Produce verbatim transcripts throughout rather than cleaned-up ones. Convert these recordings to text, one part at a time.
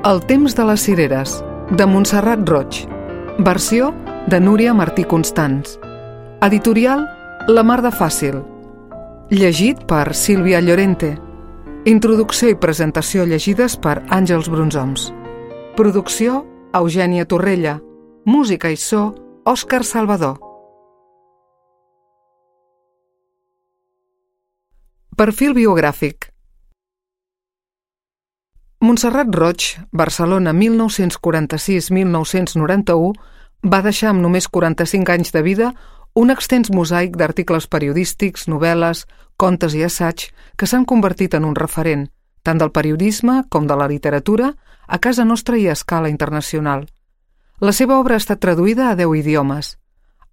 El temps de les cireres, de Montserrat Roig. Versió de Núria Martí Constans. Editorial La Mar de Fàcil. Llegit per Sílvia Llorente. Introducció i presentació llegides per Àngels Brunzoms. Producció Eugènia Torrella. Música i so Òscar Salvador. Perfil biogràfic. Montserrat Roig, Barcelona mil nou-cents quaranta-sis a mil nou-cents noranta-u, va deixar amb només quaranta-cinc anys de vida un extens mosaic d'articles periodístics, novel·les, contes i assaig que s'han convertit en un referent, tant del periodisme com de la literatura, a casa nostra i a escala internacional. La seva obra ha estat traduïda a deu idiomes.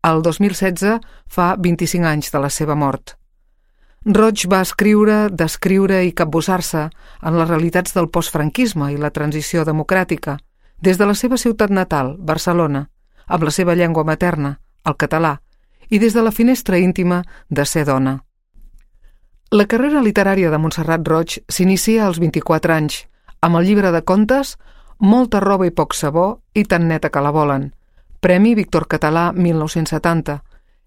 El dos mil setze fa vint-i-cinc anys de la seva mort. Roig va escriure, descriure i capbussar-se en les realitats del postfranquisme i la transició democràtica, des de la seva ciutat natal, Barcelona, amb la seva llengua materna, el català, i des de la finestra íntima de ser dona. La carrera literària de Montserrat Roig s'inicia als vint-i-quatre anys, amb el llibre de contes Molta roba i poc sabó i tan neta que la volen, Premi Víctor Català mil nou-cents setanta,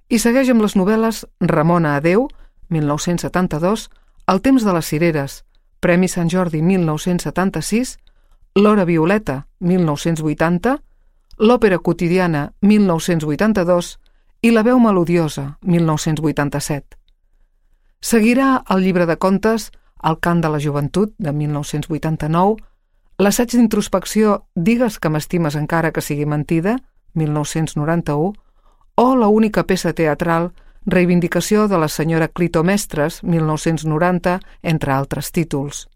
i segueix amb les novel·les Ramona adeu, mil nou-cents setanta-dos, El temps de les cireres, Premi Sant Jordi mil nou-cents setanta-sis, L'hora violeta, mil nou-cents vuitanta, L'òpera quotidiana, mil nou-cents vuitanta-dos i La veu melodiosa, mil nou-cents vuitanta-set. Seguirà el llibre de contes El cant de la joventut, de mil nou-cents vuitanta-nou, l'assaig d'introspecció Digues que m'estimes encara que sigui mentida, mil nou-cents noranta-u, o la única peça teatral Reivindicació de la senyora Clito Mestres, mil nou-cents noranta, entre altres títols.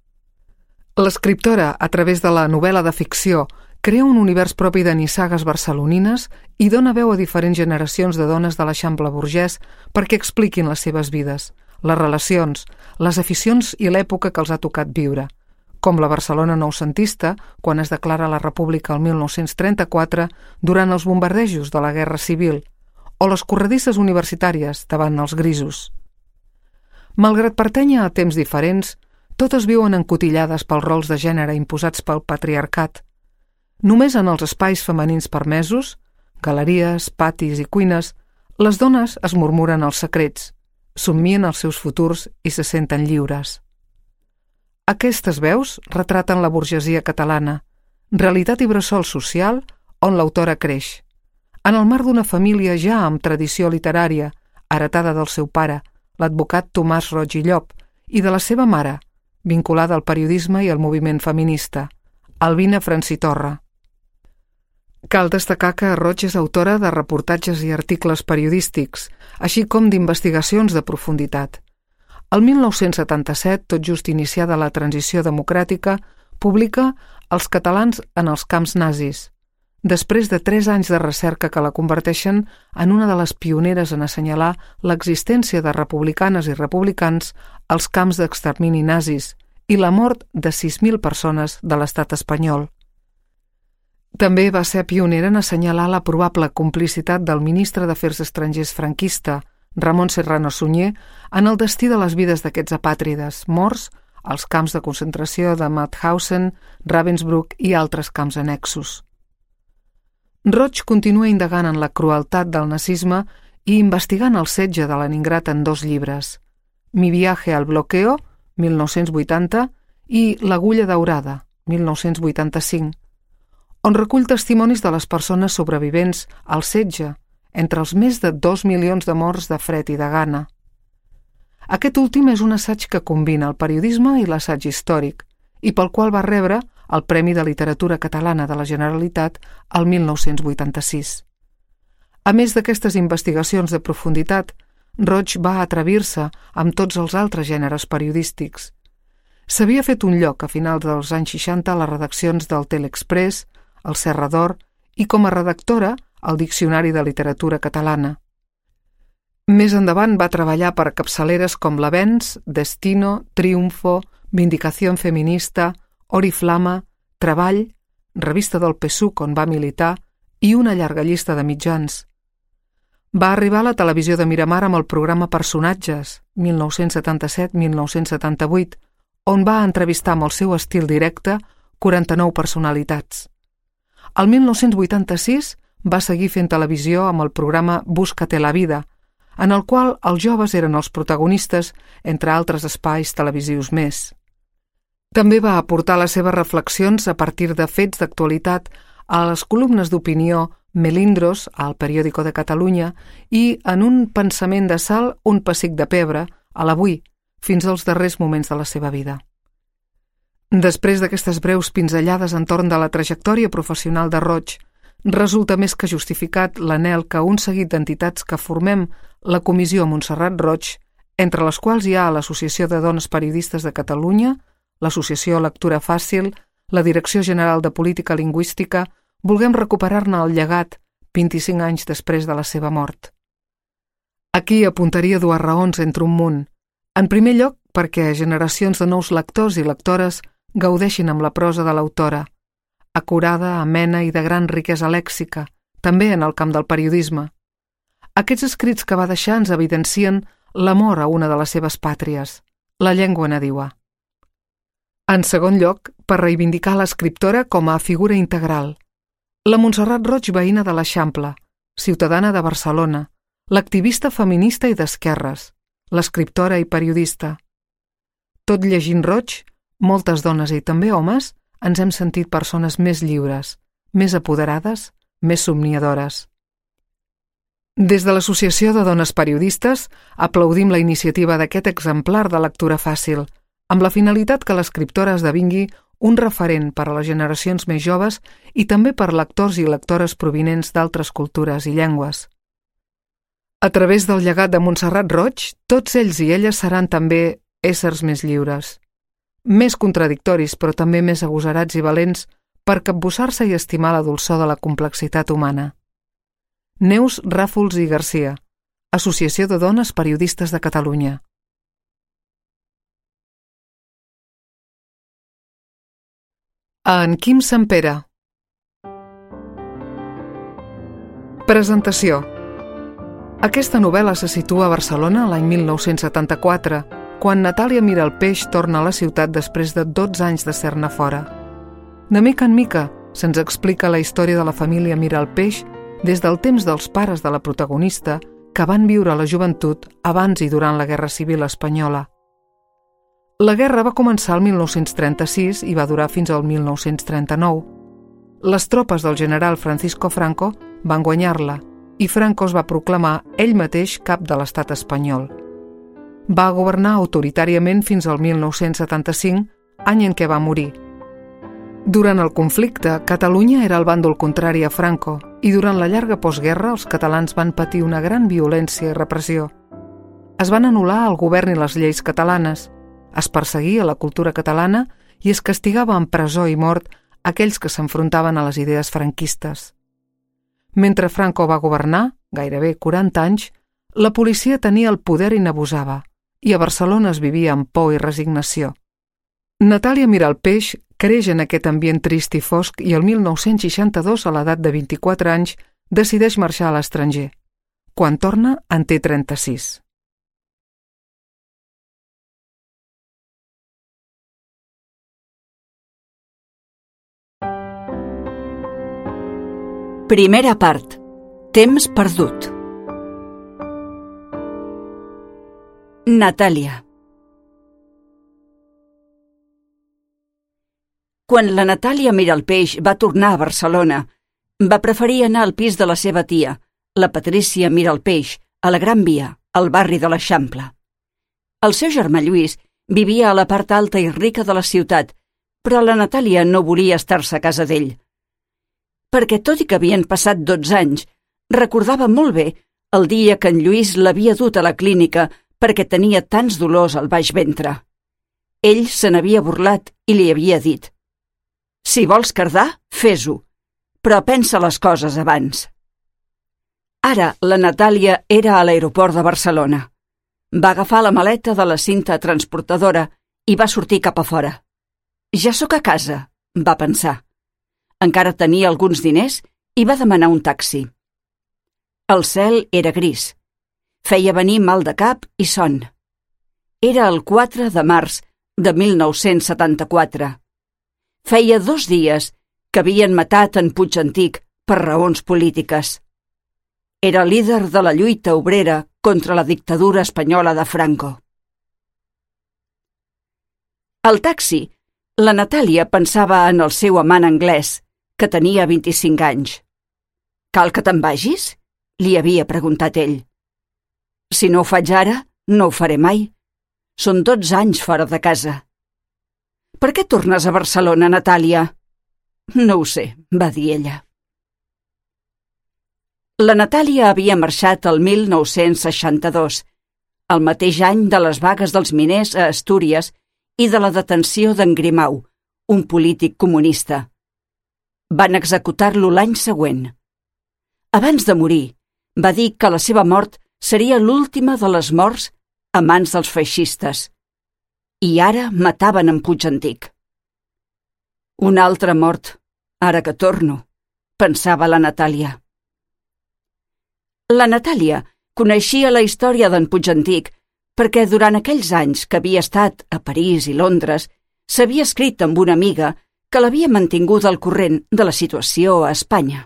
L'escriptora, a través de la novel·la de ficció, crea un univers propi de nissagues barcelonines i dona veu a diferents generacions de dones de l'Eixample burgès perquè expliquin les seves vides, les relacions, les aficions i l'època que els ha tocat viure, com la Barcelona noucentista, quan es declara la República el mil nou-cents trenta-quatre durant els bombardejos de la Guerra Civil, o les corredisses universitàries davant els grisos. Malgrat pertànyer a temps diferents, totes viuen encotillades pels rols de gènere imposats pel patriarcat. Només en els espais femenins permesos, galeries, patis i cuines, les dones es murmuren els secrets, somnien els seus futurs i se senten lliures. Aquestes veus retraten la burgesia catalana, realitat i bressol social on l'autora creix, en el marc d'una família ja amb tradició literària, heretada del seu pare, l'advocat Tomàs Roig i Llop, i de la seva mare, vinculada al periodisme i al moviment feminista, Albina Francitorra. Cal destacar que Roig és autora de reportatges i articles periodístics, així com d'investigacions de profunditat. El mil nou-cents setanta-set, tot just iniciada la transició democràtica, publica Els catalans en els camps nazis, després de tres anys de recerca que la converteixen en una de les pioneres en assenyalar l'existència de republicanes i republicans als camps d'extermini nazis i la mort de sis mil persones de l'estat espanyol. També va ser pionera en assenyalar la probable complicitat del ministre d'Afers Estrangers franquista, Ramon Serrano Sunyer, en el destí de les vides d'aquests apàtrides morts als camps de concentració de Mauthausen, Ravensbrück i altres camps annexos. Roig continua indagant en la crueltat del nazisme i investigant el setge de Leningrad en dos llibres, Mi viaje al bloqueo, mil nou-cents vuitanta, i L'agulla daurada, mil nou-cents vuitanta-cinc, on recull testimonis de les persones sobrevivents al setge, entre els més de dos milions de morts de fred i de gana. Aquest últim és un assaig que combina el periodisme i l'assaig històric, i pel qual va rebre el Premi de Literatura Catalana de la Generalitat el mil nou-cents vuitanta-sis. A més d'aquestes investigacions de profunditat, Roig va atrevir-se amb tots els altres gèneres periodístics. S'havia fet un lloc a finals dels anys seixanta a les redaccions del Telexpress, el Serra d'Or i com a redactora al Diccionari de Literatura Catalana. Més endavant va treballar per capçaleres com l'Avenç, Destino, Triunfo, Vindicación Feminista, Oriflama, Treball, revista del P S U C on va militar i una llarga llista de mitjans. Va arribar a la televisió de Miramar amb el programa Personatges, mil nou-cents setanta-set a mil nou-cents setanta-vuit, on va entrevistar amb el seu estil directe quaranta-nou personalitats. El mil nou-cents vuitanta-sis va seguir fent televisió amb el programa Búscate la vida, en el qual els joves eren els protagonistes, entre altres espais televisius més. També va aportar les seves reflexions a partir de fets d'actualitat a les columnes d'opinió Melindros, al Periódico de Catalunya, i en un pensament de sal, un pessic de pebre, a l'Avui, fins als darrers moments de la seva vida. Després d'aquestes breus pinzellades entorn de la trajectòria professional de Roig, resulta més que justificat l'anhel que un seguit d'entitats que formem la Comissió Montserrat Roig, entre les quals hi ha l'Associació de Dones Periodistes de Catalunya, l'Associació Lectura Fàcil, la Direcció General de Política Lingüística, vulguem recuperar-ne el llegat vint-i-cinc anys després de la seva mort. Aquí apuntaria dues raons entre un munt. En primer lloc, perquè generacions de nous lectors i lectores gaudeixin amb la prosa de l'autora, acurada, amena i de gran riquesa lèxica, també en el camp del periodisme. Aquests escrits que va deixar ens evidencien l'amor a una de les seves pàtries, la llengua nadiua. En segon lloc, per reivindicar l'escriptora com a figura integral. La Montserrat Roig veïna de l'Eixample, ciutadana de Barcelona, l'activista feminista i d'esquerres, l'escriptora i periodista. Tot llegint Roig, moltes dones i també homes ens hem sentit persones més lliures, més apoderades, més somniadores. Des de l'Associació de Dones Periodistes aplaudim la iniciativa d'aquest exemplar de lectura fàcil, amb la finalitat que l'escriptora esdevingui un referent per a les generacions més joves i també per lectors i lectores provinents d'altres cultures i llengües. A través del llegat de Montserrat Roig, tots ells i elles seran també éssers més lliures, més contradictoris però també més agosarats i valents per capbussar-se i estimar la dolçor de la complexitat humana. Neus Ràfols i Garcia, Associació de Dones Periodistes de Catalunya. En Quim Sempere. Presentació. Aquesta novel·la se situa a Barcelona l'any mil nou-cents setanta-quatre, quan Natàlia Miralpeix torna a la ciutat després de dotze anys de ser-ne fora. De mica en mica se'ns explica la història de la família Miralpeix des del temps dels pares de la protagonista que van viure la joventut abans i durant la Guerra Civil Espanyola. La guerra va començar el mil nou-cents trenta-sis i va durar fins al mil nou-cents trenta-nou. Les tropes del general Francisco Franco van guanyar-la i Franco es va proclamar ell mateix cap de l'estat espanyol. Va governar autoritàriament fins al mil nou-cents setanta-cinc, any en què va morir. Durant el conflicte, Catalunya era el bàndol contrari a Franco i durant la llarga postguerra els catalans van patir una gran violència i repressió. Es van anul·lar el govern i les lleis catalanes, es perseguia la cultura catalana i es castigava amb presó i mort aquells que s'enfrontaven a les idees franquistes. Mentre Franco va governar, gairebé quaranta anys, la policia tenia el poder i n'abusava, i a Barcelona es vivia amb por i resignació. Natàlia Miralpeix creix en aquest ambient trist i fosc i el mil nou-cents seixanta-dos, a l'edat de vint-i-quatre anys, decideix marxar a l'estranger. Quan torna, en té trenta-sis. Primera part. Temps perdut. Natàlia. Quan la Natàlia Miralpeix va tornar a Barcelona, va preferir anar al pis de la seva tia, la Patrícia Miralpeix, a la Gran Via, al barri de l'Eixample. El seu germà Lluís vivia a la part alta i rica de la ciutat, però la Natàlia no volia estar-se a casa d'ell. Perquè, tot i que havien passat dotze anys, recordava molt bé el dia que en Lluís l'havia dut a la clínica perquè tenia tants dolors al baix ventre. Ell se n'havia burlat i li havia dit: «Si vols cardar, fes-ho, però pensa les coses abans». Ara la Natàlia era a l'aeroport de Barcelona. Va agafar la maleta de la cinta transportadora i va sortir cap a fora. «Ja sóc a casa», va pensar. Encara tenia alguns diners i va demanar un taxi. El cel era gris. Feia venir mal de cap i son. Era el quatre de març de mil nou-cents setanta-quatre. feia dos dies que havien matat en Puigantic per raons polítiques. Era líder de la lluita obrera contra la dictadura espanyola de Franco. Al taxi, la Natàlia pensava en el seu amant anglès, que tenia vint-i-cinc anys. «Cal que te'n vagis?», li havia preguntat ell. «Si no ho faig ara, no ho faré mai. Són dotze anys fora de casa». «Per què tornes a Barcelona, Natàlia?» «No ho sé», va dir ella. La Natàlia havia marxat el mil nou-cents seixanta-dos, el mateix any de les vagues dels miners a Astúries i de la detenció d'en Grimau, un polític comunista. Van executar-lo l'any següent. Abans de morir, va dir que la seva mort seria l'última de les morts a mans dels feixistes. I ara mataven en Puigantic. Una altra mort, ara que torno, pensava la Natàlia. La Natàlia coneixia la història d'en Puigantic perquè durant aquells anys que havia estat a París i Londres s'havia escrit amb una amiga que l'havia mantingut al corrent de la situació a Espanya.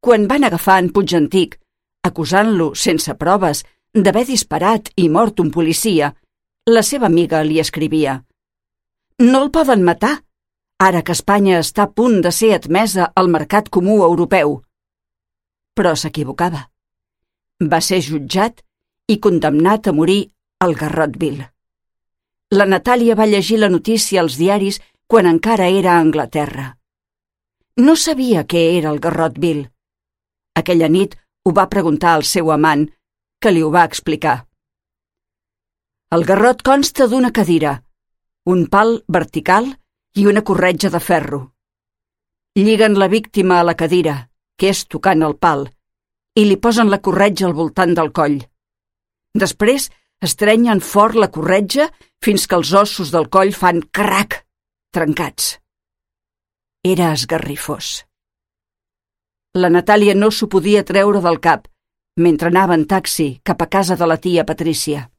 Quan van agafar en Puigantic, acusant-lo sense proves d'haver disparat i mort un policia, la seva amiga li escrivia: «No el poden matar, ara que Espanya està a punt de ser admesa al mercat comú europeu». Però s'equivocava. Va ser jutjat i condemnat a morir al Garrotville. La Natàlia va llegir la notícia als diaris quan encara era a Anglaterra. No sabia què era el Garrotville. Aquella nit ho va preguntar al seu amant, que li ho va explicar. El garrot consta d'una cadira, un pal vertical i una corretja de ferro. Lliguen la víctima a la cadira, que és tocant el pal, i li posen la corretja al voltant del coll. Després estrenyen fort la corretja fins que els ossos del coll fan crac, trencats. Era esgarrifós. La Natàlia no s'ho podia treure del cap mentre anava en taxi cap a casa de la tia Patrícia.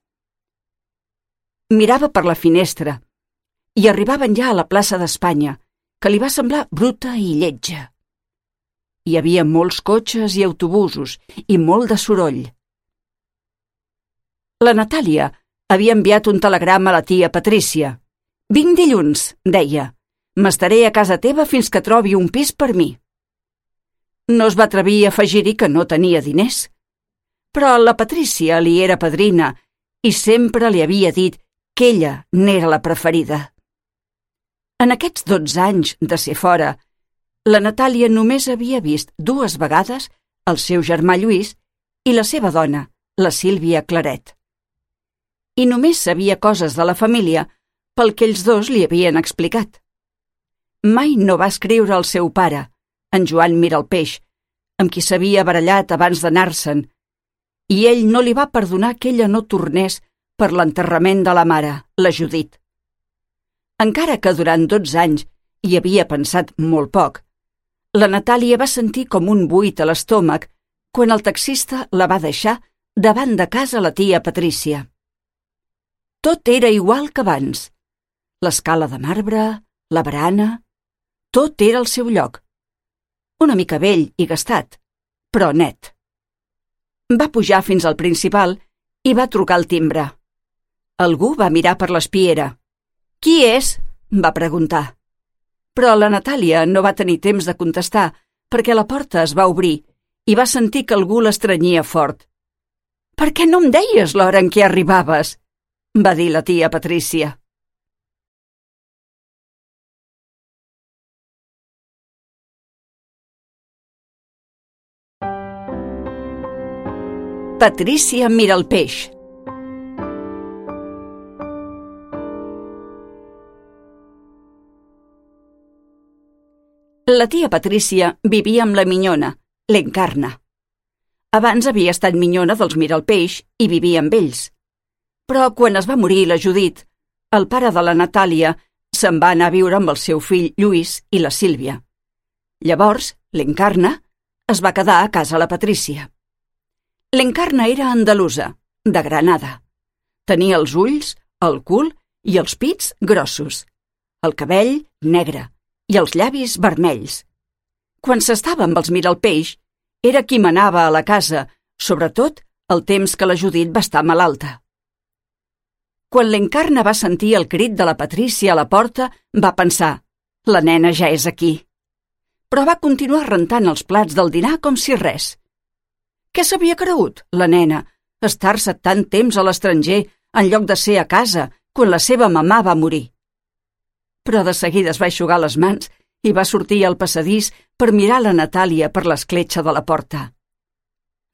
Mirava per la finestra i arribaven ja a la plaça d'Espanya, que li va semblar bruta i lletja. Hi havia molts cotxes i autobusos i molt de soroll. La Natàlia havia enviat un telegrama a la tia Patrícia. «Vinc dilluns», deia. «M'estaré a casa teva fins que trobi un pis per mi». No es va atrevir a afegir-hi que no tenia diners. Però la Patrícia li era padrina i sempre li havia dit que ella n'era la preferida. En aquests dotze anys de ser fora, la Natàlia només havia vist dues vegades el seu germà Lluís i la seva dona, la Sílvia Claret. I només sabia coses de la família pel que ells dos li havien explicat. Mai no va escriure al seu pare, en Joan Miralpeix, amb qui s'havia barallat abans d'anar-se'n, i ell no li va perdonar que ella no tornés per l'enterrament de la mare, la Judit. Encara que durant dotze anys hi havia pensat molt poc, la Natàlia va sentir com un buit a l'estómac quan el taxista la va deixar davant de casa la tia Patrícia. Tot era igual que abans. L'escala de marbre, la barana, tot era al seu lloc. Una mica vell i gastat, però net. Va pujar fins al principal i va trucar al timbre. Algú va mirar per l'espiera. «Qui és?», va preguntar. Però la Natàlia no va tenir temps de contestar perquè la porta es va obrir i va sentir que algú l'estrenyia fort. «Per què no em deies l'hora en què arribaves?», va dir la tia Patrícia. Patrícia Miralpeix. La tia Patrícia vivia amb la minyona, l'Encarna. Abans havia estat minyona dels Miralpeix i vivia amb ells. Però quan es va morir la Judit, el pare de la Natàlia se'n va anar a viure amb el seu fill Lluís i la Sílvia. Llavors, l'Encarna es va quedar a casa la Patrícia. L'Encarna era andalusa, de Granada. Tenia els ulls, el cul i els pits grossos, el cabell negre i els llavis vermells. Quan s'estava amb els Miralpeix, era qui manava a la casa, sobretot el temps que la Judit va estar malalta. Quan l'Encarna va sentir el crit de la Patrícia a la porta, va pensar: la nena ja és aquí. Però va continuar rentant els plats del dinar com si res. Què s'havia cregut, la nena, estar-se tant temps a l'estranger en lloc de ser a casa quan la seva mamà va morir? Però de seguida es va eixugar les mans i va sortir al passadís per mirar la Natàlia per l'escletxa de la porta.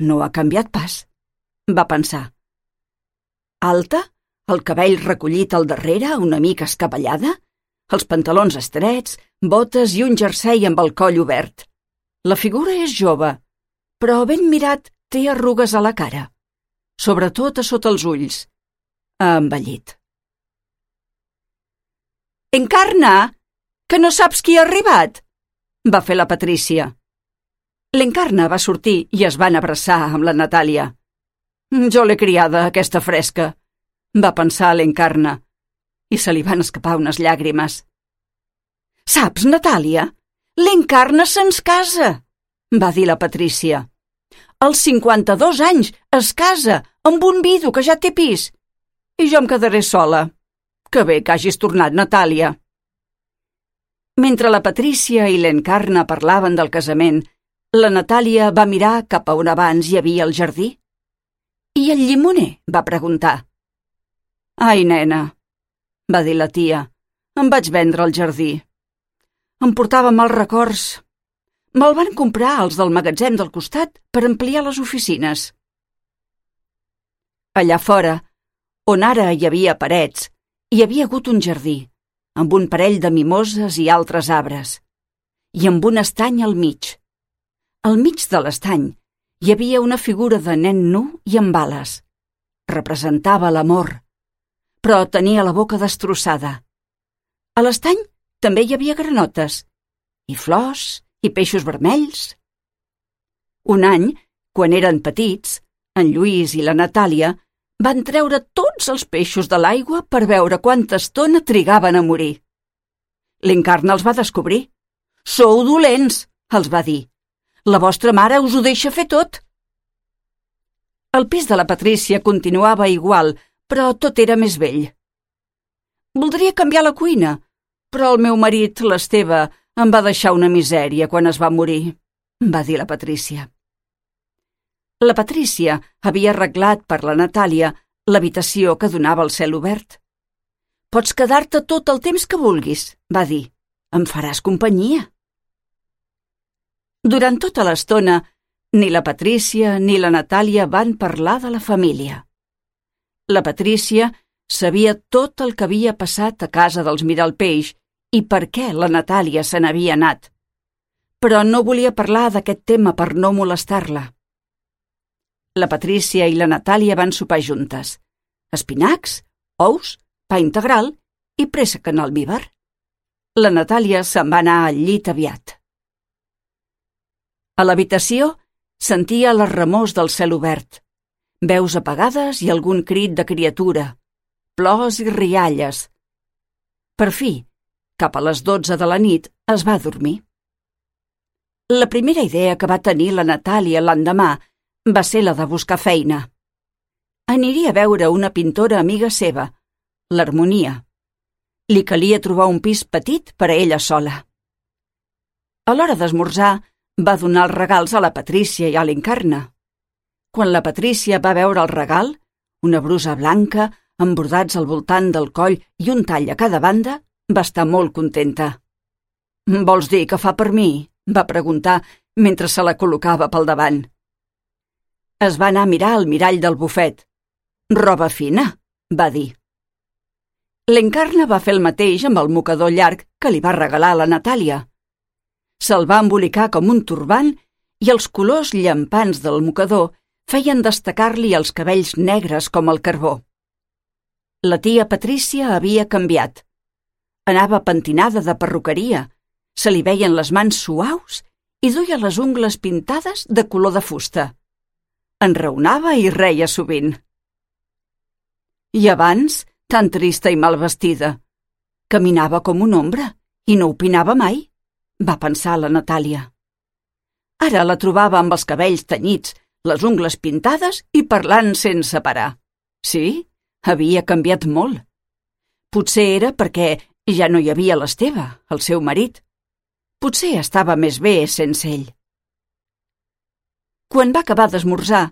No ha canviat pas, va pensar. Alta, el cabell recollit al darrere, una mica escabellada, els pantalons estrets, botes i un jersei amb el coll obert. La figura és jove, però ben mirat té arrugues a la cara, sobretot a sota els ulls. Ha envellit. «Encarna, que no saps qui ha arribat?» va fer la Patrícia. L'Encarna va sortir i es van abraçar amb la Natàlia. «Jo l'he criada, aquesta fresca», va pensar l'Encarna, i se li van escapar unes llàgrimes. «Saps, Natàlia, l'Encarna se'ns casa», va dir la Patrícia. «Als cinquanta-dos anys es casa amb un vidu que ja té pis, i jo em quedaré sola. Que bé que hagis tornat, Natàlia». Mentre la Patrícia i l'Encarna parlaven del casament, la Natàlia va mirar cap a on abans hi havia el jardí. «I el llimoner?», va preguntar. «Ai, nena», va dir la tia, «em vaig vendre el jardí. Em portava mals records. Me'l van comprar els del magatzem del costat per ampliar les oficines». Allà fora, on ara hi havia parets, hi havia hagut un jardí, amb un parell de mimoses i altres arbres, i amb un estany al mig. Al mig de l'estany hi havia una figura de nen nu i amb ales. Representava l'amor, però tenia la boca destrossada. A l'estany també hi havia granotes, i flors, i peixos vermells. Un any, quan eren petits, en Lluís i la Natàlia van treure tots els peixos de l'aigua per veure quanta estona trigaven a morir. L'Encarna els va descobrir. «Sou dolents», els va dir. «La vostra mare us ho deixa fer tot». El pis de la Patrícia continuava igual, però tot era més vell. «Voldria canviar la cuina, però el meu marit, l'Esteve, em va deixar una misèria quan es va morir», va dir la Patrícia. La Patrícia havia arreglat per la Natàlia l'habitació que donava al cel obert. «Pots quedar-te tot el temps que vulguis», va dir. «Em faràs companyia». Durant tota l'estona, ni la Patrícia ni la Natàlia van parlar de la família. La Patrícia sabia tot el que havia passat a casa dels Miralpeix i per què la Natàlia se n'havia anat, però no volia parlar d'aquest tema per no molestar-la. La Patrícia i la Natàlia van sopar juntes. Espinacs, ous, pa integral i préssec en almívar. La Natàlia se'n va anar al llit aviat. A l'habitació sentia les remors del cel obert, veus apagades i algun crit de criatura, plors i rialles. Per fi, cap a les dotze de la nit, es va dormir. La primera idea que va tenir la Natàlia l'endemà va ser la de buscar feina. Aniria a veure una pintora amiga seva, l'Harmonia. Li calia trobar un pis petit per a ella sola. A l'hora d'esmorzar, va donar els regals a la Patrícia i a l'Encarna. Quan la Patrícia va veure el regal, una brusa blanca, amb bordats al voltant del coll i un tall a cada banda, va estar molt contenta. «Vols dir que fa per mi?», va preguntar mentre se la col·locava pel davant. Es va anar a mirar al mirall del bufet. «Roba fina», va dir. L'Encarna va fer el mateix amb el mocador llarg que li va regalar la Natàlia. Se'l va embolicar com un turbant i els colors llampants del mocador feien destacar-li els cabells negres com el carbó. La tia Patrícia havia canviat. Anava pentinada de perruqueria, se li veien les mans suaus i duia les ungles pintades de color de fusta. Enraonava i reia sovint. I abans tan trista i mal vestida. Caminava com una ombra i no opinava mai, va pensar la Natàlia. Ara la trobava amb els cabells tenyits, les ungles pintades i parlant sense parar. Sí, havia canviat molt. Potser era perquè ja no hi havia l'Esteve, el seu marit. Potser estava més bé sense ell. Quan va acabar d'esmorzar,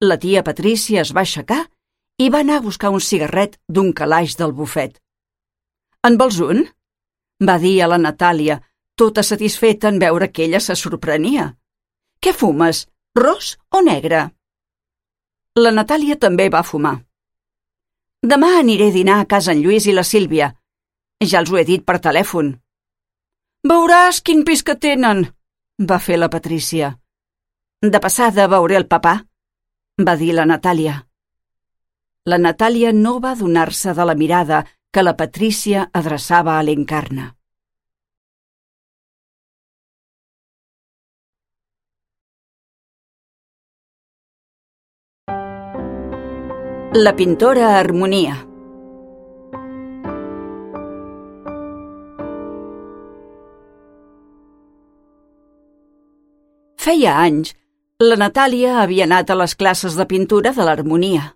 la tia Patrícia es va aixecar i va anar a buscar un cigarret d'un calaix del bufet. «En vols un?», va dir a la Natàlia, tota satisfeta en veure que ella se sorprenia. «Què fumes, ros o negre?». La Natàlia també va fumar. «Demà aniré a dinar a casa en Lluís i la Sílvia. Ja els ho he dit per telèfon». «Veuràs quin pis que tenen», va fer la Patrícia. «De passada veuré el papà», va dir la Natàlia. La Natàlia no va adonar-se de la mirada que la Patrícia adreçava a l'Encarna. La pintora Harmonia. Feia anys, la Natàlia havia anat a les classes de pintura de l'Harmonia.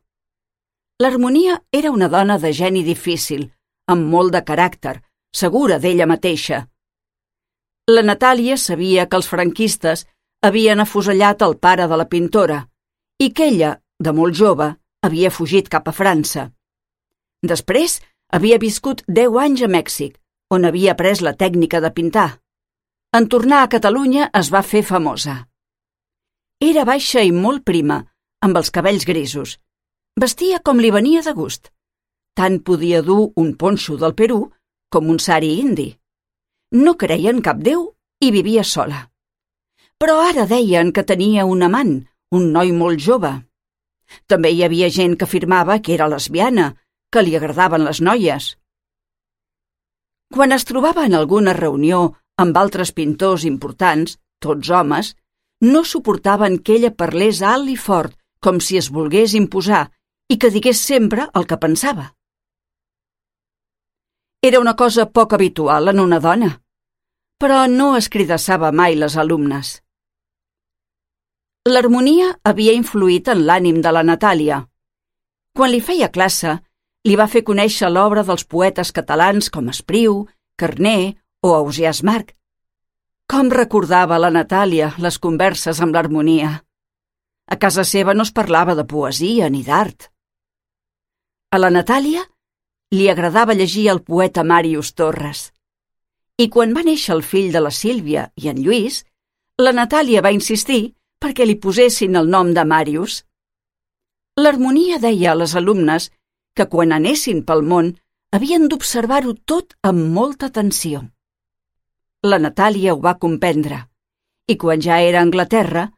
L'Harmonia era una dona de geni difícil, amb molt de caràcter, segura d'ella mateixa. La Natàlia sabia que els franquistes havien afusellat el pare de la pintora i que ella, de molt jove, havia fugit cap a França. Després havia viscut deu anys a Mèxic, on havia après la tècnica de pintar. En tornar a Catalunya es va fer famosa. Era baixa i molt prima, amb els cabells grisos. Vestia com li venia de gust. Tant podia dur un ponxo del Perú com un sari indi. No creia en cap déu i vivia sola. Però ara deien que tenia un amant, un noi molt jove. També hi havia gent que afirmava que era lesbiana, que li agradaven les noies. Quan es trobava en alguna reunió amb altres pintors importants, tots homes, no suportaven que ella parlés alt i fort, com si es volgués imposar, i que digués sempre el que pensava. Era una cosa poc habitual en una dona, però no es cridassava mai les alumnes. L'Harmonia havia influït en l'ànim de la Natàlia. Quan li feia classe, li va fer conèixer l'obra dels poetes catalans com Espriu, Carner o Ausiàs Marc. Com recordava la Natàlia les converses amb l'Harmonia. A casa seva no es parlava de poesia ni d'art. A la Natàlia li agradava llegir el poeta Màrius Torres. I quan va néixer el fill de la Sílvia i en Lluís, la Natàlia va insistir perquè li posessin el nom de Màrius. L'Harmonia deia a les alumnes que quan anessin pel món havien d'observar-ho tot amb molta atenció. La Natàlia ho va comprendre i quan ja era a Anglaterra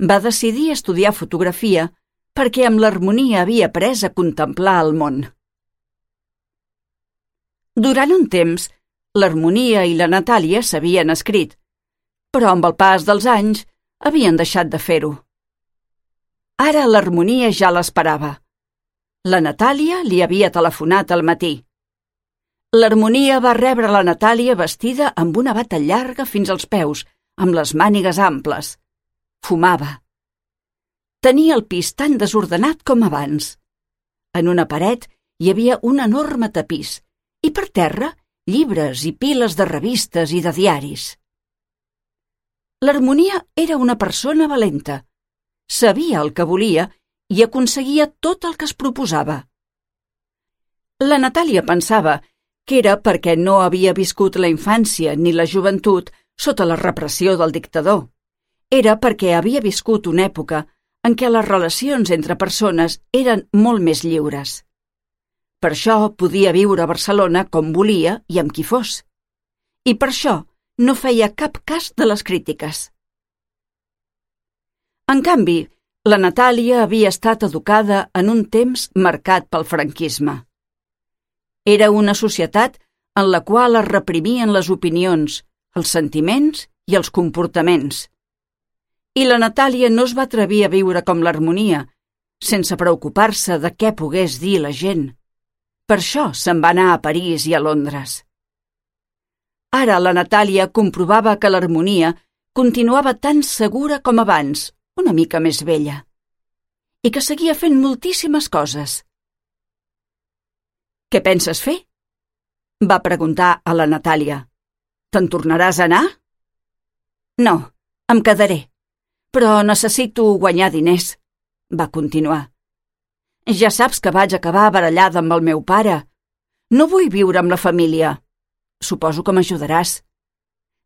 va decidir estudiar fotografia perquè amb l'Harmonia havia après a contemplar el món. Durant un temps, l'Harmonia i la Natàlia s'havien escrit, però amb el pas dels anys havien deixat de fer-ho. Ara l'Harmonia ja l'esperava. La Natàlia li havia telefonat al matí. L'Harmonia va rebre la Natàlia vestida amb una bata llarga fins als peus, amb les mànigues amples. Fumava. Tenia el pis tan desordenat com abans. En una paret hi havia un enorme tapís i per terra llibres i piles de revistes i de diaris. L'Harmonia era una persona valenta. Sabia el que volia i aconseguia tot el que es proposava. La Natàlia pensava que era perquè no havia viscut la infància ni la joventut sota la repressió del dictador. Era perquè havia viscut una època en què les relacions entre persones eren molt més lliures. Per això podia viure a Barcelona com volia i amb qui fos. I per això no feia cap cas de les crítiques. En canvi, la Natàlia havia estat educada en un temps marcat pel franquisme. Era una societat en la qual es reprimien les opinions, els sentiments i els comportaments. I la Natàlia no es va atrevir a viure com l'Harmonia, sense preocupar-se de què pogués dir la gent. Per això se'n va anar a París i a Londres. Ara la Natàlia comprovava que l'Harmonia continuava tan segura com abans, una mica més vella, i que seguia fent moltíssimes coses. «Què penses fer?», va preguntar a la Natàlia. «Te'n tornaràs a anar?». «No, em quedaré, però necessito guanyar diners», va continuar. «Ja saps que vaig acabar barallada amb el meu pare. No vull viure amb la família. Suposo que m'ajudaràs.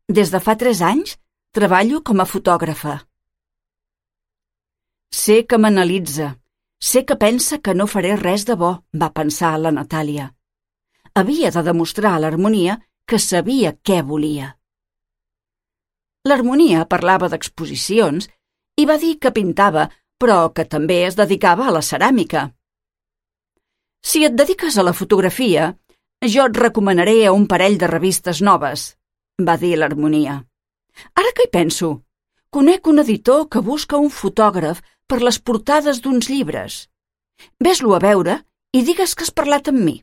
Des de fa tres anys treballo com a fotògrafa». «Sé que m'analitza. Sé que pensa que no faré res de bo», va pensar la Natàlia. Havia de demostrar a l'Harmonia que sabia què volia. L'Harmonia parlava d'exposicions i va dir que pintava, però que també es dedicava a la ceràmica. «Si et dediques a la fotografia, jo et recomanaré un parell de revistes noves», va dir l'Harmonia. «Ara que hi penso, conec un editor que busca un fotògraf per les portades d'uns llibres. Ves-lo a veure i digues que has parlat amb mi».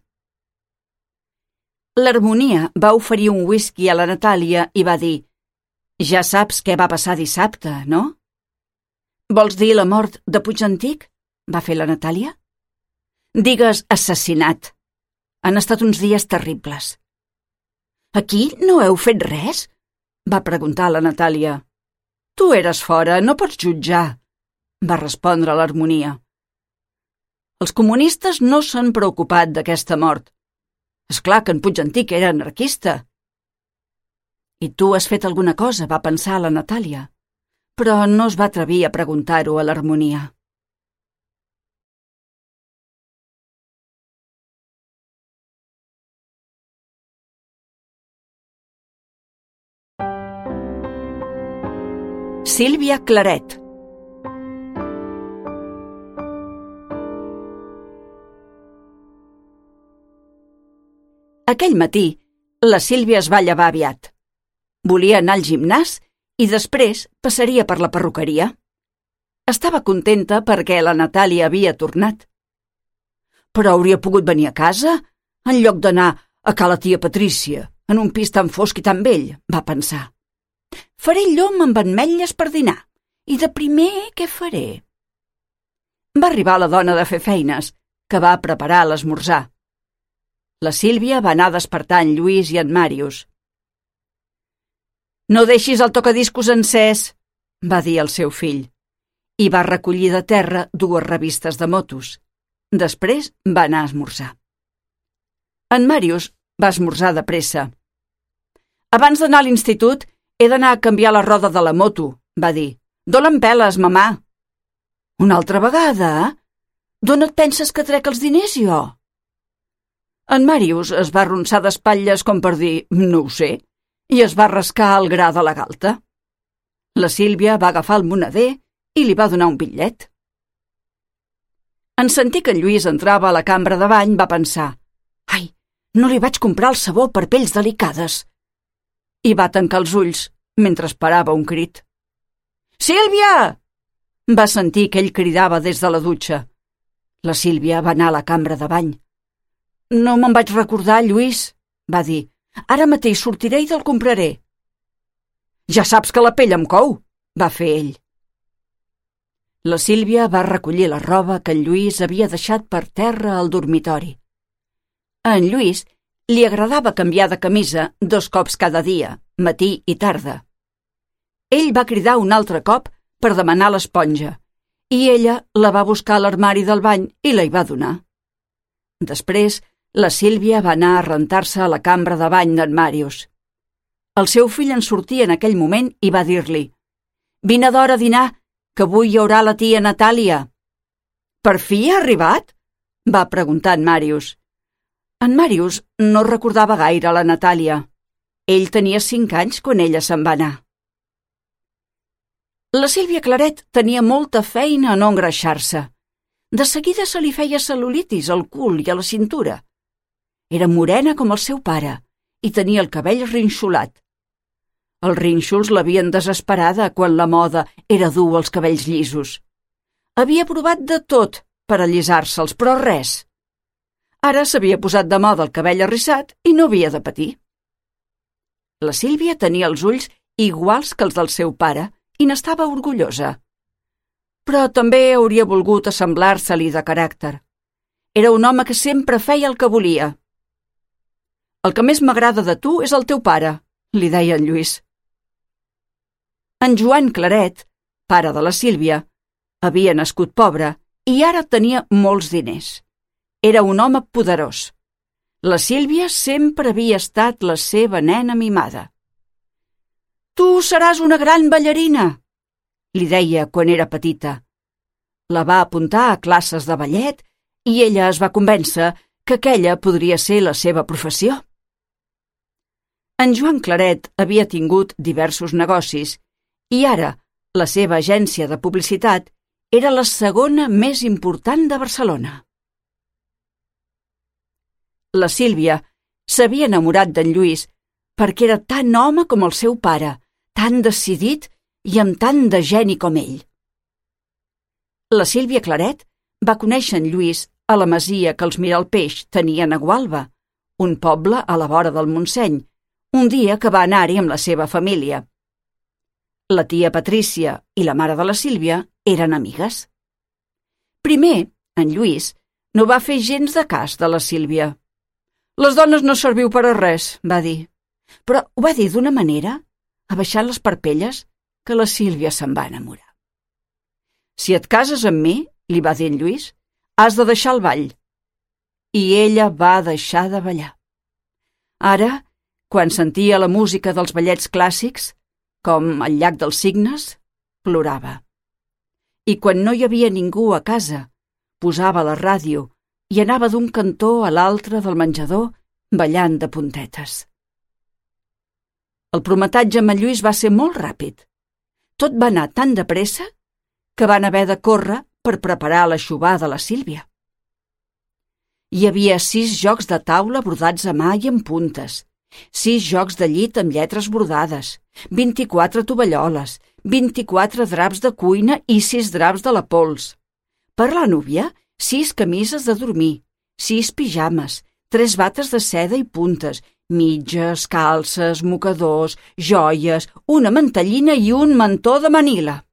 L'Harmonia va oferir un whisky a la Natàlia i va dir: «Ja saps què va passar dissabte, no?» «Vols dir la mort de Puigantic?», va fer la Natàlia. «Digues assassinat. Han estat uns dies terribles». «Aquí no heu fet res?», va preguntar la Natàlia. «Tu eres fora, no pots jutjar», va respondre l'Harmonia. «Els comunistes no s'han preocupat d'aquesta mort. És clar que en Puigantic era anarquista». «I tu has fet alguna cosa?», va pensar la Natàlia, però no es va atrevir a preguntar-ho a l'Harmonia. Sílvia Claret. Aquell matí, la Sílvia es va llevar aviat. Volia anar al gimnàs i després passaria per la perruqueria. Estava contenta perquè la Natàlia havia tornat. Però hauria pogut venir a casa en lloc d'anar a ca la tia Patrícia, en un pis tan fosc i tan vell, va pensar. Faré llom amb ametlles per dinar, i de primer què faré? Va arribar la dona de fer feines, que va preparar l'esmorzar. La Sílvia va anar a despertar en Lluís i en Màrius. «No deixis el tocadiscos encès», va dir el seu fill, i va recollir de terra dues revistes de motos. Després va anar a esmorzar. En Màrius va esmorzar de pressa. «Abans d'anar a l'institut he d'anar a canviar la roda de la moto», va dir. «D'on em peles, mamà?» «Una altra vegada? D'on et penses que trec els diners, jo?» En Màrius es va arronsar d'espatlles com per dir «no ho sé», i es va rascar el gra de la galta. La Sílvia va agafar el moneder i li va donar un bitllet. En sentir que en Lluís entrava a la cambra de bany va pensar «Ai, no li vaig comprar el sabó per pells delicades», i va tancar els ulls mentre esperava un crit. «Sílvia!», va sentir que ell cridava des de la dutxa. La Sílvia va anar a la cambra de bany. «No me'n vaig recordar, Lluís», va dir. «Ara mateix sortiré i te'l compraré». «Ja saps que la pell em cou», va fer ell. La Sílvia va recollir la roba que en Lluís havia deixat per terra al dormitori. A en Lluís li agradava canviar de camisa dos cops cada dia, matí i tarda. Ell va cridar un altre cop per demanar l'esponja, i ella la va buscar a l'armari del bany i la hi va donar. Després, la Sílvia va anar a rentar-se a la cambra de bany d'en Màrius. El seu fill en sortia en aquell moment i va dir-li «Vine d'hora a dinar, que avui hi haurà la tia Natàlia». «Per fi ha arribat?», va preguntar en Màrius. En Màrius no recordava gaire la Natàlia. Ell tenia cinc anys quan ella se'n va anar. La Sílvia Claret tenia molta feina a no engreixar-se. De seguida se li feia cel·lulitis al cul i a la cintura. Era morena com el seu pare i tenia el cabell rinxolat. Els rínxols l'havien desesperada quan la moda era dur els cabells llisos. Havia provat de tot per allisar-se'ls, però res. Ara s'havia posat de moda el cabell arrissat i no havia de patir. La Sílvia tenia els ulls iguals que els del seu pare i n'estava orgullosa. Però també hauria volgut assemblar-se-li de caràcter. Era un home que sempre feia el que volia. «El que més m'agrada de tu és el teu pare», li deia en Lluís. En Joan Claret, pare de la Sílvia, havia nascut pobre i ara tenia molts diners. Era un home poderós. La Sílvia sempre havia estat la seva nena mimada. «Tu seràs una gran ballarina», li deia quan era petita. La va apuntar a classes de ballet i ella es va convèncer que aquella podria ser la seva professió. En Joan Claret havia tingut diversos negocis i ara la seva agència de publicitat era la segona més important de Barcelona. La Sílvia s'havia enamorat d'en Lluís perquè era tan home com el seu pare, tan decidit i amb tant de geni com ell. La Sílvia Claret va conèixer en Lluís a la masia que els Miralpeix tenien a Gualba, un poble a la vora del Montseny, un dia que va anar-hi amb la seva família. La tia Patrícia i la mare de la Sílvia eren amigues. Primer, en Lluís no va fer gens de cas de la Sílvia. «Les dones no serviu per a res», va dir, però ho va dir d'una manera, abaixant les parpelles, que la Sílvia se'n va enamorar. «Si et cases amb mi», li va dir en Lluís, «has de deixar el ball». I ella va deixar de ballar. Ara, quan sentia la música dels ballets clàssics, com el Llac dels Cignes, plorava. I quan no hi havia ningú a casa, posava la ràdio i anava d'un cantó a l'altre del menjador ballant de puntetes. El prometatge amb en Lluís va ser molt ràpid. Tot va anar tan de pressa que van haver de córrer per preparar l'aixovar de la Sílvia. Hi havia sis jocs de taula brodats a mà i amb puntes, sis jocs de llit amb lletres brodades, vint-i-quatre tovalloles, vint-i-quatre draps de cuina i sis draps de la pols. Per la núvia, sis camises de dormir, sis pijames, tres bates de seda i puntes, mitges, calces, mocadors, joies, una mantellina i un mantó de Manila.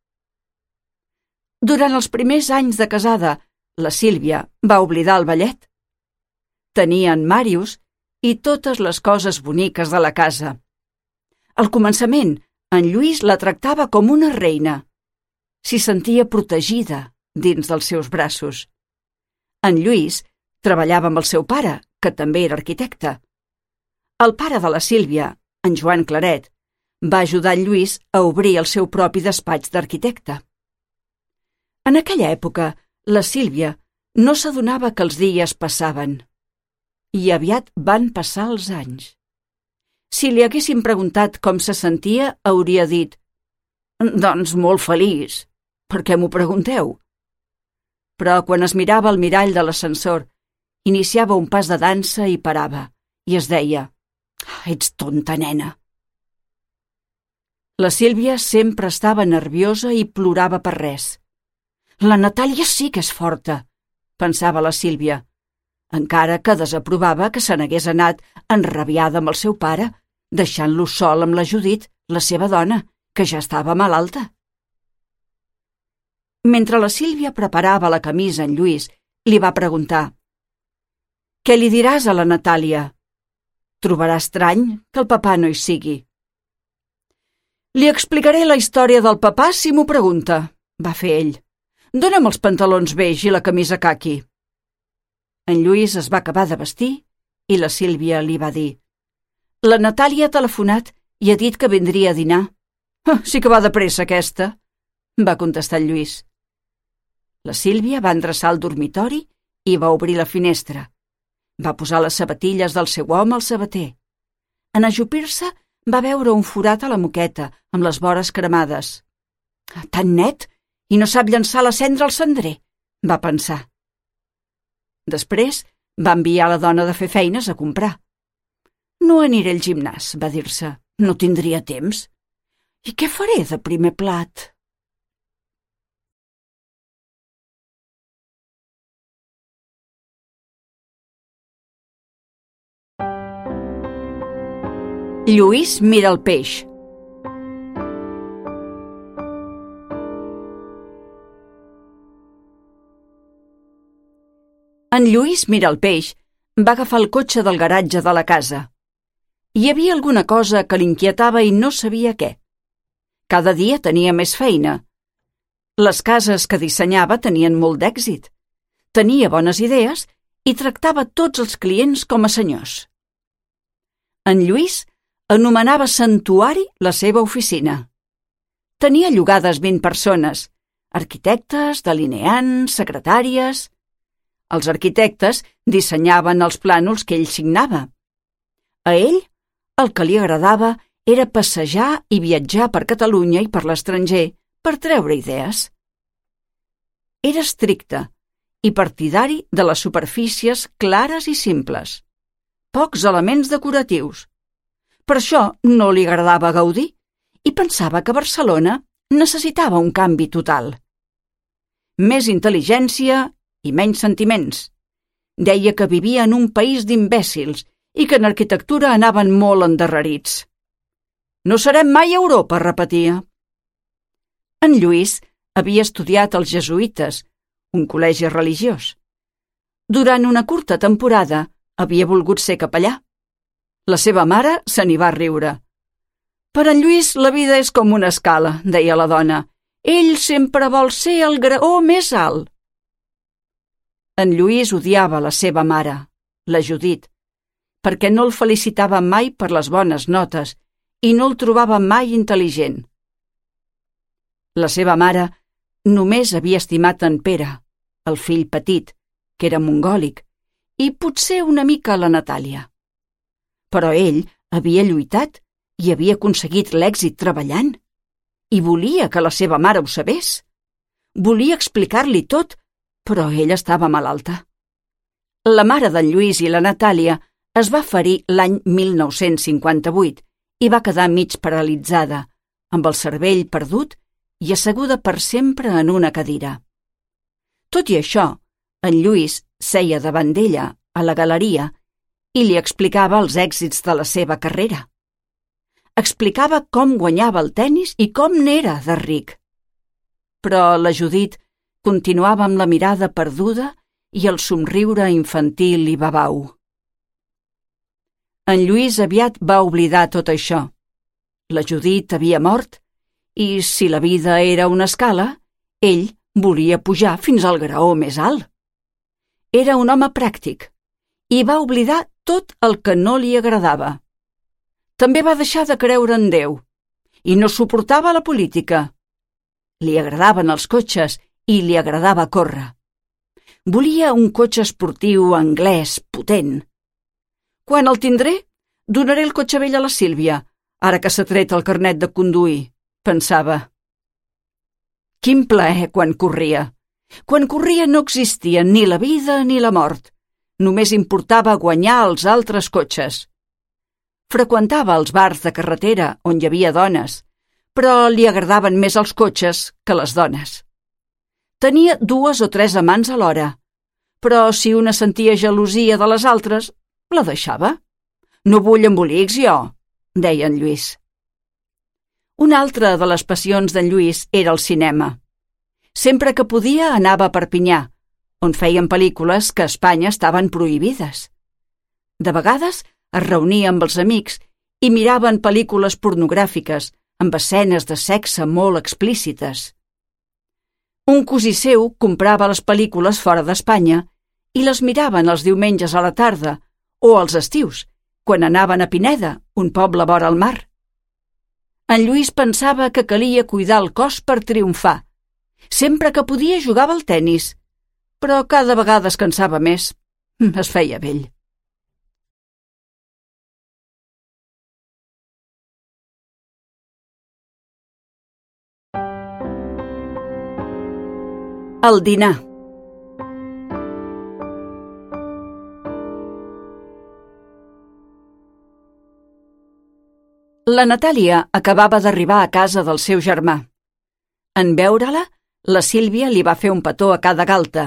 Durant els primers anys de casada, la Sílvia va oblidar el ballet. Tenia en Màrius i totes les coses boniques de la casa. Al començament, en Lluís la tractava com una reina. S'hi sentia protegida dins dels seus braços. En Lluís treballava amb el seu pare, que també era arquitecte. El pare de la Sílvia, en Joan Claret, va ajudar en Lluís a obrir el seu propi despatx d'arquitecte. En aquella època, la Sílvia no s'adonava que els dies passaven. I aviat van passar els anys. Si li haguessin preguntat com se sentia, hauria dit «Doncs molt feliç. Per què m'ho pregunteu?» Però quan es mirava al mirall de l'ascensor, iniciava un pas de dansa i parava, i es deia «Ets tonta, nena». La Sílvia sempre estava nerviosa i plorava per res. «La Natàlia sí que és forta», pensava la Sílvia, encara que desaprovava que se n'hagués anat enrabiada amb el seu pare, deixant-lo sol amb la Judit, la seva dona, que ja estava malalta. Mentre la Sílvia preparava la camisa en Lluís, li va preguntar «Què li diràs a la Natàlia? Trobarà estrany que el papà no hi sigui». «Li explicaré la història del papà si m'ho pregunta», va fer ell. «Dóna'm els pantalons beix i la camisa caqui». En Lluís es va acabar de vestir i la Sílvia li va dir «La Natàlia ha telefonat i ha dit que vindria a dinar». «Ah, sí que va de pressa, aquesta», va contestar el Lluís. La Sílvia va endreçar el dormitori i va obrir la finestra. Va posar les sabatilles del seu home al sabater. En ajupir-se, va veure un forat a la moqueta, amb les vores cremades. «Tan net, i no sap llançar la cendra al cendrer», va pensar. Després va enviar la dona de fer feines a comprar. «No aniré al gimnàs», va dir-se. «No tindria temps. I què faré de primer plat?» Lluís mira el peix. En Lluís mira el peix va agafar el cotxe del garatge de la casa. Hi havia alguna cosa que l'inquietava i no sabia què. Cada dia tenia més feina. Les cases que dissenyava tenien molt d'èxit. Tenia bones idees i tractava tots els clients com a senyors. En Lluís anomenava santuari la seva oficina. Tenia llogades vint persones, arquitectes, delineants, secretàries. Els arquitectes dissenyaven els plànols que ell signava. A ell, el que li agradava era passejar i viatjar per Catalunya i per l'estranger per treure idees. Era estricte i partidari de les superfícies clares i simples. Pocs elements decoratius. Per això no li agradava Gaudí i pensava que Barcelona necessitava un canvi total. Més intel·ligència i menys sentiments. Deia que vivia en un país d'imbècils i que en arquitectura anaven molt endarrerits. No serem mai a Europa, repetia. En Lluís havia estudiat als jesuïtes, un col·legi religiós. Durant una curta temporada havia volgut ser capellà. La seva mare se n'hi va riure. Per en Lluís la vida és com una escala, deia la dona. Ell sempre vol ser el graó més alt. En Lluís odiava la seva mare, la Judit, perquè no el felicitava mai per les bones notes i no el trobava mai intel·ligent. La seva mare només havia estimat en Pere, el fill petit, que era mongòlic, i potser una mica la Natàlia. Però ell havia lluitat i havia aconseguit l'èxit treballant. I volia que la seva mare ho sabés. Volia explicar-li tot, però ella estava malalta. La mare d'en Lluís i la Natàlia es va ferir l'any mil nou-cents cinquanta-vuit i va quedar mig paralitzada, amb el cervell perdut i asseguda per sempre en una cadira. Tot i això, en Lluís seia davant d'ella, a la galeria, i li explicava els èxits de la seva carrera. Explicava com guanyava el tennis i com n'era de ric. Però la Judit continuava amb la mirada perduda i el somriure infantil i babau. En Lluís aviat va oblidar tot això. La Judit havia mort i, si la vida era una escala, ell volia pujar fins al graó més alt. Era un home pràctic i va oblidar tot el que no li agradava. També va deixar de creure en Déu i no suportava la política. Li agradaven els cotxes i li agradava córrer. Volia un cotxe esportiu anglès potent. Quan el tindré, donaré el cotxe vell a la Sílvia, ara que s'ha tret el carnet de conduir, pensava. Quin plaer quan corria. Quan corria no existia ni la vida ni la mort. Només importava guanyar els altres cotxes. Freqüentava els bars de carretera on hi havia dones, però li agradaven més els cotxes que les dones. Tenia dues o tres amants alhora, però si una sentia gelosia de les altres, la deixava. No vull embolics, jo, deia en Lluís. Una altra de les passions d'en Lluís era el cinema. Sempre que podia anava a Perpinyà, on feien pel·lícules que a Espanya estaven prohibides. De vegades es reunia amb els amics i miraven pel·lícules pornogràfiques amb escenes de sexe molt explícites. Un cosí seu comprava les pel·lícules fora d'Espanya i les miraven els diumenges a la tarda o als estius, quan anaven a Pineda, un poble vora el mar. En Lluís pensava que calia cuidar el cos per triomfar. Sempre que podia jugava al tennis, però cada vegada es cansava més. Es feia vell. El dinar. La Natàlia acabava d'arribar a casa del seu germà. En veure-la, la Sílvia li va fer un petó a cada galta.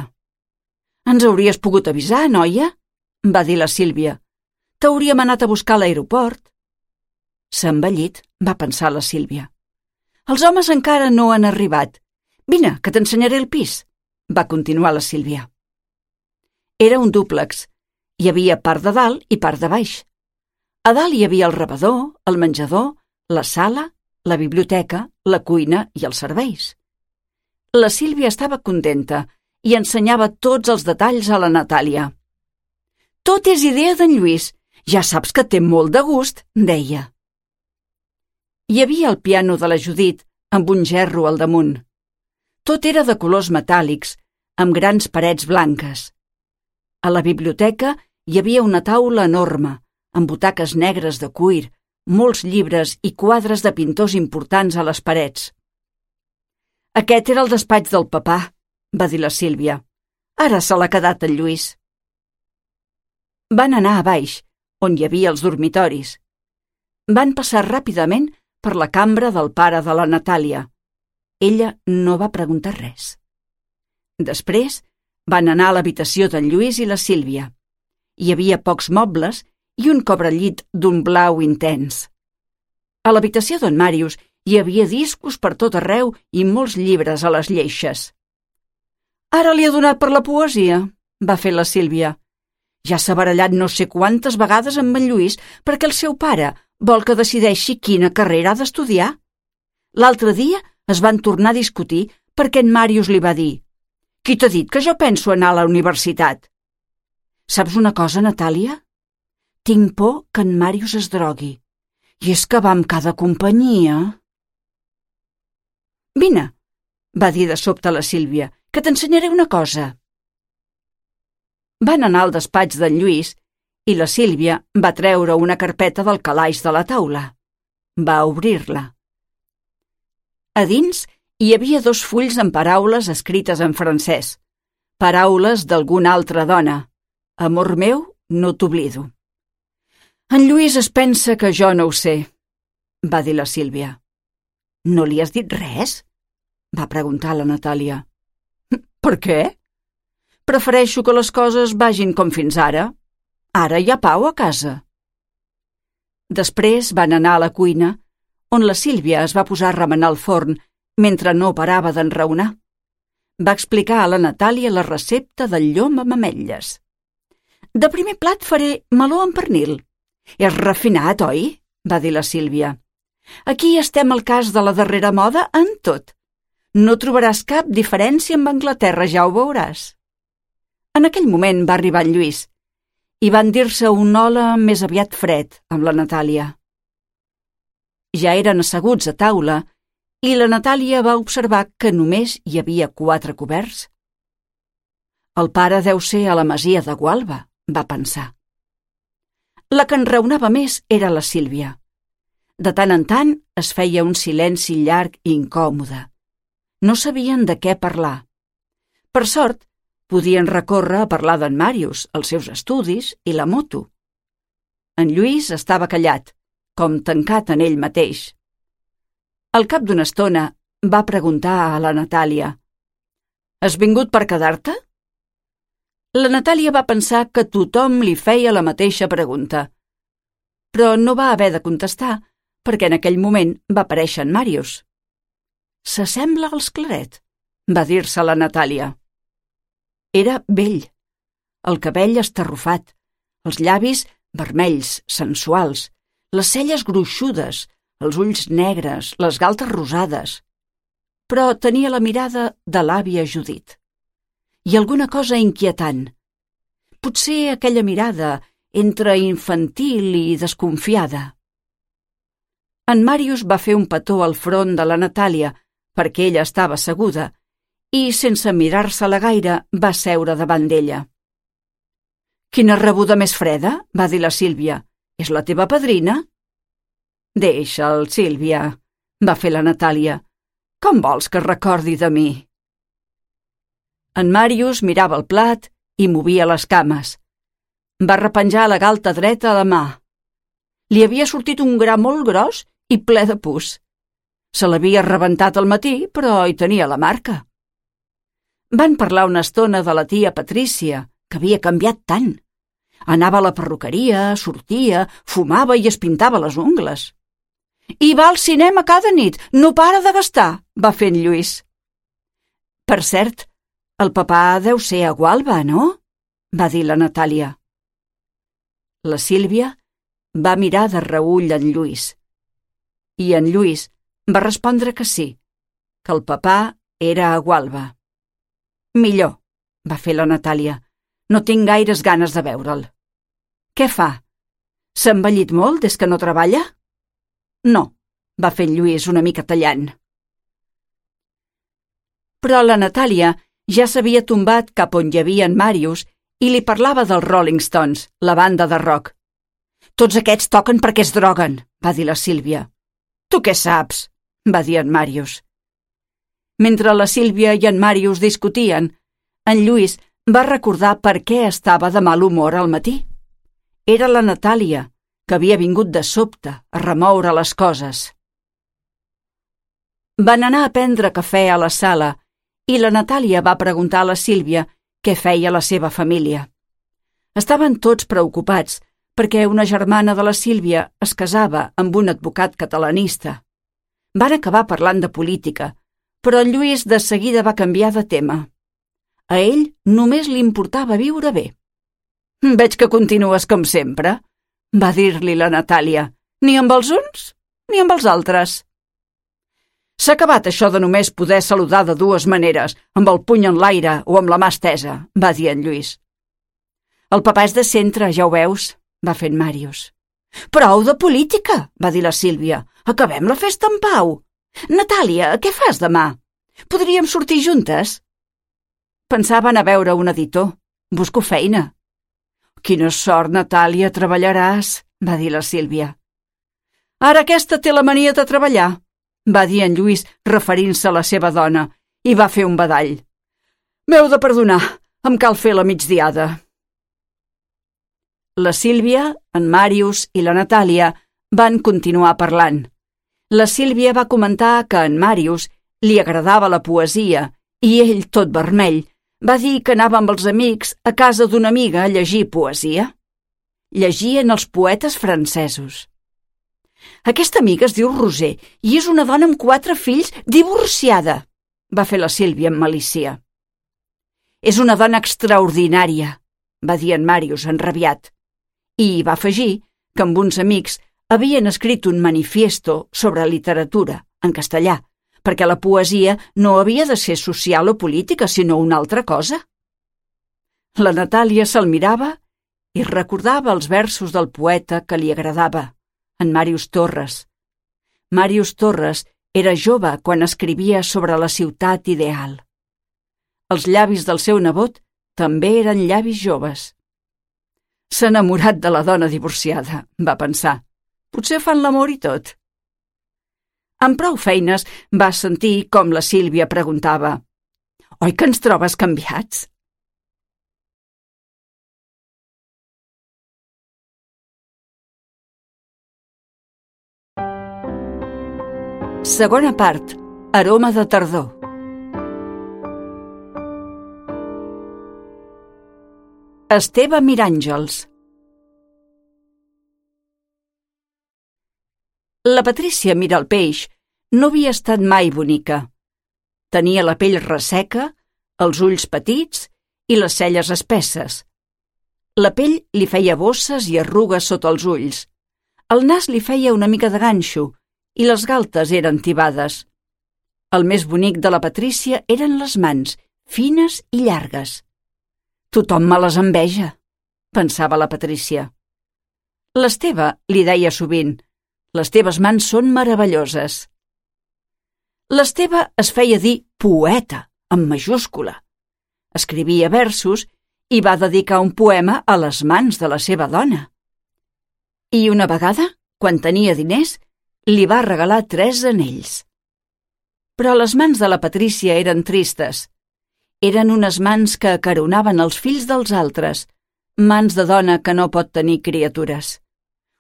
«Ens hauries pogut avisar, noia?» va dir la Sílvia. «T'hauríem anat a buscar a l'aeroport». S'ha envellit, va pensar la Sílvia. Els homes encara no han arribat. Vine, que t'ensenyaré el pis, va continuar la Sílvia. Era un dúplex. Hi havia part de dalt i part de baix. A dalt hi havia el rebedor, el menjador, la sala, la biblioteca, la cuina i els serveis. La Sílvia estava contenta i ensenyava tots els detalls a la Natàlia. «Tot és idea d'en Lluís. Ja saps que té molt de gust», deia. Hi havia el piano de la Judit amb un gerro al damunt. Tot era de colors metàl·lics, amb grans parets blanques. A la biblioteca hi havia una taula enorme, amb butaques negres de cuir, molts llibres i quadres de pintors importants a les parets. «Aquest era el despatx del papà», va dir la Sílvia. «Ara se l'ha quedat el Lluís». Van anar a baix, on hi havia els dormitoris. Van passar ràpidament per la cambra del pare de la Natàlia. Ella no va preguntar res. Després van anar a l'habitació d'en Lluís i la Sílvia. Hi havia pocs mobles i un cobrellit d'un blau intens. A l'habitació d'en Màrius hi havia discos per tot arreu i molts llibres a les lleixes. «Ara li ha donat per la poesia», va fer la Sílvia. «Ja s'ha barallat no sé quantes vegades amb en Lluís perquè el seu pare vol que decideixi quina carrera ha d'estudiar. L'altre dia es van tornar a discutir perquè en Màrius li va dir: «Qui t'ha dit que jo penso anar a la universitat?» «Saps una cosa, Natàlia? Tinc por que en Màrius es drogui. I és que va amb cada companyia». «Vine», va dir de sobte la Sílvia, «que t'ensenyaré una cosa». Van anar al despatx d'en Lluís i la Sílvia va treure una carpeta del calaix de la taula. Va obrir-la. A dins hi havia dos fulls amb paraules escrites en francès. Paraules d'alguna altra dona. «Amor meu, no t'oblido». «En Lluís es pensa que jo no ho sé», va dir la Sílvia. «No li has dit res?», va preguntar la Natàlia. «Per què? Prefereixo que les coses vagin com fins ara. Ara hi ha pau a casa». Després van anar a la cuina, on la Sílvia es va posar a remenar el forn mentre no parava d'enraonar. Va explicar a la Natàlia la recepta del llom amb ametlles. «De primer plat faré meló amb pernil». «És refinat, oi?», va dir la Sílvia. «Aquí estem al cas de la darrera moda en tot. No trobaràs cap diferència amb Anglaterra, ja ho veuràs». En aquell moment va arribar en Lluís i van dir-se un hola més aviat fred amb la Natàlia. Ja eren asseguts a taula i la Natàlia va observar que només hi havia quatre coberts. «El pare deu ser a la masia de Gualba», va pensar. La que enraonava més era la Sílvia. De tant en tant es feia un silenci llarg i incòmode. No sabien de què parlar. Per sort, podien recórrer a parlar d'en Màrius, els seus estudis i la moto. En Lluís estava callat, com tancat en ell mateix. Al cap d'una estona va preguntar a la Natàlia: «Has vingut per quedar-te?» La Natàlia va pensar que tothom li feia la mateixa pregunta, però no va haver de contestar perquè en aquell moment va aparèixer en Màrius. «S'assembla als Claret», va dir-se la Natàlia. Era vell, el cabell estarrufat, els llavis vermells, sensuals, les celles gruixudes, els ulls negres, les galtes rosades. Però tenia la mirada de l'àvia Judit. I alguna cosa inquietant. Potser aquella mirada entre infantil i desconfiada. En Màrius va fer un petó al front de la Natàlia perquè ella estava asseguda i, sense mirar-se-la gaire, va seure davant d'ella. «Quina rebuda més freda», va dir la Sílvia. «És la teva padrina?» «Deixa'l, Sílvia», va fer la Natàlia. «Com vols que es recordi de mi?» En Màrius mirava el plat i movia les cames. Va repenjar la galta dreta a la mà. Li havia sortit un gra molt gros i ple de pus. Se l'havia rebentat al matí, però hi tenia la marca. Van parlar una estona de la tia Patrícia, que havia canviat tant. Anava a la perruqueria, sortia, fumava i es pintava les ungles. I va al cinema cada nit, no para de gastar, va fer en Lluís. Per cert, el papà deu ser a Gualba, no? Va dir la Natàlia. La Sílvia va mirar de reüll en Lluís. I en Lluís va respondre que sí, que el papà era a Gualba. Millor, va fer la Natàlia. No tinc gaires ganes de veure'l. Què fa? S'ha envellit molt des que no treballa? No, va fer en Lluís una mica tallant. Però la Natàlia ja s'havia tombat cap on hi havia en Màrius i li parlava dels Rolling Stones, la banda de rock. Tots aquests toquen perquè es droguen, va dir la Sílvia. Tu què saps? Va dir en Màrius. Mentre la Sílvia i en Màrius discutien, en Lluís va recordar per què estava de mal humor al matí. Era la Natàlia, que havia vingut de sobte a remoure les coses. Van anar a prendre cafè a la sala i la Natàlia va preguntar a la Sílvia què feia la seva família. Estaven tots preocupats perquè una germana de la Sílvia es casava amb un advocat catalanista. Van acabar parlant de política, però en Lluís de seguida va canviar de tema. A ell només li importava viure bé. «Veig que continues com sempre», va dir-li la Natàlia. «Ni amb els uns, ni amb els altres». «S'ha acabat això de només poder saludar de dues maneres, amb el puny en l'aire o amb la mà estesa», va dir en Lluís. «El papà és de centre, ja ho veus», va fer en Màrius. «Prou de política», va dir la Sílvia. «Acabem la festa en pau. Natàlia, què fas demà? Podríem sortir juntes?» Pensava anar a veure un editor. Busco feina. «Quina sort, Natàlia, treballaràs», va dir la Sílvia. «Ara aquesta té la mania de treballar», va dir en Lluís referint-se a la seva dona, i va fer un badall. «M'heu de perdonar, em cal fer la migdiada». La Sílvia, en Màrius i la Natàlia van continuar parlant. La Sílvia va comentar que a en Màrius li agradava la poesia i ell, tot vermell, va dir que anava amb els amics a casa d'una amiga a llegir poesia. Llegien els poetes francesos. «Aquesta amiga es diu Roser i és una dona amb quatre fills divorciada», va fer la Sílvia amb malícia. «És una dona extraordinària», va dir en Màrius enrabiat. I va afegir que amb uns amics havien escrit un manifiesto sobre literatura, en castellà, perquè la poesia no havia de ser social o política, sinó una altra cosa. La Natàlia se'l mirava i recordava els versos del poeta que li agradava, en Màrius Torres. Màrius Torres era jove quan escrivia sobre la ciutat ideal. Els llavis del seu nebot també eren llavis joves. «S'ha enamorat de la dona divorciada», va pensar. «Potser fan l'amor i tot». Amb prou feines va sentir com la Sílvia preguntava: «Oi que ens trobes canviats?» Segona part. Aroma de tardor. Esteve Miràngels. La Patrícia Miralpeix no havia estat mai bonica. Tenia la pell resseca, els ulls petits i les celles espesses. La pell li feia bosses i arrugues sota els ulls. El nas li feia una mica de ganxo i les galtes eren tibades. El més bonic de la Patrícia eren les mans, fines i llargues. «Tothom me les enveja», pensava la Patrícia. L'Esteve li deia sovint: «Les teves mans són meravelloses». L'Esteve es feia dir poeta, amb majúscula. Escrivia versos i va dedicar un poema a les mans de la seva dona. I una vegada, quan tenia diners, li va regalar tres anells. Però les mans de la Patrícia eren tristes. Eren unes mans que acaronaven els fills dels altres, mans de dona que no pot tenir criatures.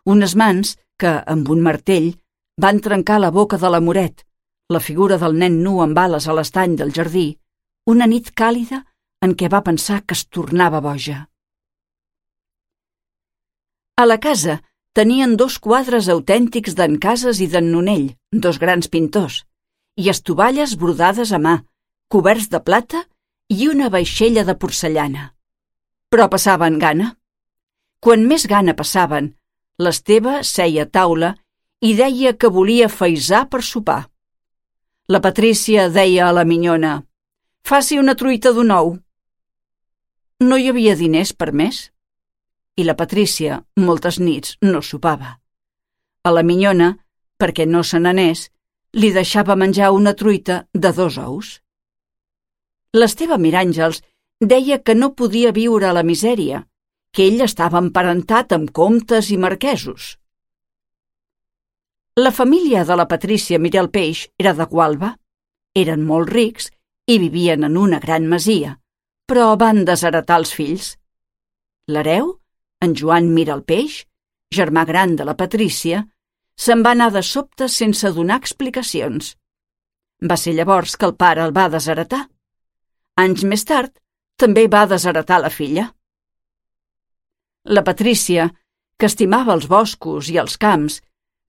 Unes mans que, amb un martell, van trencar la boca de l'amoret, la figura del nen nu amb ales a l'estany del jardí, una nit càlida en què va pensar que es tornava boja. A la casa tenien dos quadres autèntics d'en Casas i d'en Nonell, dos grans pintors, i estovalles brodades a mà, coberts de plata i una vaixella de porcellana. Però passaven gana. Quan més gana passaven, l'Esteve seia a taula i deia que volia faisar per sopar. La Patrícia deia a la minyona: «Faci una truita d'un ou». No hi havia diners per més. I la Patrícia, moltes nits, no sopava. A la minyona, perquè no se n'anés, li deixava menjar una truita de dos ous. L'Esteve Miràngels deia que no podia viure a la misèria, que ell estava emparentat amb comtes i marquesos. La família de la Patrícia Miralpeix era de Gualba. Eren molt rics i vivien en una gran masia, però van desheretar els fills. L'hereu, en Joan Miralpeix, germà gran de la Patrícia, se'n va anar de sobte sense donar explicacions. Va ser llavors que el pare el va desheretar. Anys més tard, també va desheretar la filla. La Patrícia, que estimava els boscos i els camps,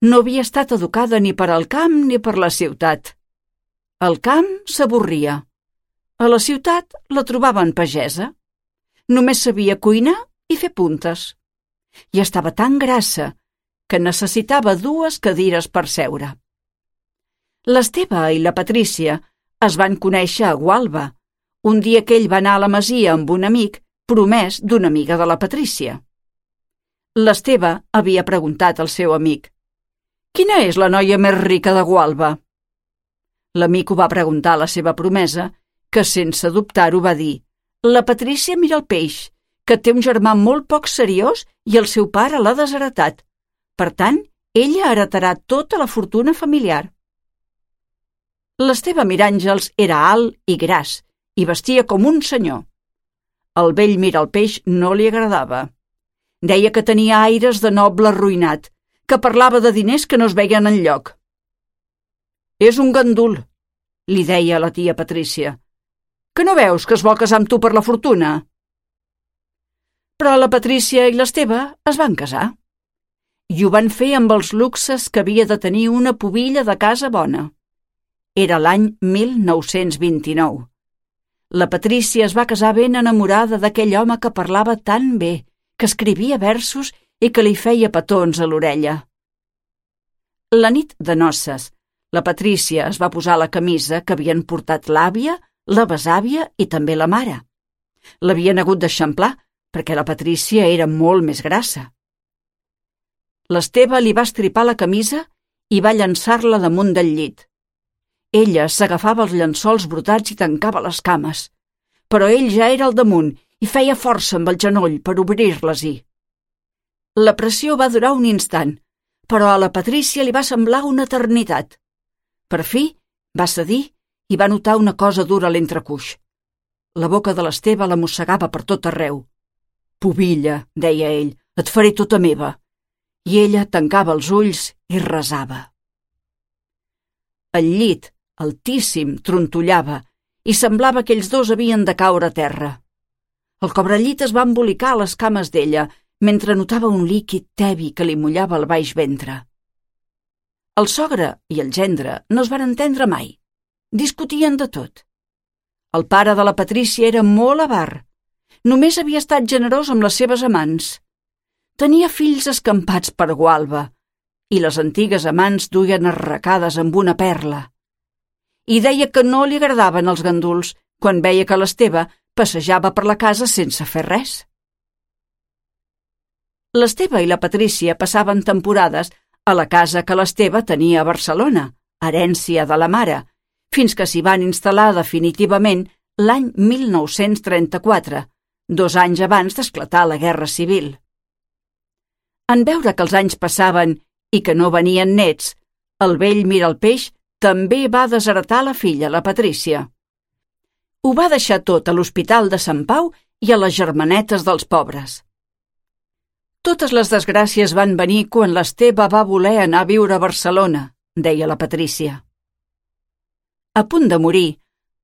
no havia estat educada ni per al camp ni per la ciutat. Al camp s'avorria. A la ciutat la trobaven pagesa. Només sabia cuinar i fer puntes. I estava tan grassa que necessitava dues cadires per seure. L'Esteve i la Patrícia es van conèixer a Gualba, un dia que ell va anar a la masia amb un amic promès d'una amiga de la Patrícia. L'Esteve havia preguntat al seu amic: «Quina és la noia més rica de Gualba?» L'amic ho va preguntar a la seva promesa, que sense dubtar-ho va dir: «La Patrícia Miralpeix, que té un germà molt poc seriós i el seu pare l'ha desheretat. Per tant, ella heretarà tota la fortuna familiar». L'Esteve Miràngels era alt i gras i vestia com un senyor. El vell Miralpeix no li agradava. Deia que tenia aires de noble arruïnat, que parlava de diners que no es veien enlloc. «És un gandul», li deia a la tia Patrícia. «Que no veus que es vol casar amb tu per la fortuna?» Però la Patrícia i l'Esteve es van casar. I ho van fer amb els luxes que havia de tenir una pubilla de casa bona. Era l'any mil nou-cents vint-i-nou. La Patrícia es va casar ben enamorada d'aquell home que parlava tan bé, que escrivia versos i que li feia petons a l'orella. La nit de noces, la Patrícia es va posar la camisa que havien portat l'àvia, la besàvia i també la mare. L'havien hagut d'eixamplar, perquè la Patrícia era molt més grassa. L'Esteve li va estripar la camisa i va llançar-la damunt del llit. Ella s'agafava els llençols brotats i tancava les cames, però ell ja era al damunt i feia força amb el genoll per obrir-les-hi. La pressió va durar un instant, però a la Patrícia li va semblar una eternitat. Per fi va cedir i va notar una cosa dura a l'entrecuix. La boca de l'Esteve la mossegava per tot arreu. «Pubilla», deia ell, «et faré tota meva». I ella tancava els ulls i resava. El llit, altíssim, trontollava i semblava que ells dos havien de caure a terra. El cobrellit es va embolicar a les cames d'ella mentre notava un líquid tebi que li mullava el baix ventre. El sogre i el gendre no es van entendre mai. Discutien de tot. El pare de la Patrícia era molt avar. Només havia estat generós amb les seves amants. Tenia fills escampats per Gualba i les antigues amants duien arracades amb una perla. I deia que no li agradaven els ganduls quan veia que l'Esteve passejava per la casa sense fer res. L'Esteve i la Patrícia passaven temporades a la casa que l'Esteve tenia a Barcelona, herència de la mare, fins que s'hi van instal·lar definitivament l'any mil nou-cents trenta-quatre, dos anys abans d'esclatar la Guerra Civil. En veure que els anys passaven i que no venien nets, el vell Miralpeix també va desheretar la filla, la Patrícia. Ho va deixar tot a l'Hospital de Sant Pau i a les germanetes dels pobres. Totes les desgràcies van venir quan l'Esteve va voler anar a viure a Barcelona, deia la Patrícia. A punt de morir,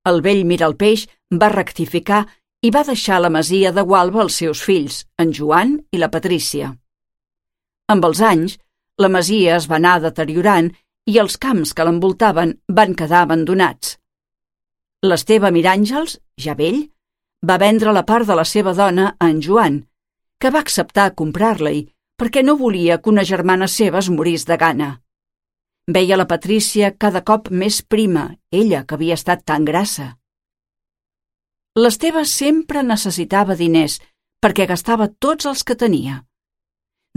el vell Miralpeix va rectificar i va deixar la masia de Gualba als seus fills, en Joan i la Patrícia. Amb els anys, la masia es va anar deteriorant i els camps que l'envoltaven van quedar abandonats. L'Esteve Miràngels, ja vell, va vendre la part de la seva dona a en Joan, que va acceptar comprar-la-hi perquè no volia que una germana seva es morís de gana. Veia la Patrícia cada cop més prima, ella que havia estat tan grassa. L'Esteve sempre necessitava diners perquè gastava tots els que tenia.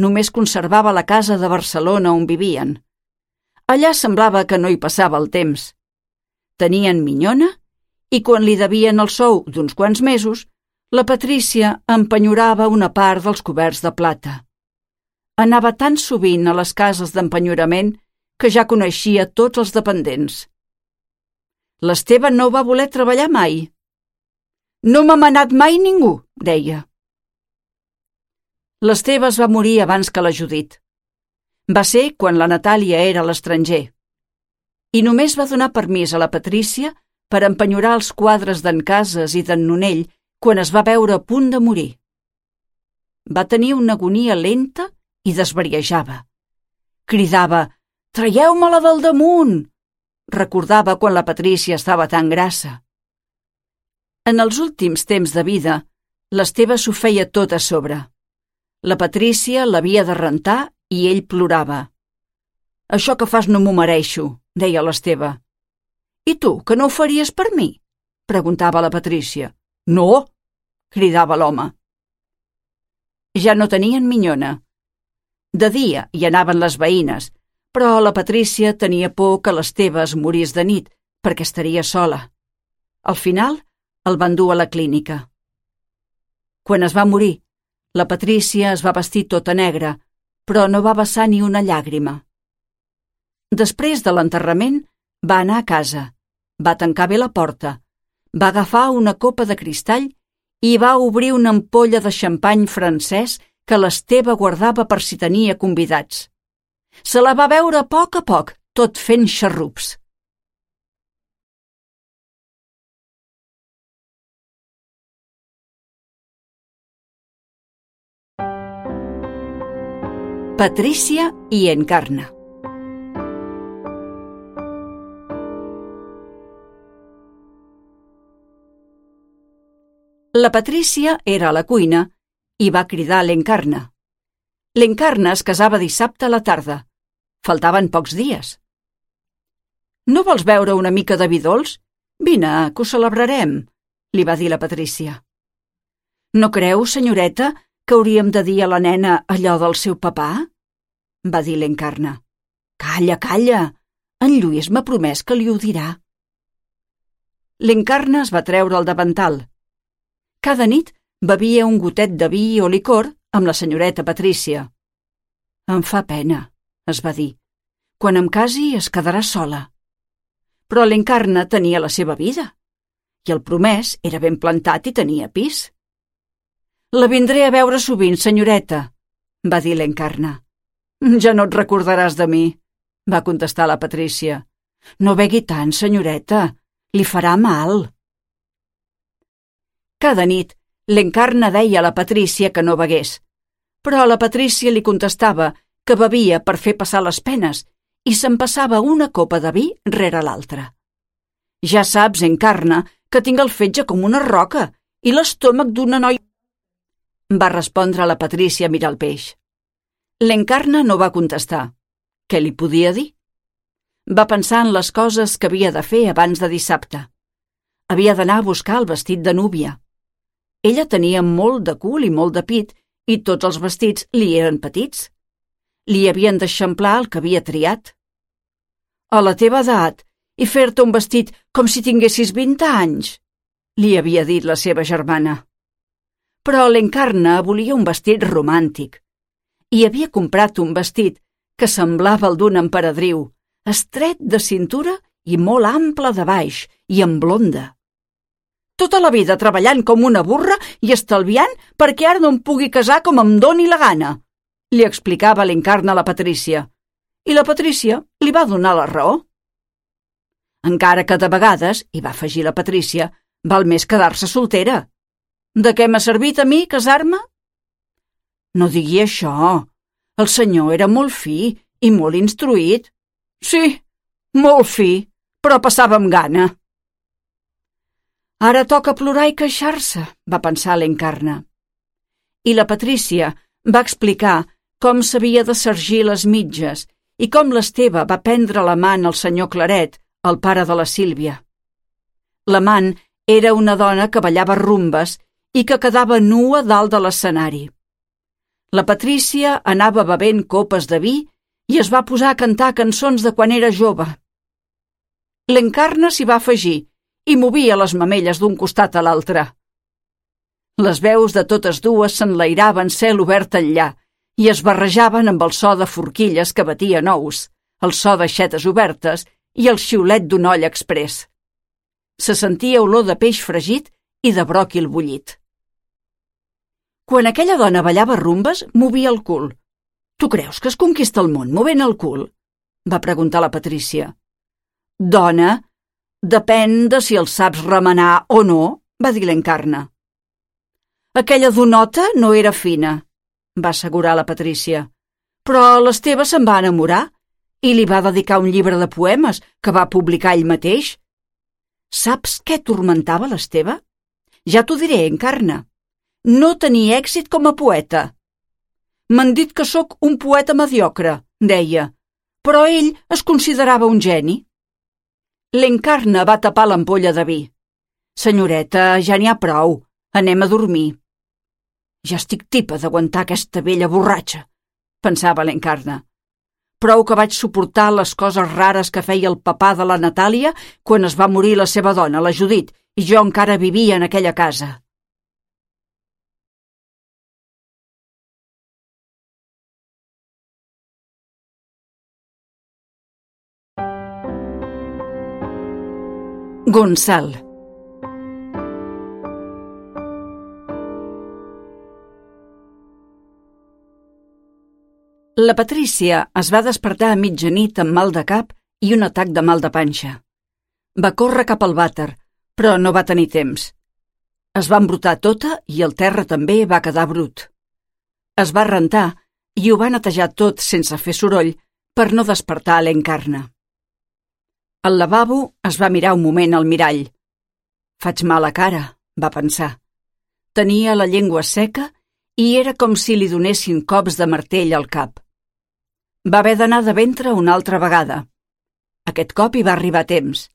Només conservava la casa de Barcelona on vivien. Allà semblava que no hi passava el temps. Tenien minyona i quan li devien el sou d'uns quants mesos, la Patrícia empenyorava una part dels coberts de plata. Anava tan sovint a les cases d'empenyorament que ja coneixia tots els dependents. L'Esteve no va voler treballar mai. «No m'ha manat mai ningú», deia. L'Esteve es va morir abans que la Judit. Va ser quan la Natàlia era a l'estranger. I només va donar permís a la Patrícia per empenyorar els quadres d'en Cases i d'en Nonell quan es va veure a punt de morir. Va tenir una agonia lenta i desvariejava. Cridava «Traieu-me-la del damunt!» Recordava quan la Patrícia estava tan grassa. En els últims temps de vida, l'Esteve s'ho feia tot a sobre. La Patrícia l'havia de rentar i ell plorava. «Això que fas no m'ho mereixo», deia l'Esteve. «I tu, que no ho faries per mi?» preguntava la Patrícia. «No!» cridava l'home. Ja no tenien minyona. De dia hi anaven les veïnes, però la Patrícia tenia por que l'Esteve es morís de nit perquè estaria sola. Al final, el van dur a la clínica. Quan es va morir, la Patrícia es va vestir tota negra, però no va vessar ni una llàgrima. Després de l'enterrament, va anar a casa, va tancar bé la porta, va agafar una copa de cristall i va obrir una ampolla de xampany francès que l'Esteve guardava per si tenia convidats. Se la va beure a poc a poc, tot fent xarrups. Patrícia i Encarna. La Patrícia era a la cuina i va cridar l'Encarna. L'Encarna es casava dissabte a la tarda. Faltaven pocs dies. «No vols beure una mica de vi dolç? Vine, que ho celebrarem», li va dir la Patrícia. «No creu, senyoreta, que hauríem de dir a la nena allò del seu papà?» va dir l'Encarna. «Calla, calla! En Lluís m'ha promès que li ho dirà». L'Encarna es va treure el davantal. Cada nit bevia un gotet de vi o licor amb la senyoreta Patrícia. «Em fa pena», es va dir. «Quan em casi es quedarà sola». Però l'Encarna tenia la seva vida i el promès era ben plantat i tenia pis. «La vindré a veure sovint, senyoreta», va dir l'Encarna. «Ja no et recordaràs de mi», va contestar la Patrícia. «No begui tant, senyoreta, li farà mal». Cada nit, l'Encarna deia a la Patrícia que no begués, però la Patrícia li contestava que bevia per fer passar les penes i se'n passava una copa de vi rere l'altra. «Ja saps, Encarna, que tinc el fetge com una roca i l'estómac d'una noia», va respondre la Patrícia Miralpeix. L'Encarna no va contestar. Què li podia dir? Va pensar en les coses que havia de fer abans de dissabte. Havia d'anar a buscar el vestit de núvia. Ella tenia molt de cul i molt de pit i tots els vestits li eren petits. Li havien d'eixamplar el que havia triat. «A la teva edat, i fer-te un vestit com si tinguessis vint anys», li havia dit la seva germana. Però l'Encarna volia un vestit romàntic i havia comprat un vestit que semblava el d'un emperadriu, estret de cintura i molt ample de baix i amb blonda. «Tota la vida treballant com una burra i estalviant perquè ara no em pugui casar com em doni la gana», li explicava l'Encarna a la Patrícia. I la Patrícia li va donar la raó. Encara que de vegades, hi va afegir la Patrícia, val més quedar-se soltera. «De què m'ha servit a mi casar-me?» «No digui això. El senyor era molt fi i molt instruït. Sí, molt fi, però passava amb gana. Ara toca plorar i queixar-se, va pensar l'Encarna. I la Patrícia va explicar com s'havia de sergir les mitges i com l'Esteve va prendre l'amant al senyor Claret, el pare de la Sílvia. L'amant era una dona que ballava rumbes i que quedava nua dalt de l'escenari. La Patrícia anava bevent copes de vi i es va posar a cantar cançons de quan era jove. L'Encarna s'hi va afegir i movia les mamelles d'un costat a l'altre. Les veus de totes dues s'enlairaven cel obert enllà i es barrejaven amb el so de forquilles que batien ous, el so d'aixetes obertes i el xiulet d'un olla exprés. Se sentia olor de peix fregit i de bròquil bullit. Quan aquella dona ballava rumbes, movia el cul. «Tu creus que es conquista el món movent el cul?» va preguntar la Patrícia. «Dona, depèn de si el saps remenar o no», va dir l'Encarna. «Aquella donota no era fina», va assegurar la Patrícia, «però l'Esteve se'n va enamorar i li va dedicar un llibre de poemes que va publicar ell mateix. Saps què turmentava l'Esteve? Ja t'ho diré, Encarna. No tenia èxit com a poeta. M'han dit que sóc un poeta mediocre», deia, «però ell es considerava un geni». L'Encarna va tapar l'ampolla de vi. «Senyoreta, ja n'hi ha prou. Anem a dormir». «Ja estic tipa d'aguantar aquesta vella borratxa», pensava l'Encarna. «Prou que vaig suportar les coses rares que feia el papà de la Natàlia quan es va morir la seva dona, la Judit, i jo encara vivia en aquella casa». Gonçal. La Patrícia es va despertar a mitjanit amb mal de cap i un atac de mal de panxa. Va córrer cap al vàter, però no va tenir temps. Es va embrutar tota i el terra també va quedar brut. Es va rentar i ho va netejar tot sense fer soroll per no despertar l'Encarna. Al lavabo es va mirar un moment al mirall. «Faig mala cara», va pensar. Tenia la llengua seca i era com si li donessin cops de martell al cap. Va haver d'anar de ventre una altra vegada. Aquest cop hi va arribar a temps.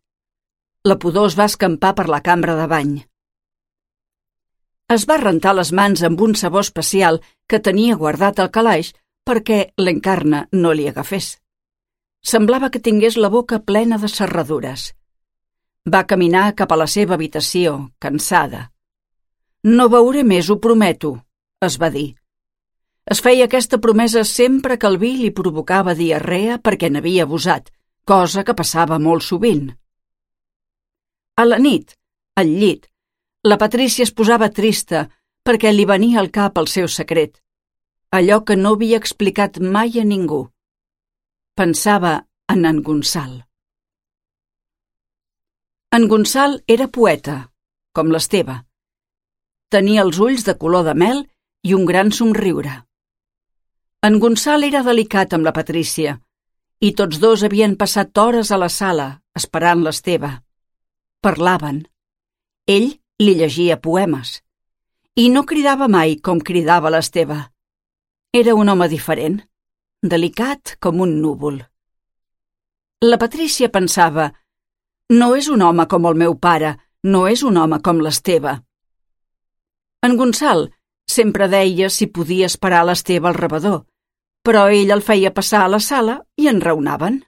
La pudor es va escampar per la cambra de bany. Es va rentar les mans amb un sabó especial que tenia guardat al calaix perquè l'Encarna no li agafés. Semblava que tingués la boca plena de serradures. Va caminar cap a la seva habitació, cansada. «No beuré més, ho prometo», es va dir. Es feia aquesta promesa sempre que el vi li provocava diarrea perquè n'havia abusat, cosa que passava molt sovint. A la nit, al llit, la Patrícia es posava trista perquè li venia al cap el seu secret, allò que no havia explicat mai a ningú. Pensava en en Gonçal. En Gonçal era poeta, com l'Esteve. Tenia els ulls de color de mel i un gran somriure. En Gonçal era delicat amb la Patrícia, i tots dos havien passat hores a la sala, esperant l'Esteve. Parlaven. Ell li llegia poemes, i no cridava mai com cridava l'Esteve. Era un home diferent, delicat com un núvol. La Patrícia pensava: no és un home com el meu pare, no és un home com l'Esteve. En Gonçal sempre deia si podia esperar l'Esteve al rebedor, però ell el feia passar a la sala i enraonaven.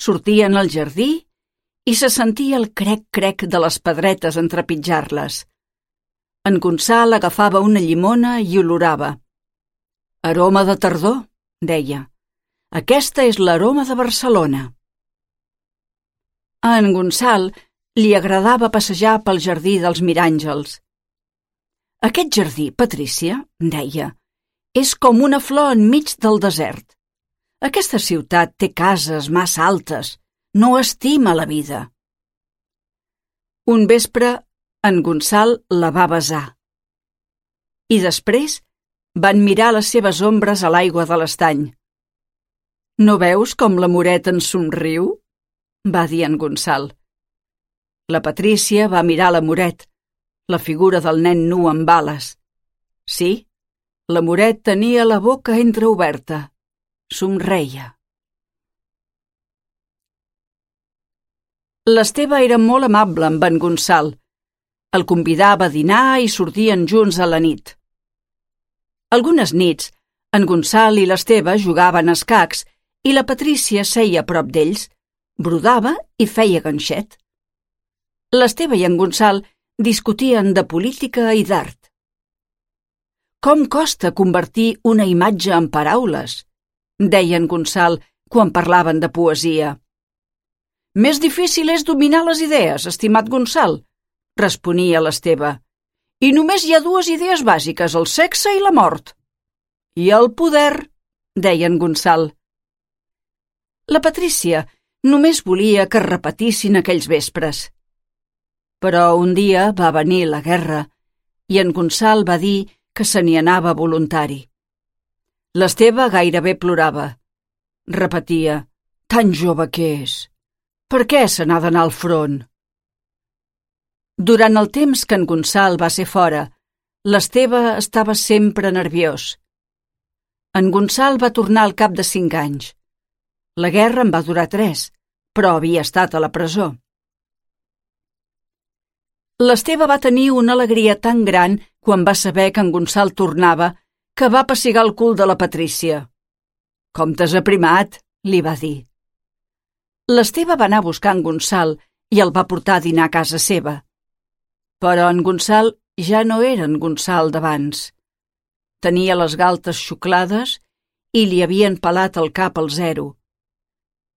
Sortien al jardí i se sentia el crec-crec de les pedretes en trepitjar-les. En Gonçal agafava una llimona i olorava. «Aroma de tardor», deia. «Aquesta és l'aroma de Barcelona». A en Gonçal li agradava passejar pel jardí dels Miràngels. «Aquest jardí, Patrícia», deia, «és com una flor enmig del desert. Aquesta ciutat té cases massa altes, no estima la vida». Un vespre, en Gonçal la va besar. I després Van mirar les seves ombres a l'aigua de l'estany. «No veus com l'amoret ens somriu?», va dir en Gonçal. La Patrícia va mirar l'amoret, la figura del nen nu amb ales. Sí, l'amoret tenia la boca entreoberta. Somreia. L'Esteve era molt amable amb en Gonçal. El convidava a dinar i sortien junts a la nit. Algunes nits, en Gonçal i l'Esteve jugaven a escacs i la Patrícia seia a prop d'ells, brodava i feia ganxet. L'Esteve i en Gonçal discutien de política i d'art. «Com costa convertir una imatge en paraules?», deia en Gonçal quan parlaven de poesia. «Més difícil és dominar les idees, estimat Gonçal», responia l'Esteve. «I només hi ha dues idees bàsiques, el sexe i la mort». «I el poder», deia en Gonçal. La Patrícia només volia que repetissin aquells vespres. Però un dia va venir la guerra i en Gonçal va dir que se n'hi anava voluntari. L'Esteve gairebé plorava. Repetia: «Tan jove que és. Per què se n'ha d'anar al front?» Durant el temps que en Gonçal va ser fora, l'Esteve estava sempre nerviós. En Gonçal va tornar al cap de cinc anys. La guerra en va durar tres, però havia estat a la presó. L'Esteve va tenir una alegria tan gran quan va saber que en Gonçal tornava que va pessigar el cul de la Patrícia. «Com t'has aprimat», li va dir. L'Esteve va anar a buscar en Gonçal i el va portar a dinar a casa seva. Però en Gonçal ja no era en Gonçal d'abans. Tenia les galtes xuclades i li havien pelat el cap al zero.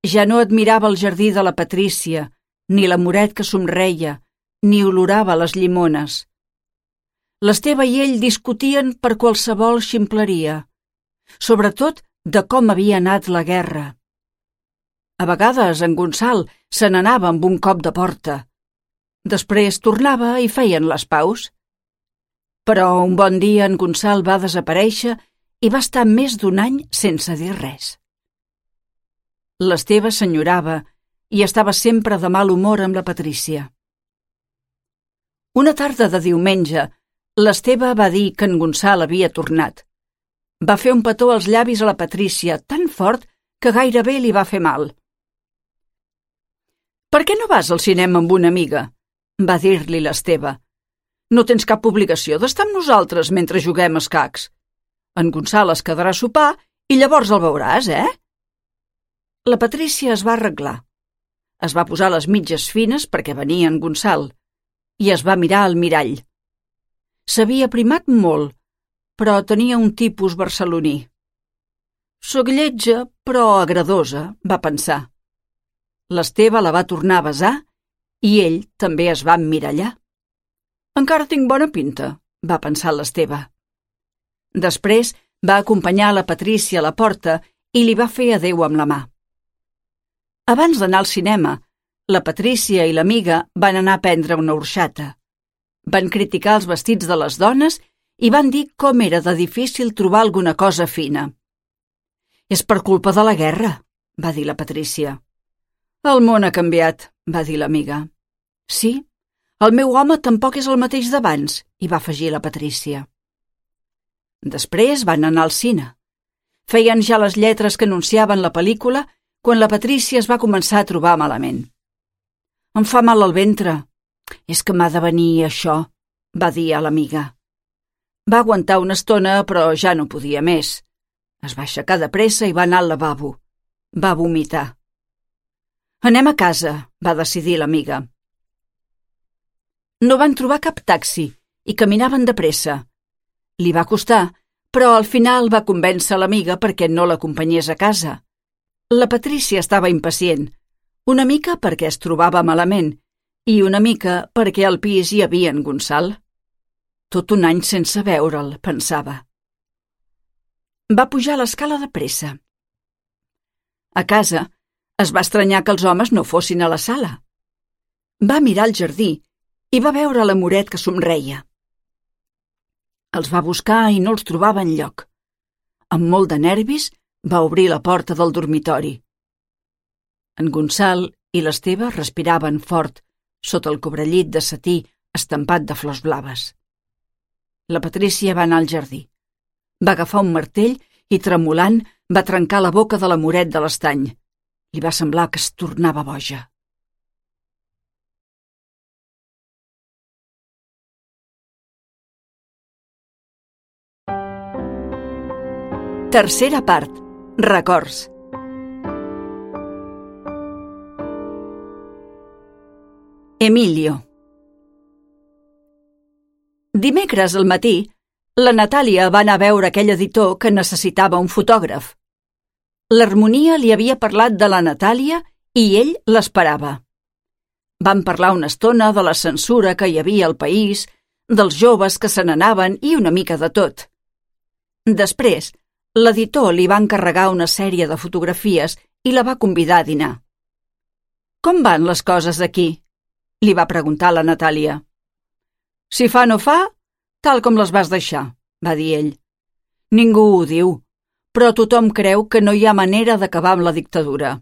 Ja no admirava el jardí de la Patrícia, ni l'amoret que somreia, ni olorava les llimones. L'Esteve i ell discutien per qualsevol ximpleria, sobretot de com havia anat la guerra. A vegades en Gonçal se n'anava amb un cop de porta. Després tornava i feien les paus. Però un bon dia en Gonçal va desaparèixer i va estar més d'un any sense dir res. L'Esteve s'enyorava i estava sempre de mal humor amb la Patrícia. Una tarda de diumenge, l'Esteve va dir que en Gonçal havia tornat. Va fer un petó als llavis a la Patrícia tan fort que gairebé li va fer mal. «Per què no vas al cinema amb una amiga?», va dir-li l'Esteve. «No tens cap obligació d'estar amb nosaltres mentre juguem a escacs. En Gonçal es quedarà a sopar i llavors el veuràs, eh?» La Patrícia es va arreglar. Es va posar les mitges fines perquè venia en Gonçal i es va mirar al mirall. S'havia aprimat molt, però tenia un tipus barceloní. «Soc lletja, però agradosa», va pensar. L'Esteve la va tornar a besar i ell també es va emmirallar. «Encara tinc bona pinta», va pensar l'Esteve. Després va acompanyar la Patrícia a la porta i li va fer adéu amb la mà. Abans d'anar al cinema, la Patrícia i l'amiga van anar a prendre una orxata. Van criticar els vestits de les dones i van dir com era de difícil trobar alguna cosa fina. «És per culpa de la guerra», va dir la Patrícia. «El món ha canviat», va dir l'amiga. «Sí, el meu home tampoc és el mateix d'abans», hi va afegir la Patrícia. Després van anar al cine. Feien ja les lletres que anunciaven la pel·lícula quan la Patrícia es va començar a trobar malament. «Em fa mal al ventre. És que m'ha de venir això», va dir a l'amiga. Va aguantar una estona, però ja no podia més. Es va aixecar de pressa i va anar al lavabo. Va vomitar. «Anem a casa», va decidir l'amiga. No van trobar cap taxi i caminaven de pressa. Li va costar, però al final va convèncer l'amiga perquè no l'acompanyés a casa. La Patrícia estava impacient, una mica perquè es trobava malament i una mica perquè al pis hi havia en Gonçal. Tot un any sense veure'l, pensava. Va pujar l'escala de pressa. A casa es va estranyar que els homes no fossin a la sala. Va mirar el jardí i va veure l'amoret que somreia. Els va buscar i no els trobava enlloc. Amb molt de nervis, va obrir la porta del dormitori. En Gonçal i l'Esteve respiraven fort sota el cobrellit de setí estampat de flors blaves. La Patrícia va anar al jardí. Va agafar un martell i, tremolant, va trencar la boca de l'amoret de l'estany. Li va semblar que es tornava boja. Tercera part. Records. Emilio. Dimecres al matí, la Natàlia va anar a veure aquell editor que necessitava un fotògraf. L'Harmonia li havia parlat de la Natàlia i ell l'esperava. Van parlar una estona de la censura que hi havia al país, dels joves que se n'anaven i una mica de tot. Després, l'editor li va encarregar una sèrie de fotografies i la va convidar a dinar. «Com van les coses aquí?», li va preguntar la Natàlia. «Si fa no fa, tal com les vas deixar», va dir ell. «Ningú ho diu, però tothom creu que no hi ha manera d'acabar amb la dictadura.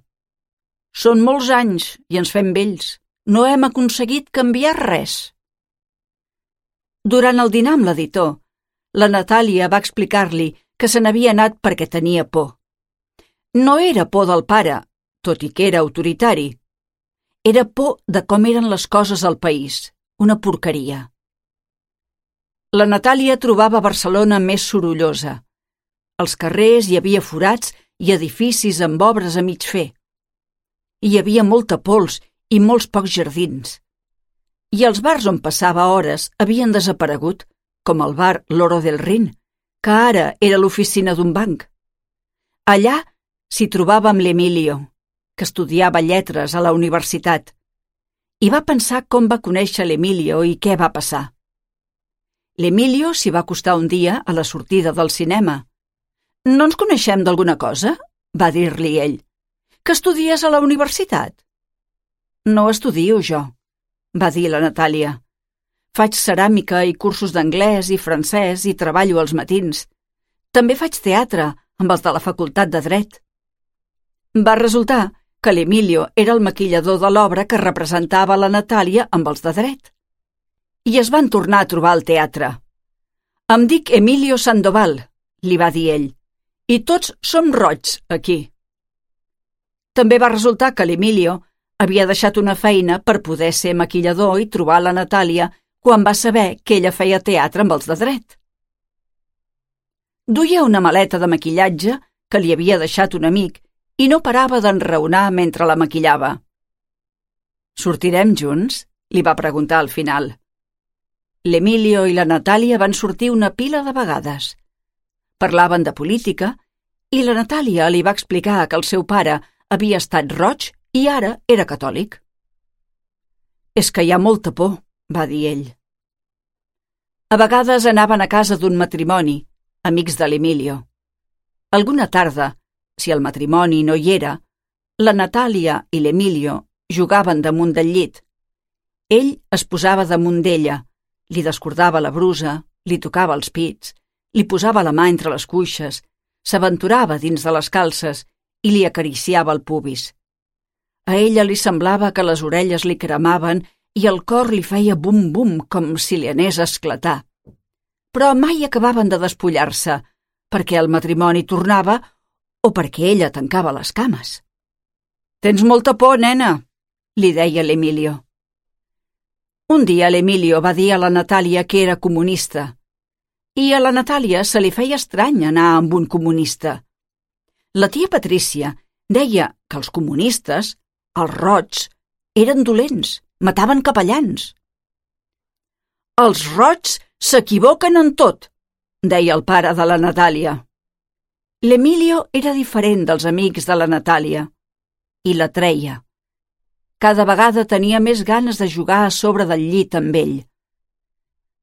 Són molts anys i ens fem vells. No hem aconseguit canviar res». Durant el dinar amb l'editor, la Natàlia va explicar-li que se n'havia anat perquè tenia por. No era por del pare, tot i que era autoritari. Era por de com eren les coses al país, una porqueria. La Natàlia trobava Barcelona més sorollosa. Als carrers hi havia forats i edificis amb obres a mig fer. Hi havia molta pols i molts pocs jardins. I els bars on passava hores havien desaparegut, com el bar L'Oro del Rin, que ara era l'oficina d'un banc. Allà s'hi trobava amb l'Emilio, que estudiava lletres a la universitat, i va pensar com va conèixer l'Emilio i què va passar. L'Emilio s'hi va acostar un dia a la sortida del cinema. «No ens coneixem d'alguna cosa?», va dir-li ell. «Que estudies a la universitat?» «No estudio jo», va dir la Natàlia. «Faig ceràmica i cursos d'anglès i francès i treballo als matins. També faig teatre amb els de la Facultat de Dret». Va resultar que l'Emilio era el maquillador de l'obra que representava la Natàlia amb els de Dret. I es van tornar a trobar al teatre. «Em dic Emilio Sandoval», li va dir ell, «i tots som roigs aquí». També va resultar que l'Emilio havia deixat una feina per poder ser maquillador i trobar la Natàlia quan va saber que ella feia teatre amb els de Dret. Duia una maleta de maquillatge que li havia deixat un amic i no parava d'enraonar mentre la maquillava. «Sortirem junts?», li va preguntar al final. L'Emilio i la Natàlia van sortir una pila de vegades. Parlaven de política i la Natàlia li va explicar que el seu pare havia estat roig i ara era catòlic. «És que hi ha molta por», va dir ell. A vegades anaven a casa d'un matrimoni, amics de l'Emilio. Alguna tarda, si el matrimoni no hi era, la Natàlia i l'Emilio jugaven damunt del llit. Ell es posava damunt d'ella, li descordava la brusa, li tocava els pits, li posava la mà entre les cuixes, s'aventurava dins de les calces i li acariciava el pubis. A ella li semblava que les orelles li cremaven i el cor li feia bum-bum com si li anés a esclatar. Però mai acabaven de despullar-se, perquè el matrimoni tornava o perquè ella tancava les cames. «Tens molta por, nena», li deia l'Emilio. Un dia l'Emilio va dir a la Natàlia que era comunista, i a la Natàlia se li feia estrany anar amb un comunista. La tia Patrícia deia que els comunistes, els roigs, eren dolents, mataven capellans. «Els roigs s'equivoquen en tot», deia el pare de la Natàlia. L'Emilio era diferent dels amics de la Natàlia i la treia. Cada vegada tenia més ganes de jugar a sobre del llit amb ell.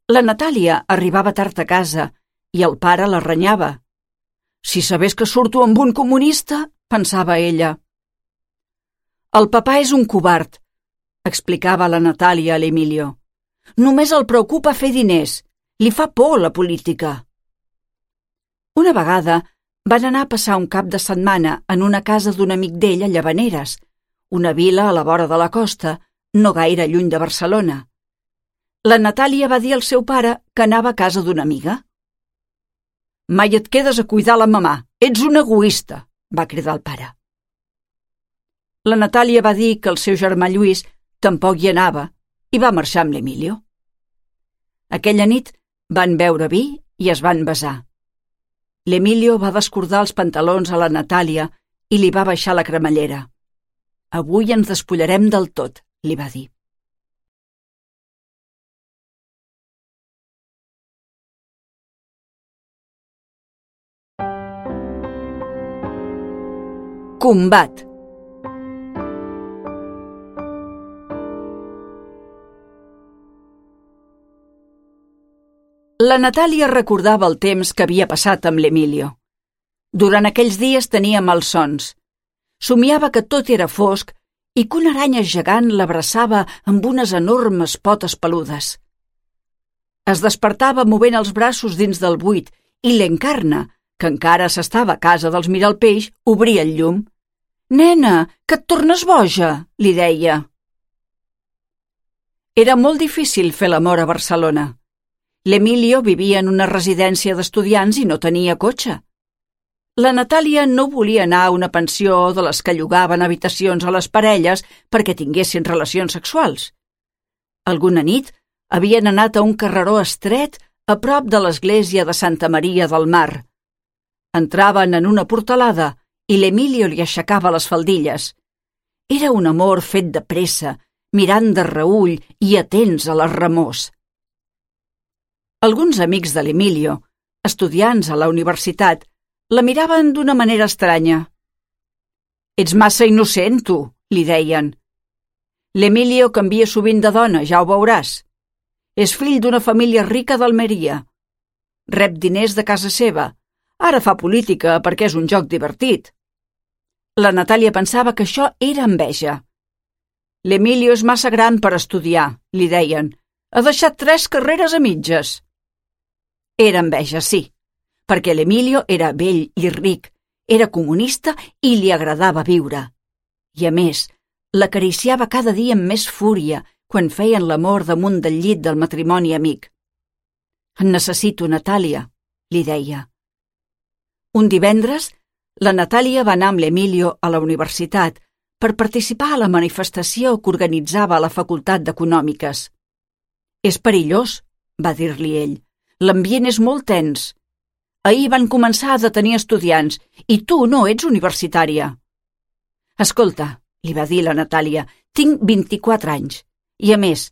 La Natàlia arribava tard a casa i el pare la renyava. «Si sabés que surto amb un comunista», pensava ella. «El papà és un covard», explicava la Natàlia a l'Emilio. «Només el preocupa fer diners. Li fa por la política. Una vegada van anar a passar un cap de setmana en una casa d'un amic d'ell a Llavaneres, una vila a la vora de la costa, no gaire lluny de Barcelona. La Natàlia va dir al seu pare que anava a casa d'una amiga. «Mai et quedes a cuidar la mamà, ets un egoista», va cridar el pare. La Natàlia va dir que el seu germà Lluís tampoc hi anava i va marxar amb l'Emilio. Aquella nit van beure vi i es van besar. L'Emilio va descordar els pantalons a la Natàlia i li va baixar la cremallera. «Avui ens despullarem del tot», li va dir. Combat. La Natàlia recordava el temps que havia passat amb l'Emilio. Durant aquells dies tenia malsons. Somiava que tot era fosc i que una aranya gegant l'abraçava amb unes enormes potes peludes. Es despertava movent els braços dins del buit i l'Encarna, que encara s'estava a casa dels Miralpeix, obria el llum. «Nena, que et tornes boja», li deia. Era molt difícil fer l'amor a Barcelona. L'Emilio vivia en una residència d'estudiants i no tenia cotxe. La Natàlia no volia anar a una pensió de les que llogaven habitacions a les parelles perquè tinguessin relacions sexuals. Alguna nit havien anat a un carreró estret a prop de l'església de Santa Maria del Mar. Entraven en una portalada i l'Emilio li aixecava les faldilles. Era un amor fet de pressa, mirant de reüll i atents a les remors. Alguns amics de l'Emilio, estudiants a la universitat, la miraven d'una manera estranya. «Ets massa innocent, tu», li deien. «L'Emilio canvia sovint de dona, ja ho veuràs. És fill d'una família rica d'Almeria. Rep diners de casa seva. Ara fa política perquè és un joc divertit». La Natàlia pensava que això era enveja. «L'Emilio és massa gran per estudiar», li deien. «Ha deixat tres carreres a mitges». Era enveja, sí, perquè l'Emilio era vell i ric, era comunista i li agradava viure. I a més, l'acariciava cada dia amb més fúria quan feien l'amor damunt del llit del matrimoni amic. «En necessito, Natàlia», li deia. Un divendres, la Natàlia va anar amb l'Emilio a la universitat per participar a la manifestació que organitzava a la Facultat d'Econòmiques. «És perillós», va dir-li ell. «L'ambient és molt tens. Ahir van començar a detenir estudiants i tu no ets universitària». «Escolta», li va dir la Natàlia, «tinc vint-i-quatre anys. I a més,